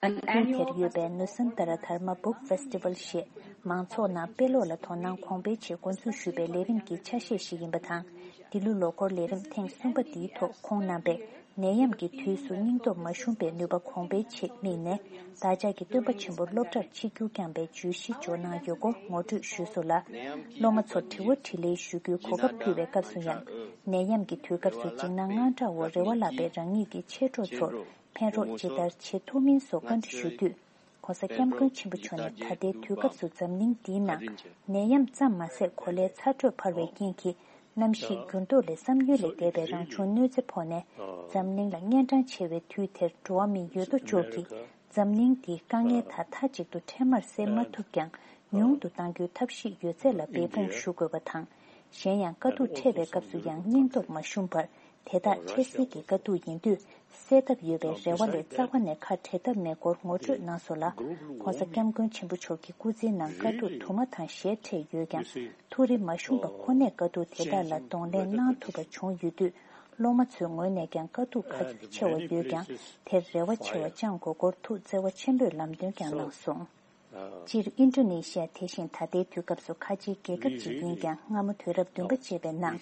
an annual ཁུལ་དེར་ཡོད་པའི་ནུ་སན་ཏ་ར་དྷར་མ་བུག་ཕེ་སི་ཊི་ཝལ་ཞེས་མང་ཚོགས་ནང་དཔེ་ཀློག་ལ་དོ་སྣང་གོང་འཕེལ་ཆེད་འགོ་འཛུགས་ཞུས་པའི་ལས་རིམ་གྱི་ཆ་ཤས་ཤིག་ཡིན་པ་དང་། འདི་ལོའི་ལོ་འཁོར་ལས་རིམ་ཐེངས་གསུམ་པ་འདིའི་ཐོག་ཁོང་རྣམ་པས་ནད་ཡམས་ཀྱི་དུས་སུ་སྙིང་སྟོབས་མ་ཞུམ་པའི་ནུས་པ་གོང་འཕེལ་ཆེད་དམིགས་ནས། བདག་ཅག་གི་སྟོན་པ་ཆེན་པོ་སློབ་གྲྭར་ཆིབས་བསྒྱུར་བསྐྱངས་པའི་བརྗོད་གཞི་འབྱོར་གནང་ཡོད་སྐོར་ངོ་སྤྲོད་ཞུས་སོང་ལ། སློབ་མ་ཚོར་དྲི་བ་དྲིས་ལན་ཞུ་རྒྱུའི་གོ་སྐབས་ཕུལ་བའི་སྐབས་སུ་ཡང་། ནད་ཡམས་ཀྱི་དུས་སྐབས་སུ་འཇིགས་སྣང་དངངས་སྐྲག་འོག་རེ་བ་བརླག་པའི་རང་ཉིད་ཀྱི་མཆེད་གྲོགས་ཚོར་ཕན་རོགས་ཇི་ལྟར་བྱེད་ཐུབ་མིན་སོགས་བཀའ་འདྲི་ཞུ་དུས། ྋགོང་ས་ྋསྐྱབས་མགོན་ཆེན་པོ་མཆོག་ནས་ད་ལྟའི་དུས་སྐབས་སུ་འཛམ་གླིང་འདིའི་ནང་ནད་ཡམས་ཙམ་མ་ཟད་གོ་ལའི་ཚ་དྲོད་འཕར་བའི་རྐྱེན་གྱིས་གནམ་གཤིས་འགྱུར་ལྡོག་ལས་བསམ་ཡུལ་ལས་འདས་པའི་རང་བྱུང་གནོད་འཚེ་ཕོག་ནས་འཛམ་གླིང་ལ་གཉན་འཕྲང་ཆེ་བའི་དུས་དེར་འགྲོ་བ་མི་ཡོད་དོ་ཅོག་གིས་འཛམ་གླིང་འདིའི་དཀའ་ངལ་དག་མཐའ་གཅིག་ཏུ་འཕྲལ་མར་སེལ་མ་ཐུབ་ཀྱང་ཉུང་དུ་གཏང་རྒྱུའི་ཐབས་ཤེས་ཡོད་ཚད་ལ་འབད་འབུངས་ཞུ་དགོས་པ་དང་། གཞན་ཡང་དཀའ་སྡུག་འཕྲད་པའི་སྐབས་སུ་ཡང་སྙིང་སྟོབས་མ་ཞུམ་པར། དེ་དག་འཕྲལ་སེལ་གྱི་དཀའ་སྡུག་ཡིན་དུས་སེལ་ཐབས་ཡོད་པའི་རེ་བ་ལས་རྩ་བ་ནས་ཁ་བྲལ་ཐབས་མེད་སྐོར་ངོ་སྤྲོད་གནང་སོང་ལ། ྋགོང་ས་ྋསྐྱབས་མགོན་ཆེན་པོ་མཆོག་གི་སྐུ་ཚེའི་ནང་དཀའ་སྡུག་དུ་མ་དང་ཞལ་འཕྲད་ཡོད་ཀྱང་ཐུགས་རེ་མ་ཞུམ་པ་ཁོ་ནས་དཀའ་སྡུག་དེ་དག་ལ་གདོང་ལེན་གནང་ཐུབ་པ་བྱུང་ཡོད་དུས་སློབ་མ་ཚོའི་ངོས་ནས་ཀྱང་དཀའ་སྡུག་ག་ཚོད་ཆེ་བ་ཡོད་ཀྱང་དེར་རེ་བ་ཆེ་བ་བཅངས་དགོས་སྐོར་ཐུགས་བརྩེ་བ་ཆེན་པོས་ལམ་སྟོན་ཀྱང་གནང་སོང་། སྤྱིར་ཨིན་ཌོ་ནེ་ཤི་ཡ་དེ་བཞིན་ད་ལྟའི་དུས་སྐབས་སུ་ཁ་ཆེའི་རྒྱལ་ཁབ་ཅིག་ཡིན་ཀྱང་སྔ་མོ་དུས་རབས་བདུན་པ་བཅད་པའི་ནང་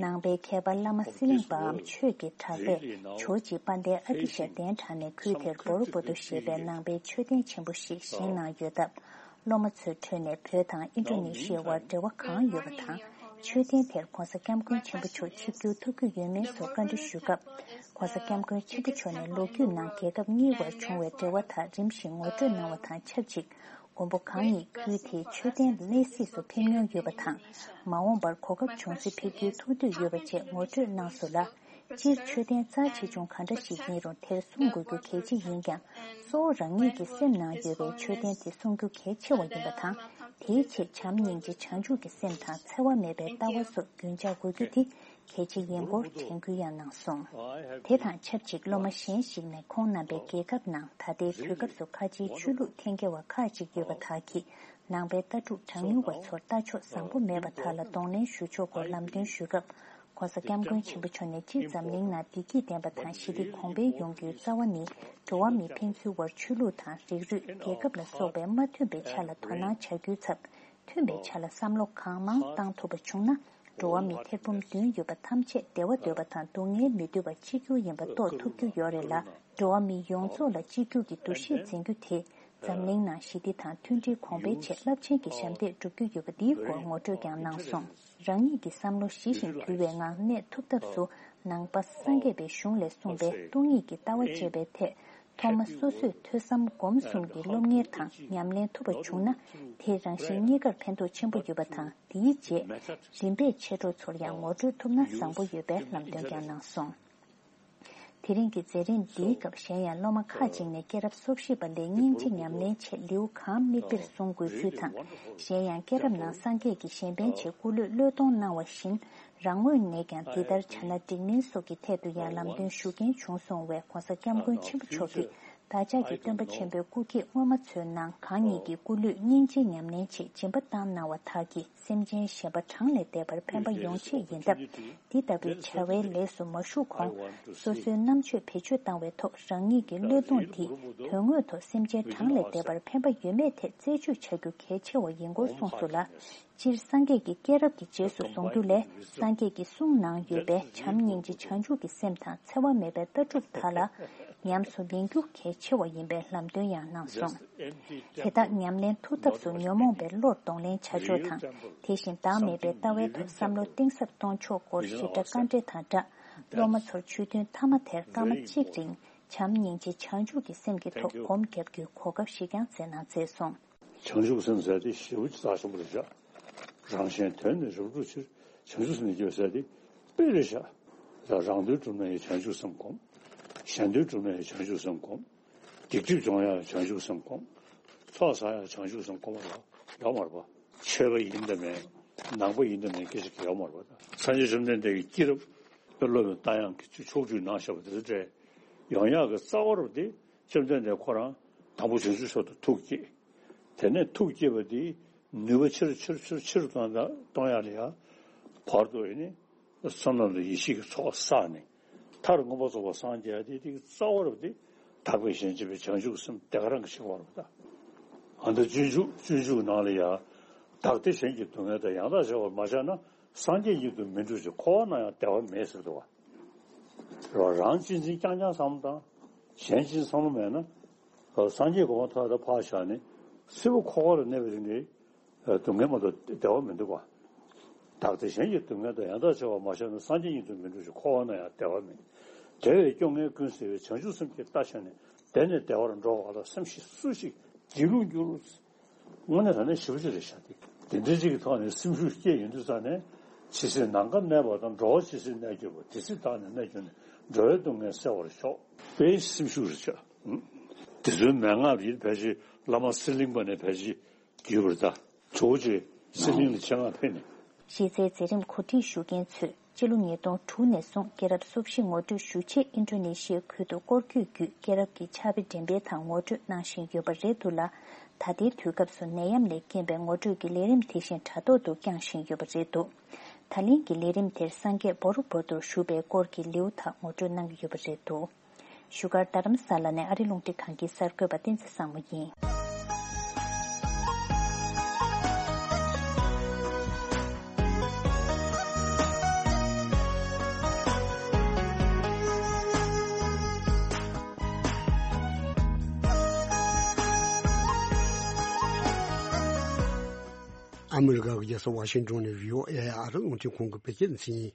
ནང་པའི་མཁས་པ་བླ་མ་སི་ལིང་པའམ་ཆོས་ཀྱི་གྲགས་པས་ཇོ་བོ་རྗེ་དཔལ་ལྡན་ཨ་ཏི་ཤ་གདན་དྲངས་ནས་ཁུལ་དེར་བོ་རོ་བོ་ཏོ་ཞེས་པའི་ནང་པའི་མཆོད་རྟེན་ཆེན་པོ་ཞིག་བཞེངས་གནང་ཡོད་སྟབས། སློབ་མ་ཚོའི་ཁྲོད་ནས་བོད་དང་ཨིན་ཌོ་ནེ་ཤི་ཡའི་དབར་འབྲེལ་བ་གང་ཡོད་པ་དང་། མཆོད་རྟེན་དེར་ྋགོང་ས་ྋསྐྱབས་མགོན་ཆེན་པོ་མཆོག་ཆིབས་བསྒྱུར་ཐུབ་རྒྱུ་ཡོད་མིན་སོགས་བཀའ་འདྲི་ཞུས་སྐབས། ྋགོང་ས་ྋསྐྱབས་མགོན་ཆེན་པོ་མཆོག་ནས་ལོ་རྒྱུས་ནང་རྒྱལ་ཁབ་གཉིས་དབར་བྱུང་བའི་འབྲེལ་བ་དག་རིམ་བཞིན་ངོ་སྤྲོད་གནང་བ་དང་ཆབས་ཅིག་མགོན་པོ་གང་ཉིད་ཁུལ་དེའི་མཆོད་རྟེན་ལ་གནས་གཟིགས་སུ་ཕེབས་མྱོང་ཡོད་པ་དང་། མ་འོངས་པར་གོ་སྐབས་བྱུང་ཚེ་ཕེབས་རྒྱུའི་ཐུགས་འདོད་ཡོད་པ་བཅས་ངོ་སྤྲོད་གནང་སོང་ལ། སྤྱིར་མཆོད་རྟེན་རྩ་ཆེ་ཆུང་གང་འདྲ་ཞིག་ཡིན་རུང་དེར་གསུང་དགོས་རྒྱུ་གལ་ཆེ་ཡིན་ཀྱང་། གཙོ་བོ་རང་ཉིད་ཀྱི་སེམས་ནང་ཡོད་པའི་མཆོད་རྟེན་དེ་གསུང་རྒྱུ་གལ་ཆེ་བ་ཡིན་པ་དང་། དེའི་ཆེད་བྱམས་སྙིང་རྗེ་བྱང་ཆུབ་ཀྱི་སེམས་དང་འཚེ་བ་མེད་པའི་ལྟ་བ་སོགས་རྒྱུན་འཇགས་དགོས་རྒྱུ་དེ་གལ་ཆེ་ཡིན་སྐོར་དྲན་སྐུལ་ཡང་གནང་སོང་། དེ་དང་ཆབས་ཅིག་སློབ་མ་གཞན་ཞིག་ནས་ཁོང་རྣམ་པའི་རྒྱལ་ཁབ་ནང་ད་ལྟའི་དུས་སྐབས་སུ་ཁ་ཆེའི་ཆོས་ལུགས་འཐེན་འཁྱེར་བ་ཁག་ཅིག་ཡོད་པ་དག་གིས་ནང་པའི་ལྟ་གྲུབ་གྲངས་ཉུང་བ་ཚོར་ལྟ་ཕྱོགས་བཟང་པོ་མེད་པ་དག་ལ་གདོང་ལེན་ཞུ་ཕྱོགས་སྐོར་ལམ་སྟོན་ཞུས་སྐབས། ྋགོང་ས་ྋསྐྱབས་མགོན་ཆེན་པོ་མཆོག་ནས་སྤྱིར་འཛམ་གླིང་ནང་བདེ་སྐྱིད་ལྡན་པ་དང་ཞི་བདེ་གོང་འཕེལ་ཡོང་རྒྱུའི་རྩ་བ་ནི་འགྲོ་བ་མི་ཕན་ཚུན་བར་ཆོས་ལུགས་དང་རིགས་རུས་རྒྱལ་ཁབ་ལ་སོགས་པའི་མ་མཐུན་པའི་ཆ་ལ་དོ་སྣང་བྱ་རྒྱུའི་ཚབ། མཐུན་པའི་ཆ་ལ་བསམ་བློ་གང་མང་བཏང་ཐུབ་པ་བྱུང་ན་འགྲོ་བ་མི་ཐེར་འབུམ་བདུན་ཡོད་པ་ཐམས་ཅད་བདེ་བ་འདོད་པ་དང་སྡུག་བསྔལ་མི་འདོད་པ་གཅིག་གྱུར་ཡིན་པ་རྟོགས་ཐུབ་རྒྱུ་ཡོད་རེད་ལ། འགྲོ་བ་མི་ཡོངས་རྫོགས་ལ་གཅིག་གྱུར་གྱི་འདུ་ཤེས་འཛིན་རྒྱུ་དེ་འཛམ་གླིང་ནང་ཞི་བདེ་དང་མཐུན་སྒྲིལ་གོང་འཕེལ་ཆེད་རླབས་ཆེན་གྱི་ཞབས་འདེགས་སྒྲུབ་རྒྱུ་ཡོད་པ་འདིའི་སྐོར་ངོ་སྤྲོད་ཀྱང་གནང་སོང་། རང་ཉིད་ཀྱི་བསམ་བློ་ཞི་ཞིང་དུལ་བའི་ངང་གནས་ཐུབ་ཐབས་སུ་ནང་པ་སངས་རྒྱས་པའི་གཞུང་ལས་གསུངས་པའི་སྟོང་ཉིད་ཀྱི་ལྟ་བ་སྤྱད་པའི་ཐད་ཐོག་མ་སོ་སོས་ཐོས་བསམ་སྒོམ་གསུམ་གྱི་སློབ་གཉེར་དང་ཉམས་ལེན་ཐུབ་པ་བྱུང་ན་དེས་རང་གཞན་གཉིས་ཀར་ཕན་ཐོགས་ཆེན་པོ་ཡོད་པ་དང་དེའི་རྗེས་རིམ་པས་མཆེད་གྲོགས་ཚོར་ཡང་ངོ་སྤྲོད་ཐུབ་ན་བཟང་པོ་ཡོད་པའི་ལམ་སྟོན་ཀྱང་གནང་སོང་། དེ་རིང་གི་མཛད་རིམ་འདིའི་སྐབས་གཞན་ཡང་སློབ་མ་ཁག་ཅིག་ནས་སྐྱེས་རབས་སོ་བཞི་པ་ལས་སྙིང་རྗེ་ཉམས་ལེན་ཆེད་ལེའུ་གང་དམིགས་དཔེར་བཟུང་དགོས་ཚུལ་དང་། གཞན་ཡང་སྐྱེས་རབས་ནང་སངས་རྒྱས་ཀྱིས་གཞན་ཕན་ཆེད་སྐུ་ལུས་བློས་གཏོང་གནང་བ་བཞིན་རང་ངོས་ནས་ཀྱང་འདི་ལྟར་བྱ་ན་འགྲིག་མིན་སོགས་ཀྱི་ཐད་དུ་ཡང་ལམ་སྟོན་ཞུ་མཁན་བྱུང་སོང་བས་ྋགོང་ས་ྋསྐྱབས་མགོན་ཆེན་པོ་མཆོག་གིས་བདག་ཅག་གི་སྟོན་པ་ཆེན་པོའི་སྐུ་སྐྱེས་སྔོན་མ་ཚོའི་ནང་གང་ཉིད་ཀྱི་སྐུ་ལུས་སྙིང་རྗེའི་ཉམས་ལེན་ཆེད་སྦྱིན་པ་བཏང་གནང་བ་དག་གིས། སེམས་ཅན་གཞན་པ་གྲངས་ལས་འདས་པར་ཕན་པ་ཡོང་ཆེད་ཡིན་སྟབས། འདི་ལྟ་བུའི་བྱ་བའི་ལས་སུ་མ་ཞུགས་གོང་། སོ་སོའི་རྣམ་དཔྱོད་བེད་སྤྱོད་བཏང་བའི་ཐོག་རང་ཉིད་ཀྱི་བློས་གཏོང་འདིས་དོན་དངོས་ཐོག་སེམས་ཅན་གྲངས་ལས་འདས་པར་ཕན་པ་ཡོད་མེད་ཐད་རྩད་གཅོད་བྱ་རྒྱུ་གལ་ཆེ་བ་ཡིན་སྐོར་གསུངས་སོང་ལ། སྤྱིར་སངས་རྒྱས་ཀྱི་སྐྱེས་རབས་ཀྱི་རྗེས་སུ་བཟུང་རྒྱུ་ལས་སངས་རྒྱས་ཀྱི་གསུང་ནང་ཡོད་པའི་བྱམས་སྙིང་རྗེ་བྱང་ཆུབ་ཀྱི་སེམས་དང་འཚེ་བ་མེད་པའི་ལྟ་གྲུབ་དག་ལ་ཉམས་སུ་ལེན་རྒྱུ་གལ་ཆེ་བ་ཡིན་པའི་ལམ་སྟོན་ཡང་གནང་སོང་། དེ་དག་ཉམས་ལེན་ཐུབ་ཐབས་སུ་ཉོན་མོངས་པའི་བློར་གདོང་ལེན་བྱ་ཕྱོགས་དང་དེ་བཞིན་བདག་མེད་པའི་ལྟ་བའི་ཐོག་བསམ་བློ་གཏིང་ཟབ་གཏོང་ཕྱོགས་སྐོར་ཞིབ་ཕྲ་བཀའ་འགྲེལ་དང་སྦྲགས། སློབ་མ་ཚོར་ཆོས་ཐུན་མཐའ་མ་དེར་སྐར་མ་གཅིག་རིང་བྱམས་སྙིང་རྗེ་བྱང་ཆུབ་ཀྱི་སེམས་ཀྱི་ཐོག་སྒོམ་རྒྱབ་རྒྱུའི་གོ་སྐབས་ཤིག་ཀྱང་སྩལ་གནང་མཛད་སོང་། བྱང་ཆུབ་སེམས་ཟེར་དེ་ཞེ་པོ་ཅིག་རྩ་ཆེན་པོ་རེད་ཤག་རང་གཞན་དོན་ནི་རབ་བསྒྲུབ་ཕྱིར། བྱང་ཆུབ་སེམས་ནི་སྐྱེ་བ་ཟེར་དེ་དཔེ་རེད་ཤག་ད་རང་དོན་བསྒྲུབ་ན་ཡང་བྱང་ཆུབ་སེམས་སྒོམ། གཞན་དོན་བསྒྲུབ་ན་ཡང་བྱང་ཆུབ་སེམས་སྒོམ། སྡིག་སྒྲིབ་སྦྱོང་ཡང་བྱང་ཆུབ་སེམས་སྒོམ། ཚོགས་བསགས་ཡང་བྱང་ཆུབ་སེམས་སྒོམ་པ་ལ་ཡོད་མ་རེད་པ། ཆོས་པ་ཡིན་དང་མིན། ནང་པ་ཡིན་དང་མིན་སྐད་ཆ་ཡོད་མ་རེད་པ། སངས་རྒྱས་བཅོམ་ལྡན་འདས་ཀྱི་སྐྱེས་རབས་དཔེ་སློབ་དང་ཡང་གི་ཕྱོགས་བཅུའི་ནང་བཞག་པ་དེ་ཚོ་འདྲ་ཡོང་ཡག་གི་རྩ་བ་རུ་དེ་བཅོམ་ལྡན་འདས་ཁོ་རང་དང་པོ་བྱང་ཆུབ་མཆོག་ཏུ་ཐུགས་བསྐྱེད། དེ་ནས་ཐུགས་བསྐྱེད་པ་དེ་ནུས་པ་ཆེ་རུ་ཆེ་རུ་ཆེ་རུ་ཆེ་རུ་གཏོང་གཏོང་ཡག་ལ་ཡ་བར་དུ་ཡིན་ནི་བསོད་ནམས་དང་ཡེ་ཤེས་ཀྱི་ཚོགས་བསགས་ནས་མཐར་མངོན་པར་རྫོགས་པར་སངས་རྒྱས་ཏེ་དེ་རྩ་བ་རུ་དེ་དག་པའི་གཞན་གཅེས་པའི་བྱང་ཆུབ་སེམས་དེ་ག་རང་གི་ཆེ་བ་རུ་ད། ཨ་ནི་སྤྱོད་འཇུག་སྤྱོད་འཇུག་ནང་ལ་ཡ་བདག་བདེ་གཞན་གྱི་སྡུག་བསྔལ་དང་ཡང་དག་བྱ་བར་མ་བྱས་ན། སངས་རྒྱས་ཉིད་དུ་མི་འགྲོ་ཞིང་། འཁོར་བ་ན་ཡང་བདེ་བ་མེད་ཟེར་འདུག་བ། རང་གཅེས་འཛིན་རྐྱང་རྐྱང་བསམ་བློ་བཏང་། གཞན་གཅེས་འཛིན་བསམ་བློ་མེད་ན། སངས་རྒྱས་གོ་འཕང་ཐོབ་ཡག་ད་ཕར་བཞག་ནས་སྲིད་པ་འཁོར་བ་ལ་གནས་པའི་རིང་ལ་སྡུག་བསྔལ་མ་གཏོགས་བདེ་བ་མི་འདུག་བ། བདག་དང་གཞན་གྱི་སྡུག་བསྔལ་དང་ཡང་དག་བྱ་བ་མ་བྱས་ན། སངས་རྒྱས་ཉིད་དུ་མི་འགྲོ་ཞིང་། འཁོར་བ་ན་ཡང་བདེ་བ་མེད། དེ་བས་སྐྱོ་ངལ་ཀུན་སེལ་བའི། བྱང་ཆུབ་སེམས་ཀྱིས་བལྟ་བྱས་ནས། དེ་ནས་བདེ་བར་འགྲོ་བ་ལ། སེམས་ཤིག་སུ་ཞིག་སྒྱིད་ལུག་འགྱུར། དངོས་གནས་དྲང་གནས་ཞེ་པོ་ཅིག་རེད་ཤག་དེ་དེ་འདྲ་ཅིག་གི་ཐོག་ནས་སེམས་ཤུགས་སྐྱེས་ཡོང་དུས་ཙང་ནས། ཇི་སྲིད་ནམ་མཁའ་གནས་པ་དང་། འགྲོ་བ་ཇི་སྲིད་གནས་གྱུར་པ། དེ་སྲིད་བདག་ནི་གནས་གྱུར་ནས། འགྲོ་བའི་སྡུག་བསྔལ་སེལ་བར་ཤོག་དཔེ་སེམས་ཤུགས་རེད་ཤག་དེ་ཚོའི་མན་ངག་རེད། ཕལ་ཆེར་བླ་མ་གསེར་གླིང་པ་ནས་ཕལ་ཆེར་བརྒྱུད་པར་གདའ། གཙོ་བོ་ཆེ་གསེར་གླིང་ལ་ཆེད་མངགས་ཕེབས་ནས། གཞི་རྩའི་མཛད་རིམ་གོ་སྒྲིག་ཞུ་མཁན་ཚོས་སྤྱི་ལོ་ཉིས་སྟོང་དྲུག་ནས་བཟུང་། སྐྱེས་རབས་སོ་བཞི་ངོ་སྤྲོད་ཞུ་ཆེད་ཨིན་ཌོ་ནེ་ཤི་ཡའི་ཁུལ་དུ་སྐོར་སྐྱོད་བརྒྱུད། སྐྱེས་རབས་ཀྱི་ཕྱག་དཔེ་འགྲེམས་སྤེལ་དང་ངོ་སྤྲོད་གནང་བཞིན་ཡོད་པ་རེད་འདུག་ལ། ད་ལྟའི་དུས་སྐབས་སུ་ནད་ཡམས་ལས་རྐྱེན་པས་ངོ་སྤྲོད་ཀྱི་ལས་རིམ་དེ་བཞིན་དྲ་ཐོག་ཏུ་བསྐྱངས་བཞིན་ཡོད་པ་རེད་འདུག་ད་ལན་གྱི་ལས་རིམ་དེར་སངས་རྒྱས་བོར་བོར་དུ་བཞུགས་པའི་སྐོར་གྱི་ལེའུ་དག་ངོ་སྤྲོད་གནང་གི་ཡོད་པ་རེད་འདུག་བཞུགས་སྒར་རྡ་རམ་ས་ལ་ནས་ཨ་རི་རླུང་འཕྲིན་ཁང་གི་གསར་འགོད་པ་བསྟན་འཛིན་བཟང་མོ་ཡིན། ཨ་མི་རི་ཀ་གི་རྒྱལ་ས་ཝ་ཤིང་ཏོན་ནས་བྷི་ཨོ་ཨེ་ཨ་རི་རླུང་འཕྲིན་ཁང་གི་བོད་སྐད་སྡེ་ཚན་ཡིན།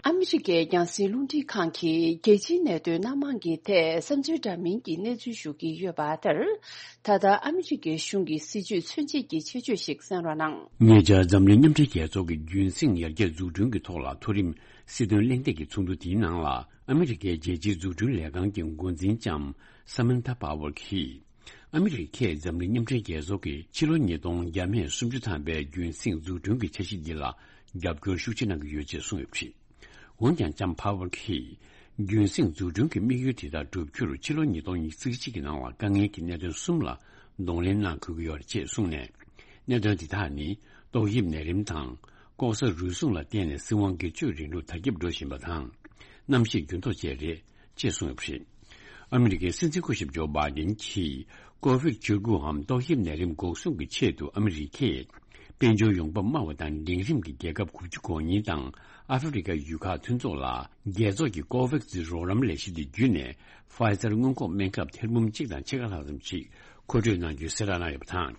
ཨ་མི་རི་ཀའི་རྒྱང་སྲིང་རླུང་འཕྲིན་ཁང་གིས་རྒྱལ་སྤྱིའི་གནད་དོན་སྣ་མང་གི་ཐད་བསམ་ཚུལ་འདྲ་མིན་གྱི་གནས་ཚུལ་ཞུ་གི་ཡོད་པ་ལྟར། ད་ལྟ་ཨ་མི་རི་ཀའི་གཞུང་གི་སྲིད་བྱུས་མཚོན་བྱེད་ཀྱི་ཆེད་བརྗོད་ཞིག་གསན་རོགས་གནང་། ཉེ་ཆར་འཛམ་གླིང་མཉམ་འབྲེལ་རྒྱལ་ཚོགས་ཀྱི་རྒྱུན་སྲིང་ཡར་རྒྱས་འཛུགས་སྐྲུན་གྱི་ཐོག་ལ་མཐོ་རིམ་སྲིད་དོན་གླེང་སྟེགས་ཀྱི་ཚོགས་འདུ་དེའི་ནང་ལ། ཨ་མི་རི་ཀའི་རྒྱལ་སྤྱིའི་འཛུགས་སྐྲུན་ལས་ཁང་གི་འགོ་འཛིན་ལྕམ་ས་མན་ཐ་པ་ཝར་གྱིས། ཨ་མི་རི་ཀས་འཛམ་གླིང་མཉམ་འབྲེལ་རྒྱལ་ཚོགས་ཀྱི་ཕྱི་ལོ་ཉིས་སྟོང་བརྒྱ་མེད་སུམ་ཅུ་ཐམ་པའི་རྒྱུན་སྲིང་འཛུགས་སྐྲུན་གྱི་འཆར་གཞི་འདི་ལ་རྒྱབ་སྐྱོར་ཤུགས་ཆེ་གནང་གི་ཡོད་ཅེས་གསུངས་ཡོད་པ་རེད། འོན་ཀྱང་ལྕམ་ཕ་ཝར་གྱིས། རྒྱུན་སྲིང་འཛུགས་སྐྲུན་གྱི་དམིགས་ཡུལ་དེ་དག་བསྒྲུབ་རྒྱུར་ཕྱི་ལོ་ཉིས་སྟོང་ཉི་ཤུ་རྩ་གཅིག་གི་ནང་ལ་དཀའ་ངལ་གྱི་གནད་དོན་གསུམ་ལ་གདོང་ལེན་གནང་དགོས་ཀྱི་ཡོད་རེད་ཅེས་གསུངས་ནས། གནད་དོན་དེ་དག་ནི་ཏོག་དབྱིབས་ནད་རིམས་དང་། ལྐོག་ཟ་རུལ་སུངས་ལ་བརྟེན་ནས་སྲིད་དབང་སྒེར་གཅོད་རིང་ལུགས་དར་ཁྱབ་འགྲོ་བཞིན་པ་དང་། གནམ་གཤིས་འགྱུར་ལྡོག་བཅས་རེད་ཅེས་གསུངས་ཡོད་པ་རེད། ཨ་མི་རི་ཀའི་སྲིད་འཛིན་སྐུ་ཞབས་ཇོ་བྷའི་ཌེན་གྱིས་ཀོ་ཝིཌ་བཅུ་དགུའམ་ཏོག་དབྱིབས་ནད་རིམས་འགོག་སྲུང་གི་ཆེད་དུ་ཨ་མི་རི་ཀས་དཔལ་འབྱོར་ཡོང་འབབ་དམའ་བ་དང་འབྲིང་རིམ་གྱི་རྒྱལ་ཁབ་དགུ་བཅུ་གོ་གཉིས་དང་ཨ་ཧྥེ་རི་ཁ་ཡུལ་ཁག་མཐུན་ཚོགས་ལ་རྒྱལ་ཚོགས་ཀྱི་ཀོ་ཝེག་སི་རོགས་རམ་ལས་གཞི་དེ་བརྒྱུད་ནས་ཕའི་ཛར་སྔོན་འགོག་སྨན་ཁབ་ཐེར་འབུམ་གཅིག་དང་ཕྱེད་ཀ་ལྷག་ཙམ་ཞིག་མཁོ་སྤྲོད་གནང་རྒྱུའི་གསལ་བསྒྲགས་གནང་ཡོད་པ་དང་།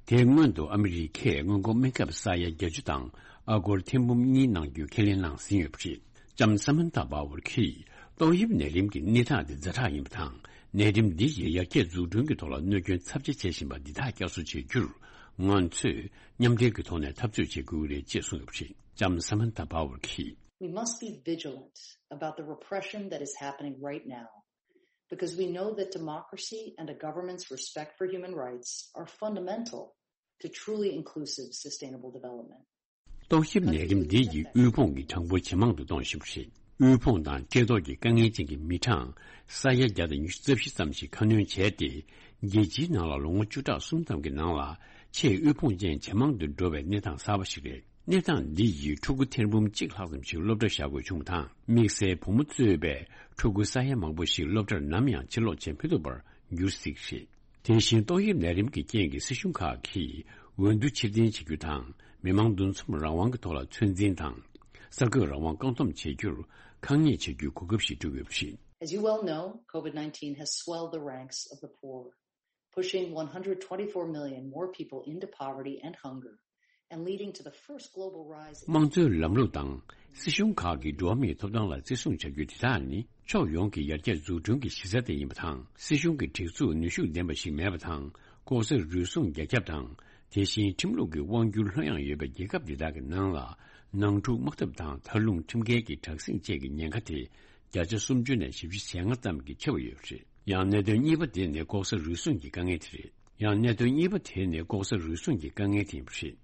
དེའི་སྔོན་དུ་ཨ་མི་རི་ཁས་སྔོན་འགོག་སྨན་ཁབ་ས་ཡ་བརྒྱད་ཅུ་དང་ཨ་སྒོར་ཐེར་འབུམ་གཉིས་གནང་རྒྱུའི་ཁས་ལེན་གནང་ཟིན་ཡོད་པ་རེད། ལྕམ་ས་མན་ཐ་པ་ཝར་གྱིས་ཏོག་དབྱིབས་ནད་རིམས་ཀྱི་གནས་སྟངས་དེ་ཛ་དྲག་ཡིན་པ་དང་། ནད་རིམས་འདི་ཡིས་ཡར་རྒྱས་འཛུགས་སྐྲུན་གྱི་ཐོག་ལ་གནོད་སྐྱོན་ཚབས་ཆེ་བྱེད་བཞིན་པ་འདི་དག་བསྐྱར་གསོ་བྱེད་རྒྱུར། ང་ཚོས་མཉམ་འབྲེལ་གྱི་ཐོག་ནས་འཐབ་རྩོད་བྱེད་དགོས་ཀྱི་རེད་ཅེས་གསུངས་ཡོད་པ་རེད། ལྕམ་ས་མན་ཐ་པ་ཝར་གྱིས། We must be vigilant about the repression that is happening right now, because we know that democracy and a government's respect for human rights are fundamental to truly inclusive, sustainable development. ཏོག་དབྱིབས་ནད་རིམས་འདི་ཡིས་དབུལ་ཕོངས་ཀྱི་གྲངས་འབོར་ཇེ་མང་དུ་གཏོང་བཞིན་པ་རེད། དབུལ་ཕོངས་དང་བཀྲེས་ལྟོགས་ཀྱི་དཀའ་ངལ་ཅན་གྱི་མི་གྲངས་ས་ཡ་བརྒྱ་དང་ཉི་ཤུ་རྩ་བཞི་ཙམ་ཞིག་ཁ་སྣོན་བྱས་ཏེ། རྒྱལ་སྤྱིའི་ནང་ལ་ལོ་ངོ་བཅུ་ཕྲག་གསུམ་ཙམ་གྱི་ནང་ལ་ཆེས་དབུལ་ཕོངས་ཅན་ཇེ་མང་དུ་འགྲོ་བའི་གནས་སྟངས་གསར་པ་ཞིག་རེད། གནས་སྟངས་འདི་ཡིས་ཕྲུ་གུ་ཐེར་འབུམ་གཅིག་ལྷག་ཙམ་ཞིག་སློབ་གྲྭར་བཞག་དགོས་བྱུང་བ་དང་། དམིགས་བསལ་བུ་མོ་གཙོས་པའི་ཕྲུ་གུ་ས་ཡ་མང་པོ་ཞིག་སློབ་གྲྭར་ནམ་ཡང་ཕྱིར་ལོག་བྱེད་མི་ཐུབ་པར་འགྱུར་སྲིད་ཀྱི་རེད། དེ་བཞིན་ཏོག་དབྱིབས་ནད་རིམས་ཀྱི་རྐྱེན་གྱིས་སྲིད་གཞུང་ཁག་གིས་འོས་བསྡུ་ཕྱིར་འཐེན་བྱེད་རྒྱུ་དང་། མི་མང་འདུ་འཛོམས་རང་དབང་གི་ཐོག་ལ་ཚོད་འཛིན་དང་། གསར་འགོད་རང་དབང་བཀག་སྡོམ་བྱེད་རྒྱུར་ཁག་ཉེས་བྱེད་རྒྱུའི་གོ་སྐབས་ཤིག་བསྐྲུན་ཡོད་པ་རེད། As you well know, COVID nineteen has swelled the ranks of the poor, pushing one hundred twenty-four million more people into poverty and hunger, and leading to the first global rise in དམངས་གཙོའི་ལམ་ལུགས་དང་སྲིད་གཞུང་ཁག་གིས་འགྲོ་བ་མིའི་ཐོབ་ཐང་ལ་བརྩི་སྲུང་བྱ་རྒྱུ་དེ་དག་ནི། ཕྱོགས་ཡོངས་ཀྱི་ཡར་རྒྱས་འཛུགས་སྐྲུན་གྱི་གཞི་རྩ་དེ་ཡིན་པ་དང་། སྲིད་གཞུང་གི་སྒྲིག་འཛུགས་ནུས་ཤུགས་ལྡན་པ་ཞིག་མེད་པ་དང་། ལྐོག་ཟ་རུལ་སུངས་རྒྱ་ཁྱབ་དང་། དེ་བཞིན་ཁྲིམས་ལུགས་ཀྱི་དབང་སྒྱུར་ལྷོད་ཡངས་ཡོད་པའི་རྒྱལ་ཁབ་འདི་དག་གི་ནང་ལ། ནང་འཁྲུག་དམག་འཐབ་དང་། མཐའ་ལྷུང་ཁྲིམས་འགལ་གྱི་དྲག་ཟིང་བཅས་ཀྱི་ཉེན་ཁ་དེ་བརྒྱ་ཆ་སུམ་ཅུ་ནས་བཞི་བཅུ་ཞེ་ལྔ་ཙམ་གྱིས་ཆེ་བ་ཡོད་པ་རེད། ཡང་གནད་དོན་གཉིས་པ་དེ་ནི་ལྐོག་ཟ་རུལ་སུངས་ཀྱི་དཀའ་ངལ་དེ་རེད། ཡང་གནད་དོན་གཉིས་པ་དེ་ནི་ལྐོག་ཟ་རུལ་སུངས་ཀྱི་དཀའ་ངལ་དེ་ཡིན་པ་རེད།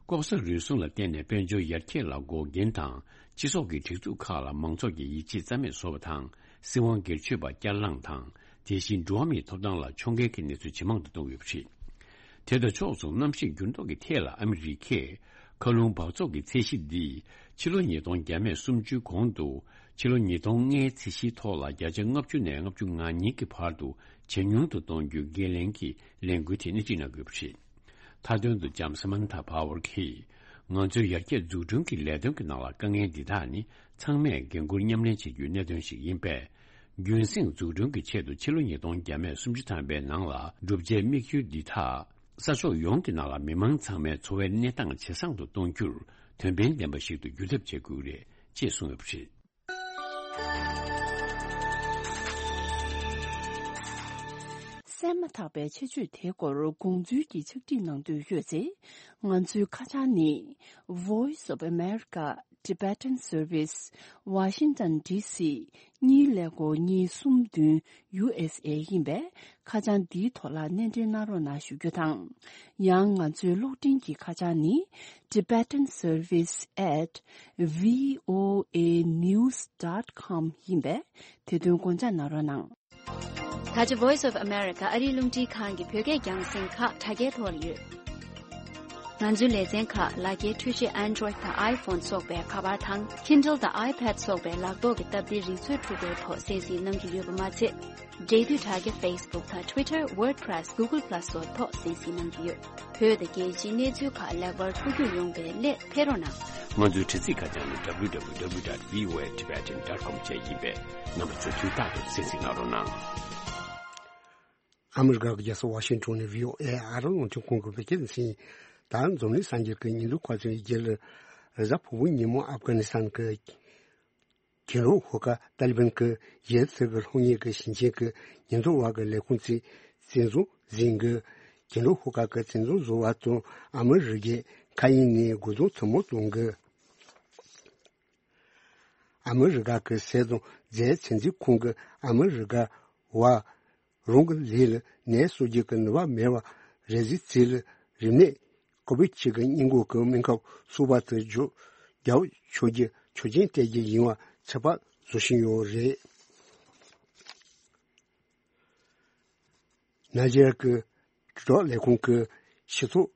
ལྐོག་ཟ་རུལ་སུངས་ལ་བརྟེན་ནས་དཔལ་འབྱོར་ཡར་རྒྱས་ལ་འགོག་རྐྱེན་དང་། སྤྱི་ཚོགས་ཀྱི་སྒྲིག་འཛུགས་ཁག་ལ་མང་ཚོགས་ཀྱི་ཡིད་ཆེས་རྩ་མེད་བཟོ་བ་དང་། སྲིད་དབང་སྒེར་གཅོད་པ་བསྐྱར་ལངས་དང་། དེ་བཞིན་འགྲོ་བ་མིའི་ཐོབ་ཐང་ལ་ཕྱོགས་འགལ་གྱི་གནས་ཚུལ་ཇེ་མང་དུ་གཏོང་ཡོད་པ་རེད། དེ་དང་ཕྱོགས་མཚུངས་གནམ་གཤིས་འགྱུར་ལྡོག་གི་ཐད་ལ་ཨ་མི་རི་ཀས་ མཁའ་རླུང་འབག་བཙོག་གི་ཚད་གཞི་འདི་ཕྱི་ལོ་ཉིས་སྟོང་བརྒྱ་མེད་སུམ་ཅུའི་གོང་དུ་ཕྱི་ལོ་ཉིས་སྟོང་ལྔའི་ཚད་གཞིའི་ཐོག་ལ་བརྒྱ་ཆ་ལྔ་བཅུ་ནས་ལྔ་བཅུ་ང་གཉིས་ཀྱི་བར་དུ་ཇེ་ཉུང་དུ་གཏོང་རྒྱུའི་འགན་ལེན་གྱི་ལས་འགུལ་དེ་སྣེ་ཁྲིད་གནང་དགོས་པ་རེད། མཐའ་དོན་དུ་ལྕམ་སེ་མན་ཐ་པ་ཝར་གྱིས། ང་ཚོའི་ཡར་རྒྱས་འཛུགས་སྐྲུན་གྱི་ལས་དོན་གྱི་ནང་ལ་དཀའ་ངལ་འདི་དག་ནི་ཚང་མས་འགན་འཁུར་མཉམ་ལེན་བྱེད་རྒྱུའི་གནད་དོན་ཞིག་ཡིན་པས། རྒྱུན་སྲིང་འཛུགས་སྐྲུན་གྱི་ཆེད་དུ་ཕྱི་ལོ་ཉིས་སྟོང་བརྒྱ་མེད་སུམ་ཅུ་ཐམ་པའི་ནང་ལ་བསྒྲུབ་བྱའི་དམིགས་ཡུལ་འདི་དག་ས་ཕྱོགས་ཡོངས་ཀྱི་ནང་ལ་མི་མང་ཚང་མའི་འཚོ་བའི་གནས་སྟངས་ཇེ་བཟང་དུ་གཏོང་རྒྱུར་དོན་ཕན་ལྡན་པ་ཞིག་ཏུ་འགྱུར་ཐབས་བྱེད་དགོས་རེད་ཅེས་གསུངས་ཡོད་པ་རེད། གསན་མ་ཐག་པའི་ཆེད་བརྗོད་དེའི་སྐོར་དགོངས་ཚུལ་གྱི་ཕྱག་བྲིས་གནང་འདོད་ཡོད་ཚེ། ང་ཚོའི་ཁ་བྱང་ནི། Voice of America Tibetan Service, Washington D C གཉིས་ཀླད་ཀོར་གཉིས་གསུམ་བདུན་U S A ཡིན་པས། ཁ་བྱང་འདིའི་ཐོག་ལ་སྣེ་འདྲེན་གནང་རོགས་གནང་ཞུ་རྒྱུ་དང་། ཡང་ང་ཚོའི་གློག་འཕྲིན་གྱི་ཁ་བྱང་ནི། Tibetan Service at V O A news dot com ཡིན་པས། དེ་དོན་དགོངས་འཇགས་གནང་རོགས་གནང་། ད་ཆ་Voice of America ཨ་རིའི་རླུང་འཕྲིན་ཁང་གི་བོད་སྐད་རྒྱང་སྲིང་ཁག་དྲ་རྒྱའི་ཐོག་ལ་ཡོད། ང་ཚོའི་ལེ་ཚན་ཁག་ལག་འཁྱེར་འཕྲུལ་ཆས་Android་དང་iPhone་སོགས་པའི་ཁ་པར་དང་Kindle་དང་iPad་སོགས་པའི་ལག་ཐོག་གི་སྟབས་བདེའི་རིག་མཛོད་འཕྲུལ་འཁོར་ཐོག་གསན་གཟིགས་གནང་གི་ཡོད་པ་མ་ཚད། འབྲེལ་མཐུད་དྲ་རྒྱ་Facebook་དང་Twitter, WordPress, Google Plus་སོགས་ཐོག་གསན་གཟིགས་གནང་གི་ཡོད། བོད་དང་རྒྱལ་སྤྱིའི་གནས་ཚུལ་ཁག་ལེགས་པར་ཐུགས་རྒྱུས་ཡོང་བའི་སླད་ཕེབས་རོགས་གནང་། ང་ཚོའི་དྲ་ཚིགས་ཁ་བྱང་ནི་W W W dot V O A Tibetan dot com བཅས་ཡིན་པས། རྣམ་པ་ཚོས་དུས་རྟག་ཏུ་གསན་གཟིགས་གནང་རོགས་གནང་། ཨ་མི་རི་ཀ་གི་རྒྱལ་ས་ཝ་ཤིང་ཊོན་ནས་V O A ཨ་རིའི་རླུང་འཕྲིན་ཁང་གི་བོད་སྐད་སྡེ་ཚན། ད་འཛམ་གླིང་གསར་འགྱུར་གྱི་སྙིང་བསྡུས་ཁ་སང་རྒྱལ་རེས་གཟའ་ཕུར་བུ་ཉིན་མོ་ཨབ་གྷ་ནི་སི་ཐན་གྱི་གྱེན་ལོགས་ཧུར་ཁག་ཏཱ་ལི་བན་གྱིས་ཡུལ་དེ་གི་ལྷོ་ངོས་ཀྱི་ཞིང་ཆེན་གྱི་ཉེན་རྟོག་པ་གི་ལས་ཁུངས་ཚོའི་བཙན་བཟུང་ཟིན་གྱི། གྱེན་ལོགས་ཧུར་ཁག་གི་བཙན་བཟུང་བཟོ་བ་དང་ཨ་མི་རི་ཀས་མཁའ་དབྱིངས་ནས་རྒོལ་རྡུང་ཐུན་མོང་གཏོང་གི། ཨ་མི་རི་ཀ་གི་ཟས་དང་རྫས་ཚོད་འཛིན་ཁང་གིས་ཨ་མི་རི་ཀ་བ་རང་གི་ལུས་ལ་ནད་གསོ་རྒྱུ་གི་ནུས་པ་མེད་པ་རེད་ཟེར་ཚེ་ལ་རིམས་ནད་ཀོ་བིད་གཅིག་གི་སྔོན་འགོག་གི་སྨན་ཁབ་གསར་པ་དེ་རྒྱག་རྒྱག་ཆོག་རྒྱུ་ཆོག་མཆན་སྤྲད་རྒྱུ་ཡིན་པ་ཚོད་དཔག་བཟོ་བཞིན་ཡོད་རེད། ནཱི་ཇེ་རི་ཡ་གི་དྲིལ་སྒྲོག་ལས་ཁུངས་ཀྱིས་སྤྱི་ཚོགས་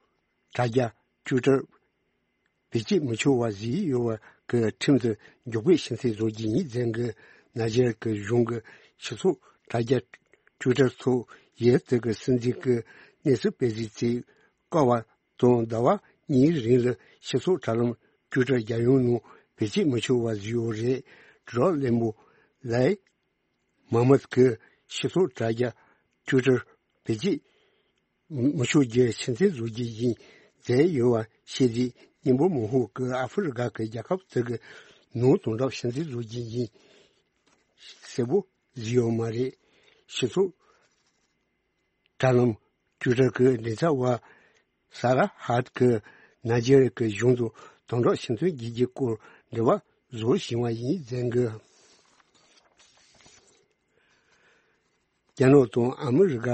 དྲ་རྒྱ་Twitter་བེད་སྤྱོད་མི་ཆོག་པ་བཟོས་ཡོད་པ་གི་ཁྲིམས་དེ་མགྱོགས་པོས་ཕྱིར་འཐེན་བཟོ་རྒྱུ་ཡིན་ཟེར་གི། ནཱི་ཇེ་རི་ཡ་གི་གཞུང་གི་སྤྱི་ཚོགས་དྲ་རྒྱ་Twitter་ཐོག་ཡུལ་དེ་གི་སྲིད་འཛིན་གྱིས་གནས་ཚུལ་སྤེལ་གཟིགས་ཚེ་བསྐོར་བ་དང་ཟླ་བ་གཉིས་རིང་ལ་སྤྱི་ཚོགས་དྲ་ལམ་Twitter་རྒྱལ་ཡོངས་ནང་བེད་སྤྱོད་མི་ཆོག་པ་བཟོས་ཡོད་རེད། དྲིལ་སྒྲོག་བློན་པོ་ལའི་མ་མད་ཀྱིས་སྤྱི་ཚོགས་དྲ་རྒྱ་Twitter་བེད་སྤྱོད་མི་ཆོག་རྒྱུ་ཕྱིར་འཐེན་བཟོ་རྒྱུ་ཡིན་ཟེར་ཡོད་པ་ཤེས་རྗེས་སྙན་པོ་མང་པོ་ཀྱིས་ཨ་ཧྥེ་རི་ཀ་གི་རྒྱལ་ཁབ་དེ་གི་ནང་དོན་དག་ཕྱིར་འཐེན་བཟོ་རྒྱུ་ཡིན་གསལ་པོ་བཟོས་ཡོད་མ་རེད། སྤྱི་ཚོགས་དྲ་ལམ་Twitter་གི་མགྲིན་ཚབ་པ་ས་ར་ཧཱད་ཀྱིས་ནཱི་ཇེ་རི་ཡ་གི་གཞུང་དུ་དོན་དག་ཕྱིར་འཐེན་བྱེད་རྒྱུའི་སྐོར་འབྲེལ་བ་བཟོ་བཞིན་པ་ཡིན་ཟེར་གི། རྒྱ་ནག་དང་ཨ་མི་རི་ཀ་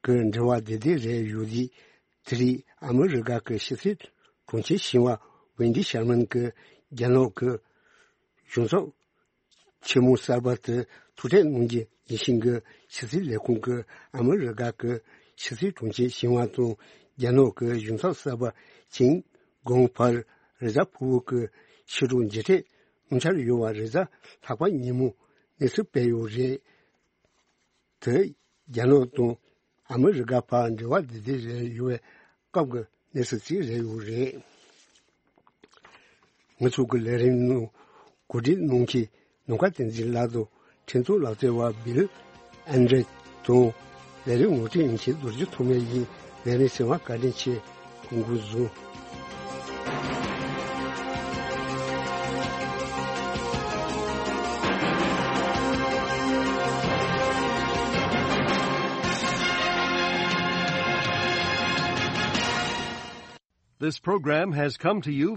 གི་འབྲེལ་བ་བདེ་བདེ་རེད་ཡོད་དུས། དེ་རིང་ཨ་མི་རི་ཀ་གི་ཕྱི་སྲིད་དྲུང་ཆེ་ཞི་བ་ཝེན་ཌི་ཤར་མན་གྱིས་རྒྱ་ནག་གི་གཞུང་ཚབ་ཆེན་མོ་གསར་པ་དེར་ཐུག་འཕྲད་གནང་རྒྱུ་ཡིན་ཞིང་གི། ཕྱི་སྲིད་ལས་ཁུངས་ཀྱིས་ཨ་མི་རི་ཀ་གི་ཕྱི་སྲིད་དྲུང་ཆེ་ཞི་བ་དང་རྒྱ་ནག་གི་གཞུང་ཚབ་གསར་པ་ཅིན་གོང་བར་རེས་གཟའ་ཕུར་བུ་གི་ཕྱི་དྲོ་མཇལ་འཕྲད་གནང་འཆར་ཡོད་པ་རེས་གཟའ་ལྷག་པ་ཉིན་མོ་གནས་ཚུལ་སྤེལ་ཡོད་རེད། དེ་རྒྱ་ནག་དང་ཨ་མི་རི་ཀ་བར་འབྲེལ་བ་བདེ་བདེ་རེད་ཡོད་པའི་སྐབས་ཀྱི་གནས་ཚུལ་ཅིག་རེད་ཡོད་རེད། ང་ཚོ་གི་ལས་རིམ་ནང་གོ་སྒྲིག་གནང་མཁན་ནམ་མཁའ་བསྟན་འཛིན་ལགས་དང་། འཕྲིན་གཏོང་ལག་རྩལ་བ་བིལ་ཨན་ཌྲེ་དང་། ལས་རིམ་ངོ་སྤྲོད་མཁན་རྡོ་རྗེ་ཐོགས་མེད་ཡིན། ལས་རིམ་གསན་པར་བཀའ་དྲིན་ཆེ། སྐུ་གཟུགས་བཟང་། This program has come to you